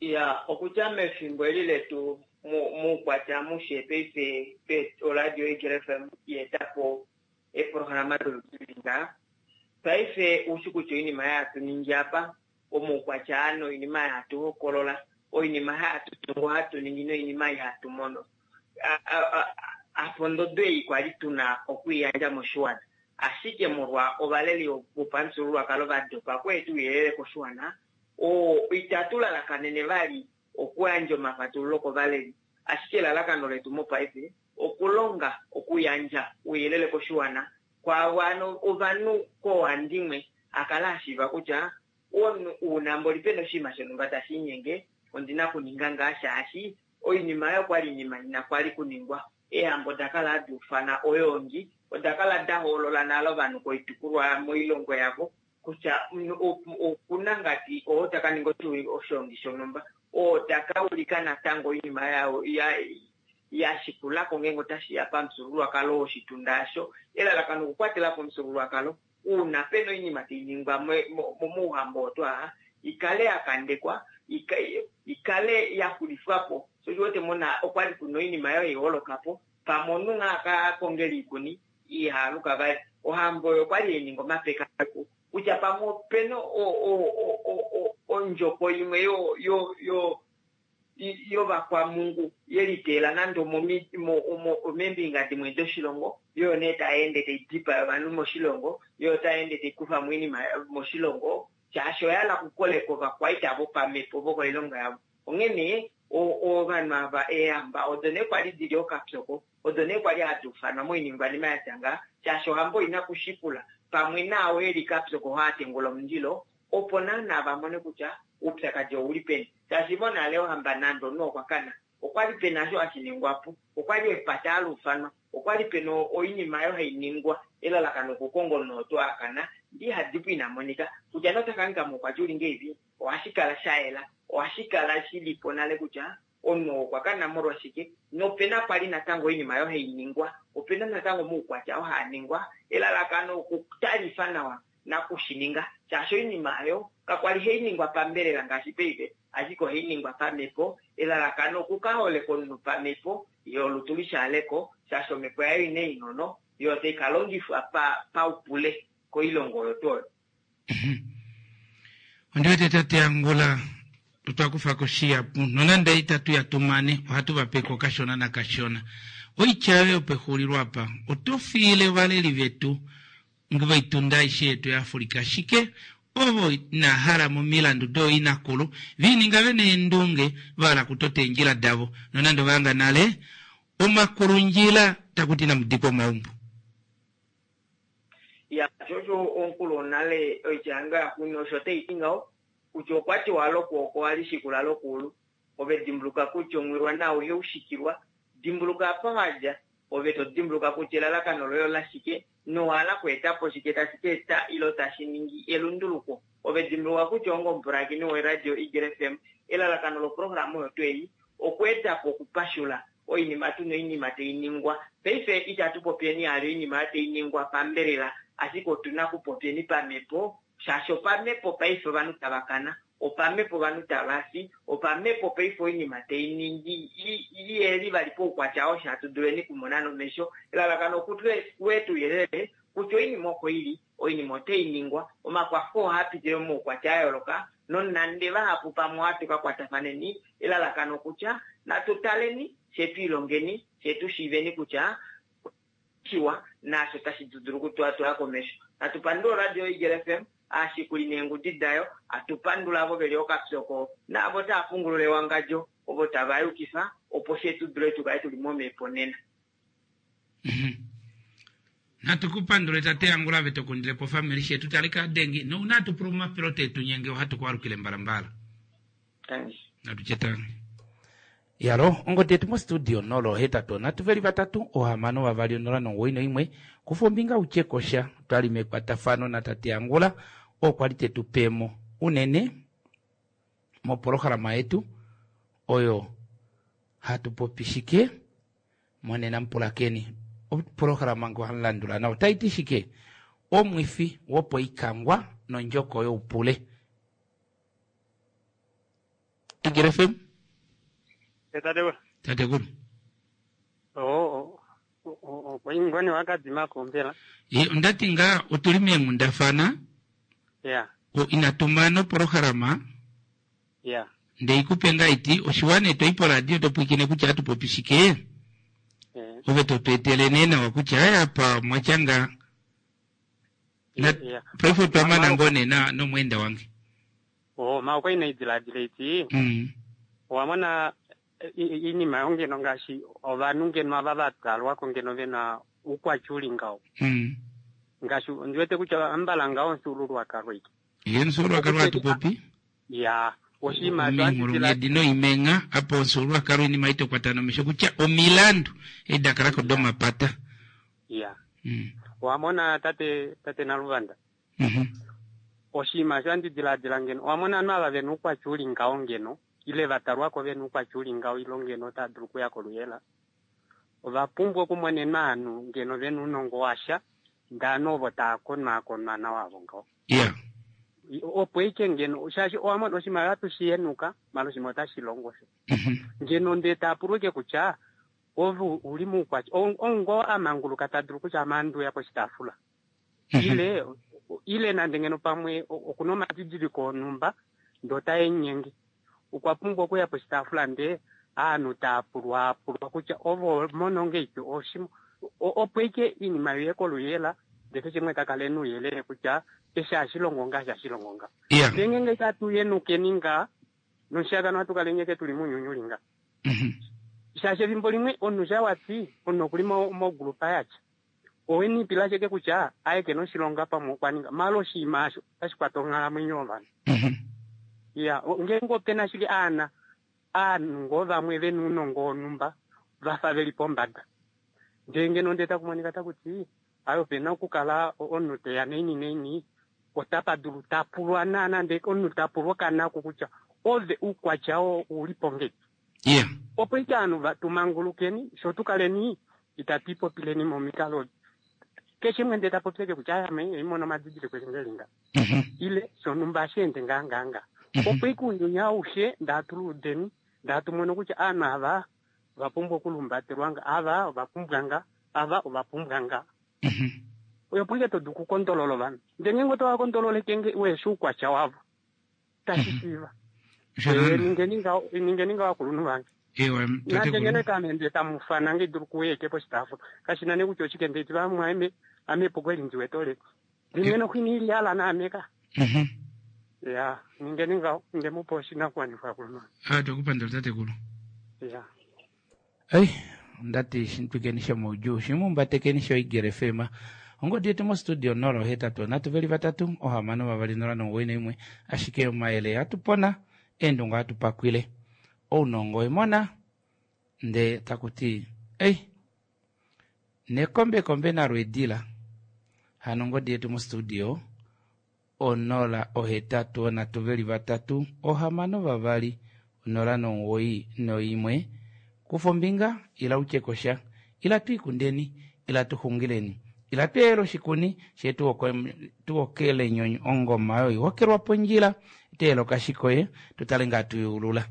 Speaker 7: Ya, okudja mefimbo eli letu muukwatya amushe paife pe oradio Eagle FM ya eta po eeprograma doludi li ngaha. Paife ushi kutya oinima ei hatu ningi apa, omaukwatya aa noinima ei hatu hokolola, oinima ei hatu tungu, hatu ningi noinima ei hatu mono, apa ondodo ei kwali tu na okwiiyandja moshiwana. Ashike molwa ovaleli vopamufyuululwakalo va dopa okweeta ouyelele koshiwana, oo itatu lalakanene vali okuyandja omafatululo kovaleli, ashike elalakano letu mopaife okulonga okuyandja ouyelele koshiwana kwaavo ano ovanhu koohandimwe a kala a shiiva kutya omunhu uuna mboli pena oshinima shonhumba tashi inyenge ondi na okuninga ngaa shaashi. Oinima oyo okwali oinima ina kwali kuningwa. Eehambo oda kala hadi ufana oyoongi, oda kala da hoolola nale ovanhu koitukulwa moilongo yavo kutya okuna ngadi oo ta ka ninga oshoongi shonhumba, oo ta ka ulika natango oinima ya shikula ko ngeenge otashi ya pamufyuululwakalo woshitunda osho. Elalakano okukwatela po omufyuululwakalo, uuna pe na oinima tai ningwa mouhamba oo twaa, i kale ya kandekwa, i kale ya xulifwa po. Sho osho u wete mona okwa li ku na oinima oyo hai holoka po, pamwe omunhu nghee a ka kongela oikuni iha aluka vali. Ohamba oyo okwa li hai ningi omapekapeko kutya pamwe ope na ondjoko imwe yovakwamungu ye liteela nande omeembinga dimwe doshilongo, yo nee tai ende tai dipaya ovanhu moshilongo, yo otai ende tai kufa mo oinima moshilongo, shaashi oya hala okukoleka ovakwaita vopamhepo vokoilongo yavo. Onghene ovanhu ava eehamba odo nee kwali di li okapyoko, odo nee kwali hadi ufanwa moiningwanima ya tya ngaha, shaashi ohamba oi na okushikula pamwe naao e li kapyoko oo a tengula omundilo, opo naana va mone kutya oupyakadi ou li peni. Shaashi monale ohamba nande omunhu okwa kana, okwa li pena osho hashi ningwa po. Okwa li epata hali ufanwa, okwa li pena oinima oyo hai ningwa elalakano okukonga omunhu oo tuu a kana ndee iha dipo ina monika. Kutya nee ota ka hangika moukwatya uli ngeipi, ohashi kala sha yela, ohashi kala shi li po nale kutya omunhu oo okwa kana molwashike. Nopena kwali natango oinima oyo hai ningwa, opena natango omaukwatya oo haa ningwa elalakano okutalifa nawa nakushininga, shaashi oinima oyo kakwali hai ningwa pambelela ngaashi paife, ashike ohai ningwa pamhepo, elalakano okuka holeka omunhu pamhepo, ye olutu lishaaleko, shaashi omhepo yaye oina eenghono, yo tai ka longifwa paupule koilongo oyo tuu oyo.
Speaker 1: Ondi wete tate Angula otwa kufa ko shihapu nonande itatu ya tumane ohatu va peko kashona nakashona. Oitya yoye yopexulilo apa oto fiile ovaleli vetu voitunda aishe yetu yaAfrica ashike ovo ina hala momilandu dooinakulu viininga vena eendunge va hala kutota eendjila davo nonande ova hanga nale omakulundjila taku ti inamu dikwa omaumbo.
Speaker 7: Ya, sho osho omukulu wonale oitya yange yaxuuninwa osho tai ti ngaho kutya okwa tiwa lokwooko ohali shikula lokuulu. Ove dimbuluka kutya omwilwa nao ihau shikilwa. Dimbuluka apa wa dja, ove to dimbuluka kutya elalakano loye olashike nowa hala okweeta po shike tashi ka eta ilo tashi ningi elunduluko. Ove dimbuluka kutya onga omupulakeni woRadio Eagle FM, elalakano loprograma oyo tuu ei okweeta po okupashula oinima tu na oinima tai ningwa. Paife itatu popyeni hali oinima oyo tai ningwa pambelela, ashike otu na okupopyeni pamhepo, shaashi opamhepo paife ovanhu tava kana, opamhepo ovanhu tava fi, opamhepo paife oinima tai ningi i yeli vali poukwatya oo hatu duleni okumona nomesho. Elalakano okutu ouyelele kutya oinima oko i li, oinima otai ningwa, omakwafo ohaa pitile momaukwatya a yooloka, nonande vahapu pamwe ohatu ka kwatafaneni, elalakano okutya natu taleni, fye tu ilongeni, fye tu shiiveni kutya shiwa naasho tashi dulu okutwatwala komesho. Natu pandule oradio yoEagle FM, aashikuli neengudi dayo, atu pandula avo ve li okapyoko naavo tava pungulula ewangadjo, ovo tava yukifa opo fye tu dule tu kale tu li momhepo nena.
Speaker 1: Natu ku pandule tate Angula ave to kundile po ofamili shetu tali ka dengi nouna atu pula omapilo te tu nyenge ohatu ku alukile mbalambala.
Speaker 7: Thanks.
Speaker 1: Natu tye tangi. Yalo, ongodi yetu mostudio 083 620 91. Kufa ombinga u tye ko sha. Otwa li mekwatafano natate Angula, oo kwa li te tu pe mo unene mopolohalama yetu oyo hatu popi shike monena. Mupulakeni, opolohalama ngo hamu landula nawa otai ti shike? Omwifi wopoikangwa nondjoko youpule. Eagle FM.
Speaker 8: Tatekulu.
Speaker 1: Tatekulu.
Speaker 8: Oh, okwa ngoni wakadimako mbela.
Speaker 1: Ye ondati ngaa otuli meenghundafana.
Speaker 8: Ya.
Speaker 1: O inatu mana opolohalama.
Speaker 8: Ya.
Speaker 1: Nde ikupe ngaa iti oshiwana eto i poradio to pwiikine kutya hatu popi shike. Ove to tu etele nee nawa kutya aya apa omwa tya ngaa. Na paife otwa mana ngoo nee na nomweenda wange.
Speaker 8: Oh, ma okwa ina idiladila iti. Owa mona iinima yo ngeno ngaashi ovanhu ngeno ava va twalwa ko ngeno ve na oukwatya u li ngaho. Ngaashi ondi wete kutya ambala ngaho omufyuululwakalo ike.
Speaker 1: Ye omufyuululwakalo hatu popi?
Speaker 8: Ya. Oshinima osho handi diladila.
Speaker 1: Ominghulunghedi noimengha, apa omufyuululwakalo oinima ei to kwata nomesho kutya omilandu edi da kala ko domapata.
Speaker 8: Iya. Owa mona tate, tate Naluvanda? Oshinima osho handi diladila ngeno, owa mona ovanhu ava ve na oukwatya u li ngaho ngeno, ile va talwa ko ve na oukwatya u li ngaho ile ngeno otava dulu okuya koluyela, ova pumbwa okumonenwa ovanhu ngeno ve na ounongo washa, ndee ovanhu ovo tava konwaakonwa nawa avo ngaho.
Speaker 1: Iya.
Speaker 8: Opo ike ngeno, shaashi owa mona oshimaliwa ohatu shi henuka, maala oshinima otashi longo osho. Ngeno ndee taa pulwa ike kutya, ove u li moukwatya, ou ngoo a manguluka ta dulu kutya ame ohandi uya poshitaafula. Ile, ile nande ngeno pamwe oku na omadidiliko onhumba ndee otae mu nyenge. Okwa pumbwa okuya poshitaafula ndee ovanhu taa pulwaapulwa kutya ove oho mono ngeipi oshi, opo ike oinima iuye koluyela ndee keshe umwe ta kala e na ouyelele kutya eshi ohashi longo ngaha, eshi ohashi longo ngaha. Ndee ngeenge itatu henukeni ngaha nomushiyakano ohatu kala eke tuli mounyuni uli ngaha. Shaashi efimbo limwe omunhu sha wati omunhu okuli mogrupa yatya owe nipila ashike kutya aye kena oshilonga pamwe okwa ninga maala oshinima asho otashi kwata onghalamwenyo yovanhu. Iya, ngeenge opena ashike aana aanhu ngoo vamwe vena ounongo wonhumba vafa veli pombada ndee ngeno ndee taku monika taku ti aye opena okukala omunhu teya naini naini otapa dulu tapulwa naana ndee omunhu tapulwa okanaku kutya ove oukwatya oo oulipo ngeipi. Opo ike ovanhu va tu mangulukeni sho tu kaleni itatu ipopileni momikalo keshe imwe ndee ta popi eke kutya ame imono omadidiliko eli ngeli nga ile shonhumba hashi ende ngaa ngaa nga. Opo ike ounyuni aushe ndaa tu luudeni ndaa tu mono kutya ovanhu ava ova pumbwa okulumbatelwa nga, ava ova pumbwa nga, ava ova pumbwa nga. Opo ike to dulu okukondolola ovanhu. Ndee ngeenge oto va kondololeke nge weshi oukwatya wavo tashi shiiva. Ningeni ngaho, ningeni ngaho akulunhu vange.
Speaker 1: Ewa,
Speaker 8: Nande
Speaker 1: tatekulu.
Speaker 8: ngeno ame ndee tamu fana nge dulu kuuya eke poshitaafula. Kashi na nee kutya oshike ndee ti vamwaeme ame epuko eli ndi wete oleli. Limwe noxwini ili yala naame ka. Ya, ningeni ngaho, nde mu pa oshinakuwanifwa akulunhu vange.
Speaker 1: Ah, twakupandula tatekulu.
Speaker 8: Ya.
Speaker 1: Ei, ondati shintwikeni shomoudjuu, shimumbatekeni shoEagle FM. Ongodi yetu mostudio 083 620 91, ashike omayele hatu pona, eendunge ohatu pakwile. Ounongo emona, nde taku ti, ei, nekombekombe nalo edila. Hano ongodi yetu mostudio 083 620 91. Kufa ombinga, ila u tye ko sha. Ila tu ikundeni, ila tu xungileni. Ila tu eyele oshikuni, fye tu okele ongoma oyo ihokelwa pondjila, tu eyele okashikoye, tu tale ngaa tu yeulula.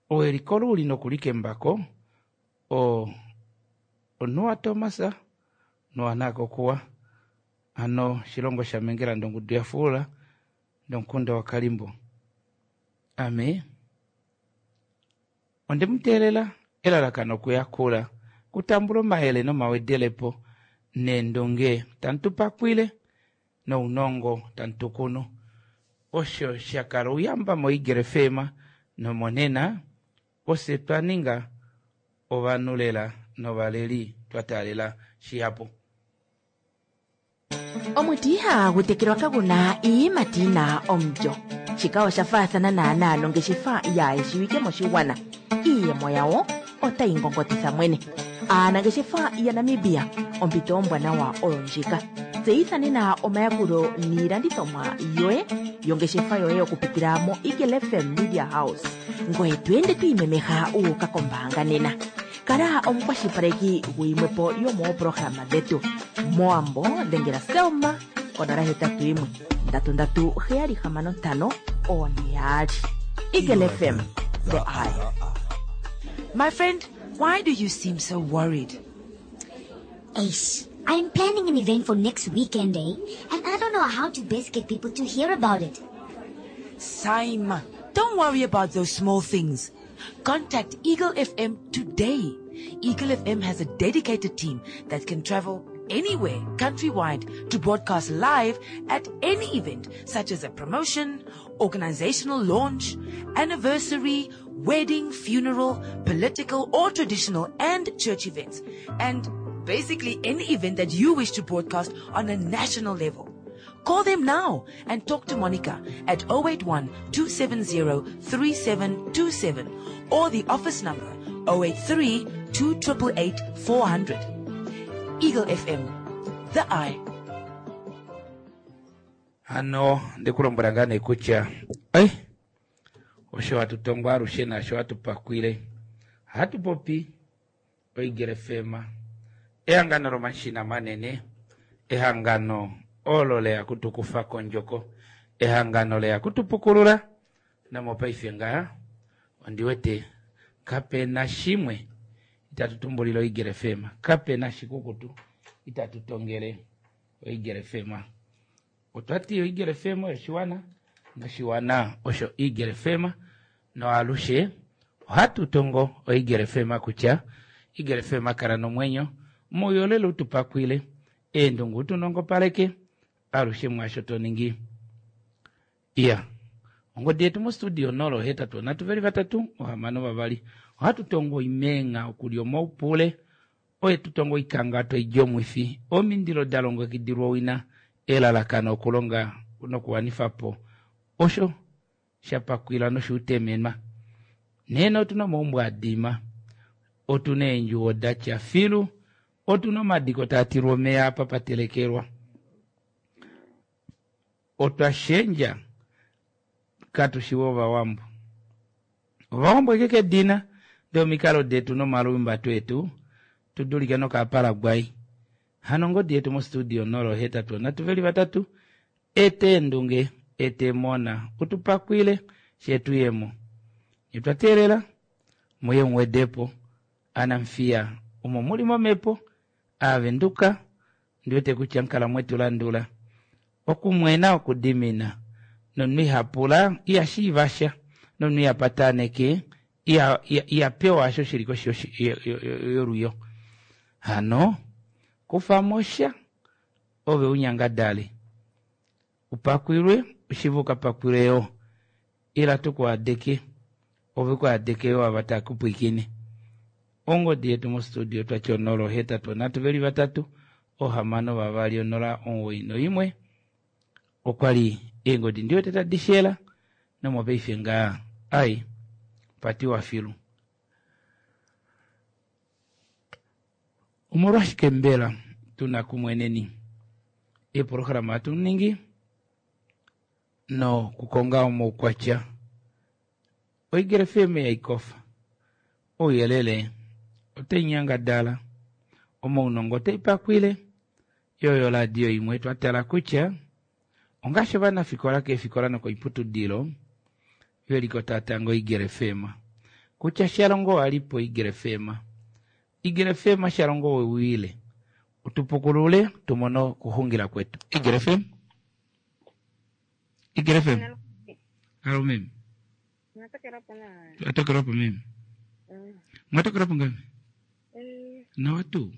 Speaker 1: Owe likolo u li nokulikemba ko, o, onuwa Thomas, nuwa nakokuwa. Hano shilongo shaMengela ndongudu ya fuula ndomukunda waKalimbo. Ame onde mu teelela elalakano okuyakula, kutambula omayele nomawedelepo neendunge tamu tu pakwile nounongo tamu tu kunu. Osho sha kala ouyamba moEagle FM nomonena ofye twa ninga ovanhu lela novaleli twa taalela shihapu.
Speaker 4: Omuti ihagu tekelwa kagu na iiyimati yi na omulyo. Shika osha faathana naanaa nongeshefa yaa shiwike moshigwana. Iiyemo yawo otayi ngongotitha mwene. Aanangeshefa yaNamibia, ompito ombwanawa oyo ndjika. Tseyitha nena omayakulo niilandithomwa yoye yongeshefa yoye okupitila moEagle FM Media House. Ngoye to ende to imemeha wu uka kombaanga nena. Kala omukwashilipaleki guyimwe po yomooprograma dhetu. Mowambo dhengela Selma konola hetatu yimwe ndatu ndatu heyali hamano ntano one yaali. Eagle FM, the eye.
Speaker 2: My friend, why do you seem so worried?
Speaker 3: Ace, I'm planning an event for next weekend, eh? And I don't know how to best get people to hear about it.
Speaker 2: Saima, don't worry about those small things. Contact Eagle FM today. Eagle FM has a dedicated team that can travel anywhere countrywide to broadcast live at any event, such as a promotion, organizational launch, anniversary, wedding, funeral, political or traditional and church events, and basically any event that you wish to broadcast on a national level. Call them now and talk to Monica at 081 270 3727 or the office number 083 288 400. Eagle FM, the eye.
Speaker 1: Hano ndikulombwela ngaa nee kutya ei osho hatu tongo alushe naasho hatu pakwile ohatu popi oEagle FM ehangano lomashina manene ehangano olo leya kutukufa kondjoko ehangano leya kutupukulula nomopaife ngaa ondi wete kape na shimwe itatu tumbulile oEagle FM kape na shikukutu itatu tongele oEagle FM otwa ti oEagle FM oshiwana noshiwana osho Eagle FM noalushe ohatu tongo oEagle FM kutya Eagle FM kala nomwenyo mouyelele utupakwile eendungu utunongopaleke alushe mwaasho to ningi iya ongodi yetu mostudio 083 3 6 2 ohatu tongo oimenga okulya omaupule oye tu tongo oikanga toidja omwifi omindilo da longekidilwa owina elalakano okulonga nokuwanifa po osho sha pakwila noshuutemenwa nena otuna omaumbo adima otuna eendjuwo datya filu otuna omadiko taa tilwa omeya apa patelekelwa otwa shendja katushiwe ovawambo ovawambo eke kedina ndee omikalo detu nomalumbato etu tudulike nokaParaguay hano ongodi yetu mostudio 083 3 ete endunge ete emona utupakwile shetuyemo etwa teelela muye muwedepo anamfiya omo muli momhepo aavenduka ndiwete kutya nkala mwetu landula okumwena okudimina nomunhu ihapula ihashiiva sha nomunhu ihapataneke ihapewa osho shili koshi yolwiyo hano kufamo sha ove unyangadale upakwilwe ushive ukapakwilwe yo ila tukuadeke ove kuadeke yo ava takupwikine ongodi yetu mostudio twati 083 3 6 2 091 okwali eengodi ndiwete tadi shela nomopaife ngaa ai patiwa filu omolwashike mbela tuna kumweneni eeprograma hatu ningi nokukonga omaukwatya oEagle FM yaikofa ouyelele otai nyangadala omaunongo otai pakwile yoyo radio imwe twa tala kutya ongaashi ovanafikola keefikola nokoiputudilo veliko tatango Eagle FM kutya shalongo walipo Eagle FM Eagle FM shalongo wewile utupukulule tumone okuxungila kwetu Eagle FM Eagle FM alo meme atokelwapo meme mwatokelwapo ngame nawa tuu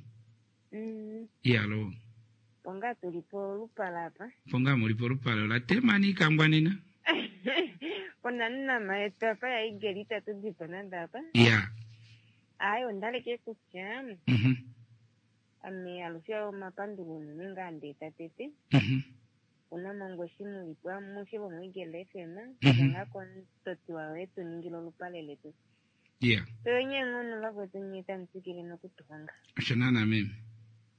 Speaker 1: iyalo
Speaker 11: Ponga tuli polupale apa.
Speaker 1: Ponga muli polupale ola temani ikangwa nena
Speaker 11: Pona nama yetu apa ya Eagle itatu dipo nande apa.
Speaker 1: ya
Speaker 11: Ayi ondaleke kutya ame alushe omapandulo unene ngaa ndeeta tete. Una mongweshi mulipo amushe vomuEagle FM. Ngaa komutoti wayo etu ningile olupale letu.
Speaker 1: ya
Speaker 11: Toyenye ng'ono vakwetu nye tamu tsikile nokutuhonga.
Speaker 1: osho naana meme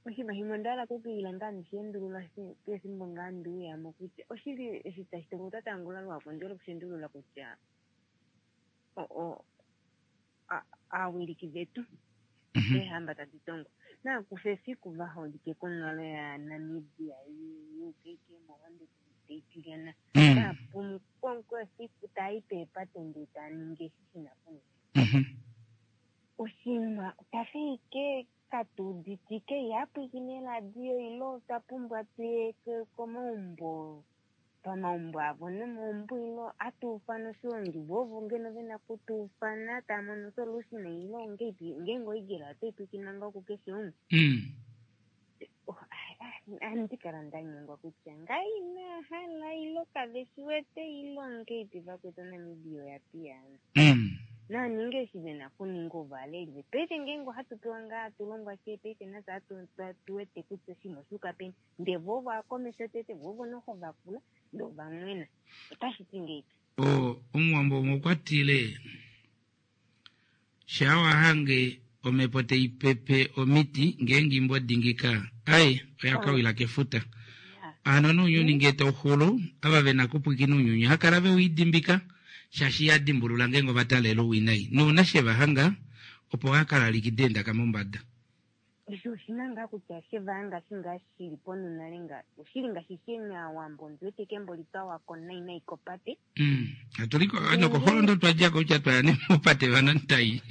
Speaker 11: Oshinima shimwe onda hala okwiila ngaa ndishendulula pefimbo ngaa ndiuyamo kutya oshili eshi tashi tongo tatangula lwako ndi okushendulula kutya aawiliki vetu eehamba tadi tongo naakufa efiku vaholike konghalo yaNamibia yukeke mohonde taitilyana taapumu efiku taayi peepate ndee taaningi eshi shina kuninga oshinima tafi ike katuuditike ihapwikine eradio ilo otwa pumbwa tuye komaumbo pamaumbo avo nomaumbo ilo atuufana oshiwongi vovo ngeno vena kutuufana tamono solution ilo ngeipi ngeenge oEagle otaipwikina ngoo kukeshe umwe andi kala ndanyengwa kutya ngai inahala ilo kave shi wete ilo ngeipi vakwetu Namibia oya piyagana. Naaninge eshi ve na okuninga ovaleli vetu. Paife ngeenge ohatu pewa ngaa hatu longwa shee paife nafye ohatu tu wete kutya oshinima osha yuka peni. Ndee voo ovo akomesho tete, voo ovo noho vakula ndee ovamwena. Otashi ti ngeipi?
Speaker 1: Omuwambo umwe okwa tile, Shaa wa hange omhepo tai pepe omiti ngeenge imbo dingika, ai, oya ka wila kefuta. Hano nounyuni ngee tau xulu, ava ve na kupwikina ounyuni oha kala ve u idimbika, shaashi iha dimbulula ngeenge ova taalela ouwinai. Nouna she va hanga, opo ha kala likida eendaka mombada.
Speaker 11: Osho oshi na ngaa kutya she va hanga shi ngaa shi li ponhu nale nga oshili ngaashi sheni aawambo ondi wete kembo li twa wako nai nai kopate.
Speaker 1: Hatu li ko nokoholondo twa dja ko kutya twa ya nee mopate vanantai.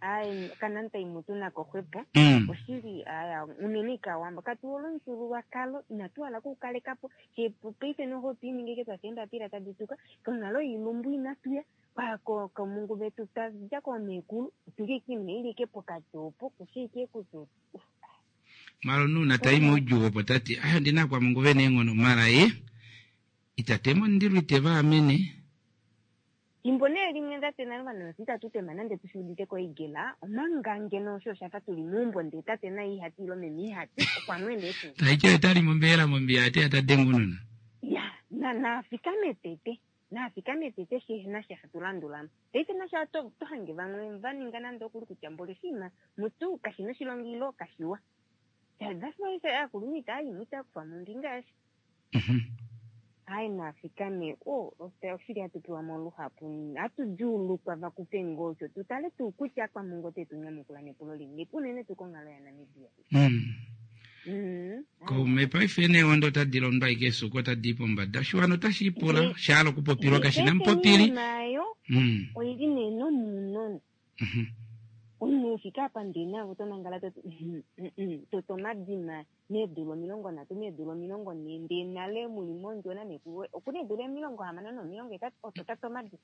Speaker 11: Ae kanantai mutu nako xwepo. Oshili aya unene ike aawambo katu hole omufyuululwakalo inatu hala oku kaleka po she paife noho otwi ininga ike twafa eembapila tadi tuka konghalo yoilumbu inatu ya Komungu vetu twa dja koomeekulu otuli ike oinima ili ike pokati opo kushi ike kutya
Speaker 1: Mara omunhu una tayi moudjuu opo tati aye ondina akwamungu vena eenghono mara ye ita tema omundilo ite va amene.
Speaker 11: Fimbo nee limwe tate nale ovanhu itatu tema nande tushi udite ko oigela omanga ngeno osho oshafa tuli meumbo ndee tate naye ihati ilo meme ihati okwa mwena etu.
Speaker 1: Taiti oye tali mombeela mombiya ate ya ta denge ounona.
Speaker 11: Ya na nafikame tete Nafikame tete shi na sha hatu landula mo. Paife nasha oto oto hange vamwe va ninga nande okuli kutya mboli oshinima mutu kashi na oshilonga ilo kashiwa. That's why I say aakulunhu itaya yi mo itaya kufa mo ombinga yasha. Aye nafikame oh oshili hatu pewa mo luhapu hatu djuulukwa va kufe ngoo osho tu tale tuu kutya Kwamungu ote tu nyamukula nepulo lilipi unene tuu konghalo yaNamibia.
Speaker 1: Kaume paife neewondo otadi londo ashike eesuku otadi i pombada. Oshiwana otashi ipula sha hala okupopilwa kashi na mupopili.
Speaker 11: Oinima oyo oi li nee nomunona. Omunhu u fike apa ndee naave oto nangala to ti toto omadima meedula 30 meedula 40 ndee nale mu li mondjo namekulu woye oku na eedula 60 nomilongo hetatu oto tata omadima.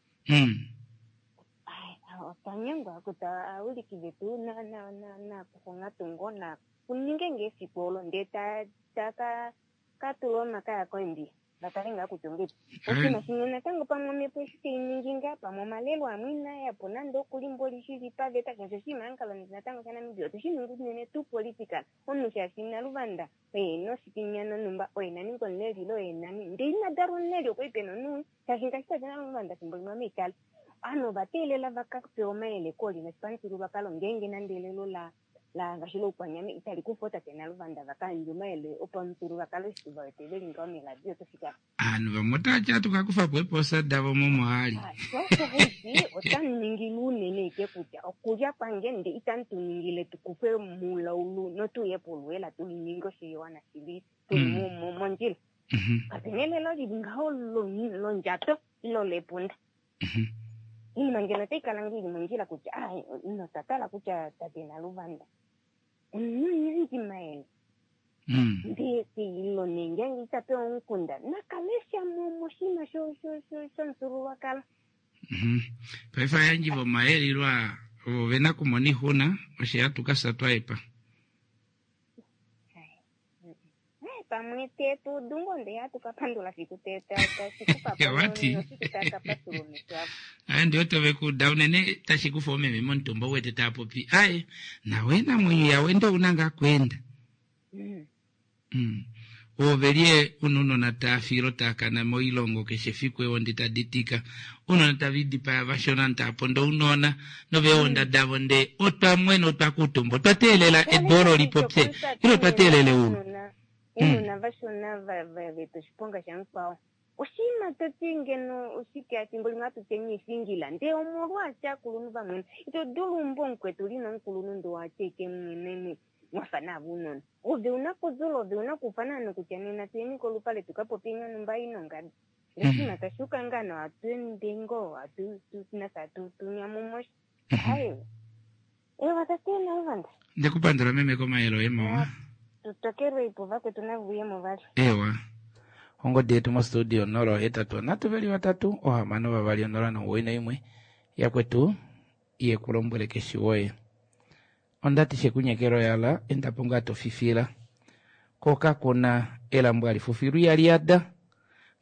Speaker 11: Otwa nyengwa kutya aawiliki vetu nakufa onghatu ngoo na kuninge ngee efiku olo ndee ta ka tula omakaya koimbiya va tale ngaa kutya ongeipi. Oshinima shimwe natango pamwe omhepo eshi tai ningi ngaa pamwe omalelo amwe inaa ya po nande okuli mboli shili paveta shaashi oshinima hankalo natango shaNamibia otu shi ningi unene tuu political omunhu shaashi Naluvanda oye ena oshikinya nonhumba oye na ninga omuleli ile oye nani ndee ina dalwa omuleli okwali pena omunhu Shaashi ngaashi tate naLuvanda fimbo limwe ame itali, ovanhu ova teelela va ka pewe omayele koolye nopamufyuululwakalo ngeenge nande elelo la la ngaashi lOukwanyama itali kufa ootate naLuvanda va ka yandje omayele opamufyuululwakalo eshi va wete ve li ngaho meeradio oto fika.
Speaker 1: Ovanhu vamwe otava ti ohatu ka kufa po eepoosa davo momohali.
Speaker 11: Sho osho haiti otamu ningile unene ike kutya okulya kwange nde itamu tu ningile tu kufwe mulaulu notu uye poluela tu ninge oshiwana shili tuli mondjila. Kape na elelo li li ngaho londjato ilo lepunda. Iinima ngeno otayi kala ngoo ili mondjila kutya ah, notwa tala kutya tate Naluvanda omunhu mayele. Ndee ilo nee ngeenge ita pewa omukunda nakalesha mo moshinima shomufyuululwakalo.
Speaker 1: Paife ayandji vomayele ilo ovo ve na okumona oixuna osho hatu ka fya twa hepa.
Speaker 11: Pamwe te tu udu ngoo ndee hatu ka pandula fiku te ta tashi kufa po
Speaker 1: Wati.
Speaker 11: nofiku ta ka patulula omesho avo.
Speaker 1: Aye ndi wete ove kuuda unene tashi kufa oomeme momutumba u wete tava popi aye nawe namwenyo yawende ouna ngaa kweenda. Oove lye una ounona taa fi ilo taa kana moilongo keshe efiku eewondi tadi tika ounona tave idipaya vashona ovanhu tava pondo ounona noveewonda davo ndee otwa mwena otwa kuutumba otwa teelela edu olo li popye ilo otwa teelela eulu.
Speaker 11: Ounona vashona va eta oshiponga shamukwao oshinima to ti ngeno oshike efimbo limwe hatu ti eniifingila ndee omolwaashi aakulunhu va mwena ito dulu umbo omukwetu uli nomukulunhu ndee owa tya ike mweneni mwafa naave unona. Ove una kuzula, ove una kuufana ovanhu kutya nena tuyeni kolupale tu ka popye nonhumba i nongadi. Ndele oshinima tashi uka ngaa nawa, hatu ende ngoo, hatu, tu, nafye hatu tu nyamu mo sha. Hai. Ewa, tate Naluvanda.
Speaker 1: Nde ku pandula meme komayele oye mawa.
Speaker 11: Tu tokelwe ipo vakwetu nave uye mo vali.
Speaker 1: Ewa. Ongodi yetu mostudio 083 3 6 2 091. Yakwetu ye ku lombwele keshi woye. Onda ti shekunyekela oyala enda po ngaa to fifila. Ko kaku na elambo hali fufilwa ihali yada,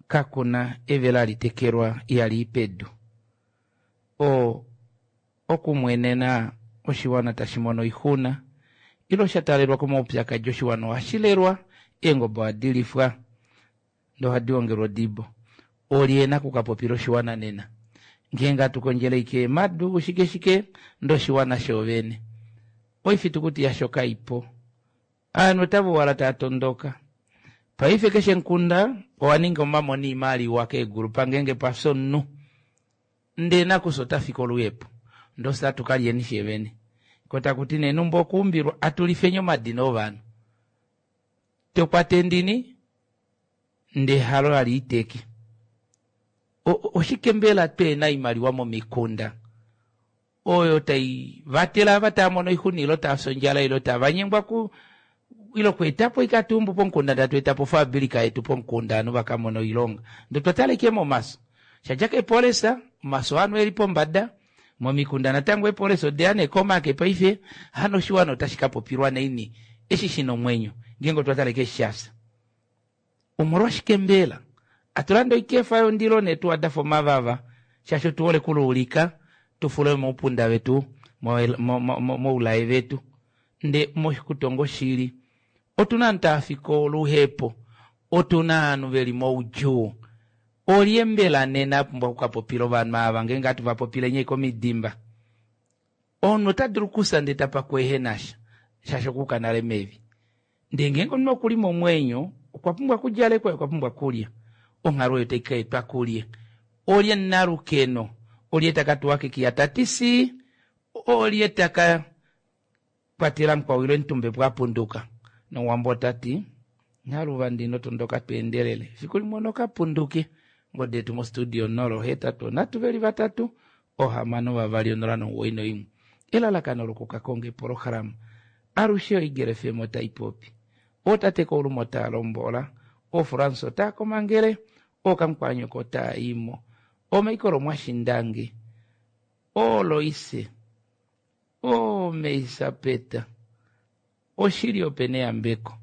Speaker 1: kaku na evela hali tekelwa ihali i pedu. O. Okumwenena oshiwana tashi mono oixuna ile sha taalelwa komaupyakadi oshiwana ohashi lelwa, eengobe ohadi lifwa ndee ohadi ongelwa odibo. Olye ena okukapopila oshiwana nena? Ngeenge hatu kondjele ashike eemadu shike shike ndee oshiwana shoovene oifitukuti yasho kaipo. Ovanhu otava uhala tava tondoka. Paife keshe mukunda owa ninga omamona oimaliwa keegulupa ngeenge pafya omunhu. Ndee nakufya ota fi koluhepo. Ndee ofye atu ka lyeni fyee vene. Ko taku ti nee numba okuumbilwa atu lifeni omadina ovanhu. To kwata endini ndee halo hali iteke. Oshike mbela tweena oimaliwa momikunda oyo tai vatele ava tava mono oixuna ile tava fi ondjala ile tava nyengwa ku ile okweeta po ikatumbu pomukunda ndatu eta po ofabilika yetu pomukunda ovanhu va ka mona oilonga ndee otwa tala ashike momaso shadja keepolisa omaso ovanhu eli pombada momikunda natango eepolisa odeya nee komake paife hano oshiwana otashi ka popilwa naini eshi shina omwenyo ngeenge otwa tala ashike eshi shafya Omolwashike mbela hatu lande oikefa yondilo neetuwa da fa omavava? Shaashi otu hole okuluulika tu fule moupunda vetu, moulaye vetu. Nde mokutonga oshili, otu na ovanhu tava fi koluhepo, otu na ovanhu ve li moudjuu. Olye mbela nena a pumbwa oku ka popila ovanhu ava ngeenge hatu va popile nyee komidimba? Omunhu ota dulu okufya ndee ta pakwa ehe na sha, shaashi okwa yuka nale mevi. Ndee ngeenge omunhu oku li momwenyo, okwa pumbwa okudjalekwa ye okwa pumbwa okulya. Onghalo oyo otai ka etwa kulye? Olye omunalukeno? Olye ta ka tuwa kekiya ta ti sii? Olye ta ka kwatela mukwao ile omutumba epo a punduka? Nomuwambo ota ti, Naluvanda ino tondoka to endelele, efiku limwe ono ka punduke. Ongodi yetu mostudio 083 2 6 2 091. Elalakano lokukakonga epolohalama alushe oEagle FM otai popi. Ootate Koulume otaa lombola, ooFrans otaa komangele, ooKamukwaanyoko otaa i mo, ooMichael Mwashindange, ooLoise, ooMeisapeta. Oshili ope neyambeko.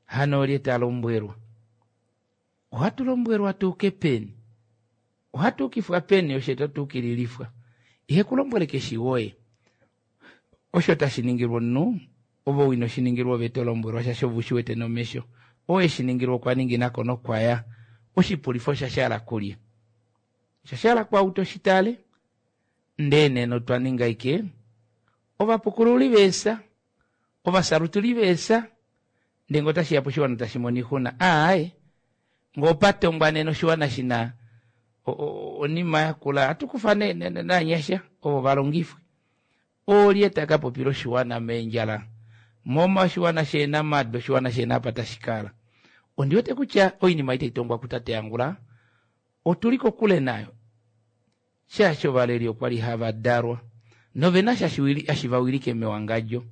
Speaker 1: Hano olye ta lombwelwa? Ohatu lombwelwa tu uke peni? Ohatu ukifwa peni oshe to tu ukililifwa? Ihe ku lombwele keshi woye. Osho tashi ningilwa omunhu, ove ou ino shi ningilwa ove to lombwelwa shaashi ove u shi wete nomesho. Oo e shi ningilwa okwa ningina ko nokwa ya. Oshipulifo osha shala kulye? Osha shala kwaau to shi tale. Ndee nena otwa ninga ashike ovapukululi veesa, ovasalutuli veesa, ndee ngee otashi ya poshiwana tashi mono oixuna, aaye, ngee opa tongwa nena oshiwana shi na onima yakula, ohatu kufa nee naanyasha ovo va longifwe. Olye ta ka popila oshiwana meendjala, moma oshiwana shehena madu, oshiwana shehena apa tashi kala? Ondi wete kutya oinima ei tai tongwa kutate Angula otu li kokule nayo. Shaashi ovaleli okwa li hava dalwa nove na sha hashi va wilike mewangadjo,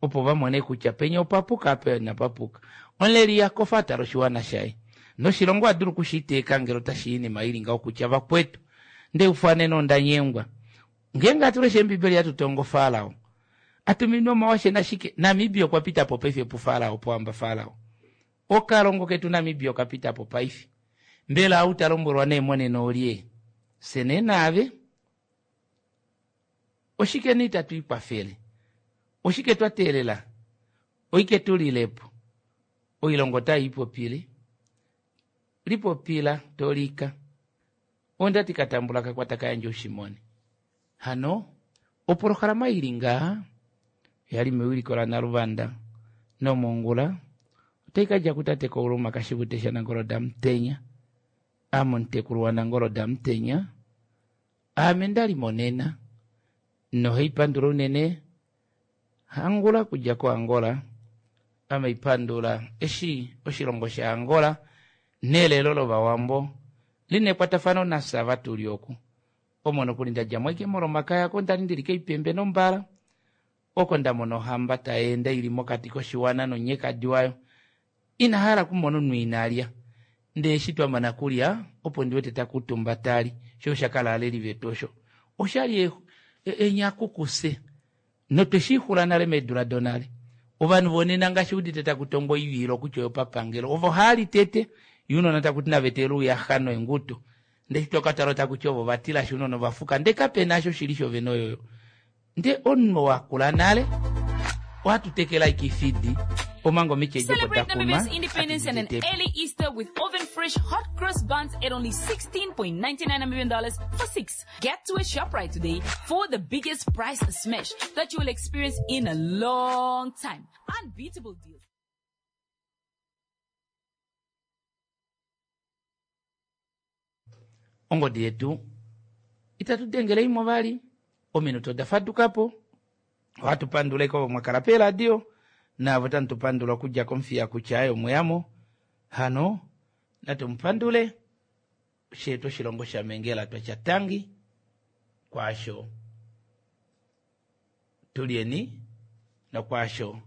Speaker 1: opo va mone kutya penya opa puka apa inapa puka. Omuleli iha kofa a tale oshiwana shaye. Noshilongo oha dulu oku shi iteeka ngele otashi iinima i li ngaho kutya vakwetu, ndeufanena onda nyengwa. Ngeenge hatu lesha Eembibeli hatu tongo Farao a tuminwe omawashe nashike, Namibia okwa pita po paife puFarao, pohamba Farao. Okalongo ketu Namibia oka pita po paife. Mbela ou ta lombwelwa nee monena olye? Fye nee naave? Oshike nee itatu ikwafele? Oshike twa teelela oike tu lile po? Oilongo otai ipopile. Lipopila to lika. Onda ti ka tambula ka kwata ka yandje ushimone. Hano opolohalama i li ngaha oya li mewiliko laNaluvanda nomongula otai ka dja kutate Kouluma Kashivute shaNangolo daMutenya. Ame omutekulu waNangolo daMutenya. Aame nda li monena nohai pandula unene Hangula kudja koAngola. Ame ipandula eshi oshilongo shaAngola nelelo lOvawambo li na ekwatafano nafye ava tu li oku. Omo nokuli nda dja mo ashike mOlomakaya oko nda li ndi li kOipembe nOmbala, oko nda mona ohamba tai ende i li mokati koshiwana nomunyekadi wayo. Ina hala okumona omunhu ina lya. Ndee eshi twa mana kulya, opo ndi wete ta kuutumba ta li. Sho osha kala aaleli vetu osho. Osha li enyaku kufye. Notwe shi xula nale meedula donale. Ovanhu vonena ngaashi udite taku tongwa oivilo kutya oyopapangelo, ovo haa li tete, ye ounona taku ti nava etele ouyaxa noenguto. Ndee eshi toka tala otaku ti ovo va tilashi ounona ova fuka, ndee kape na sho shili shovene oyoyo. Ndee omunhu wakula nale ohatu tekele ashike ifidi omanga omiti edi opo
Speaker 12: Celebrate
Speaker 1: da kunwa
Speaker 12: Namibia's independence and an
Speaker 1: hatu di
Speaker 12: early Easter with oven fresh hot cross buns at only $16.99 Namibian dollars for six. Get to a ShopRite today for the biggest price smash that you will experience in a long time. Unbeatable deals.
Speaker 1: Ongodi yetu itatu dengele imwe vali, ominute oda faduka po. Ohatu pandula eko mwa kala peeradio naavo tamu tu pandula okudja komufiya kutya aye omweyamo. Hano natu mu pandule shetu oshilongo shaMengela twatya tangi kwaasho tulyeni nokwaasho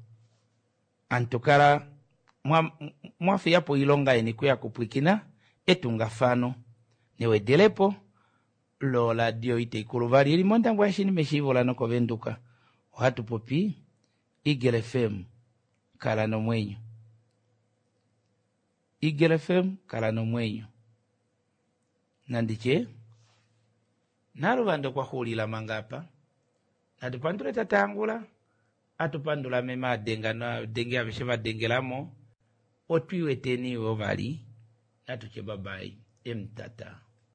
Speaker 1: antu kala mwa fiya po oilonga yeni kuya kupwikina etungafano newedelepo loradio itaikulu vali ili mOndangwa yashini meshiivo lanokovenduka. Ohatu popi Eagle FM kala nomwenyo. Eagle FM kala nomwenyo. Nanditye Naluvanda okwa xuulila manga apa. Natu pandule Tate Angula, atu pandula meme adenga novadenge aveshe va dengela mo. Otwi weteni wo vali. Natu tye bye bye emutata.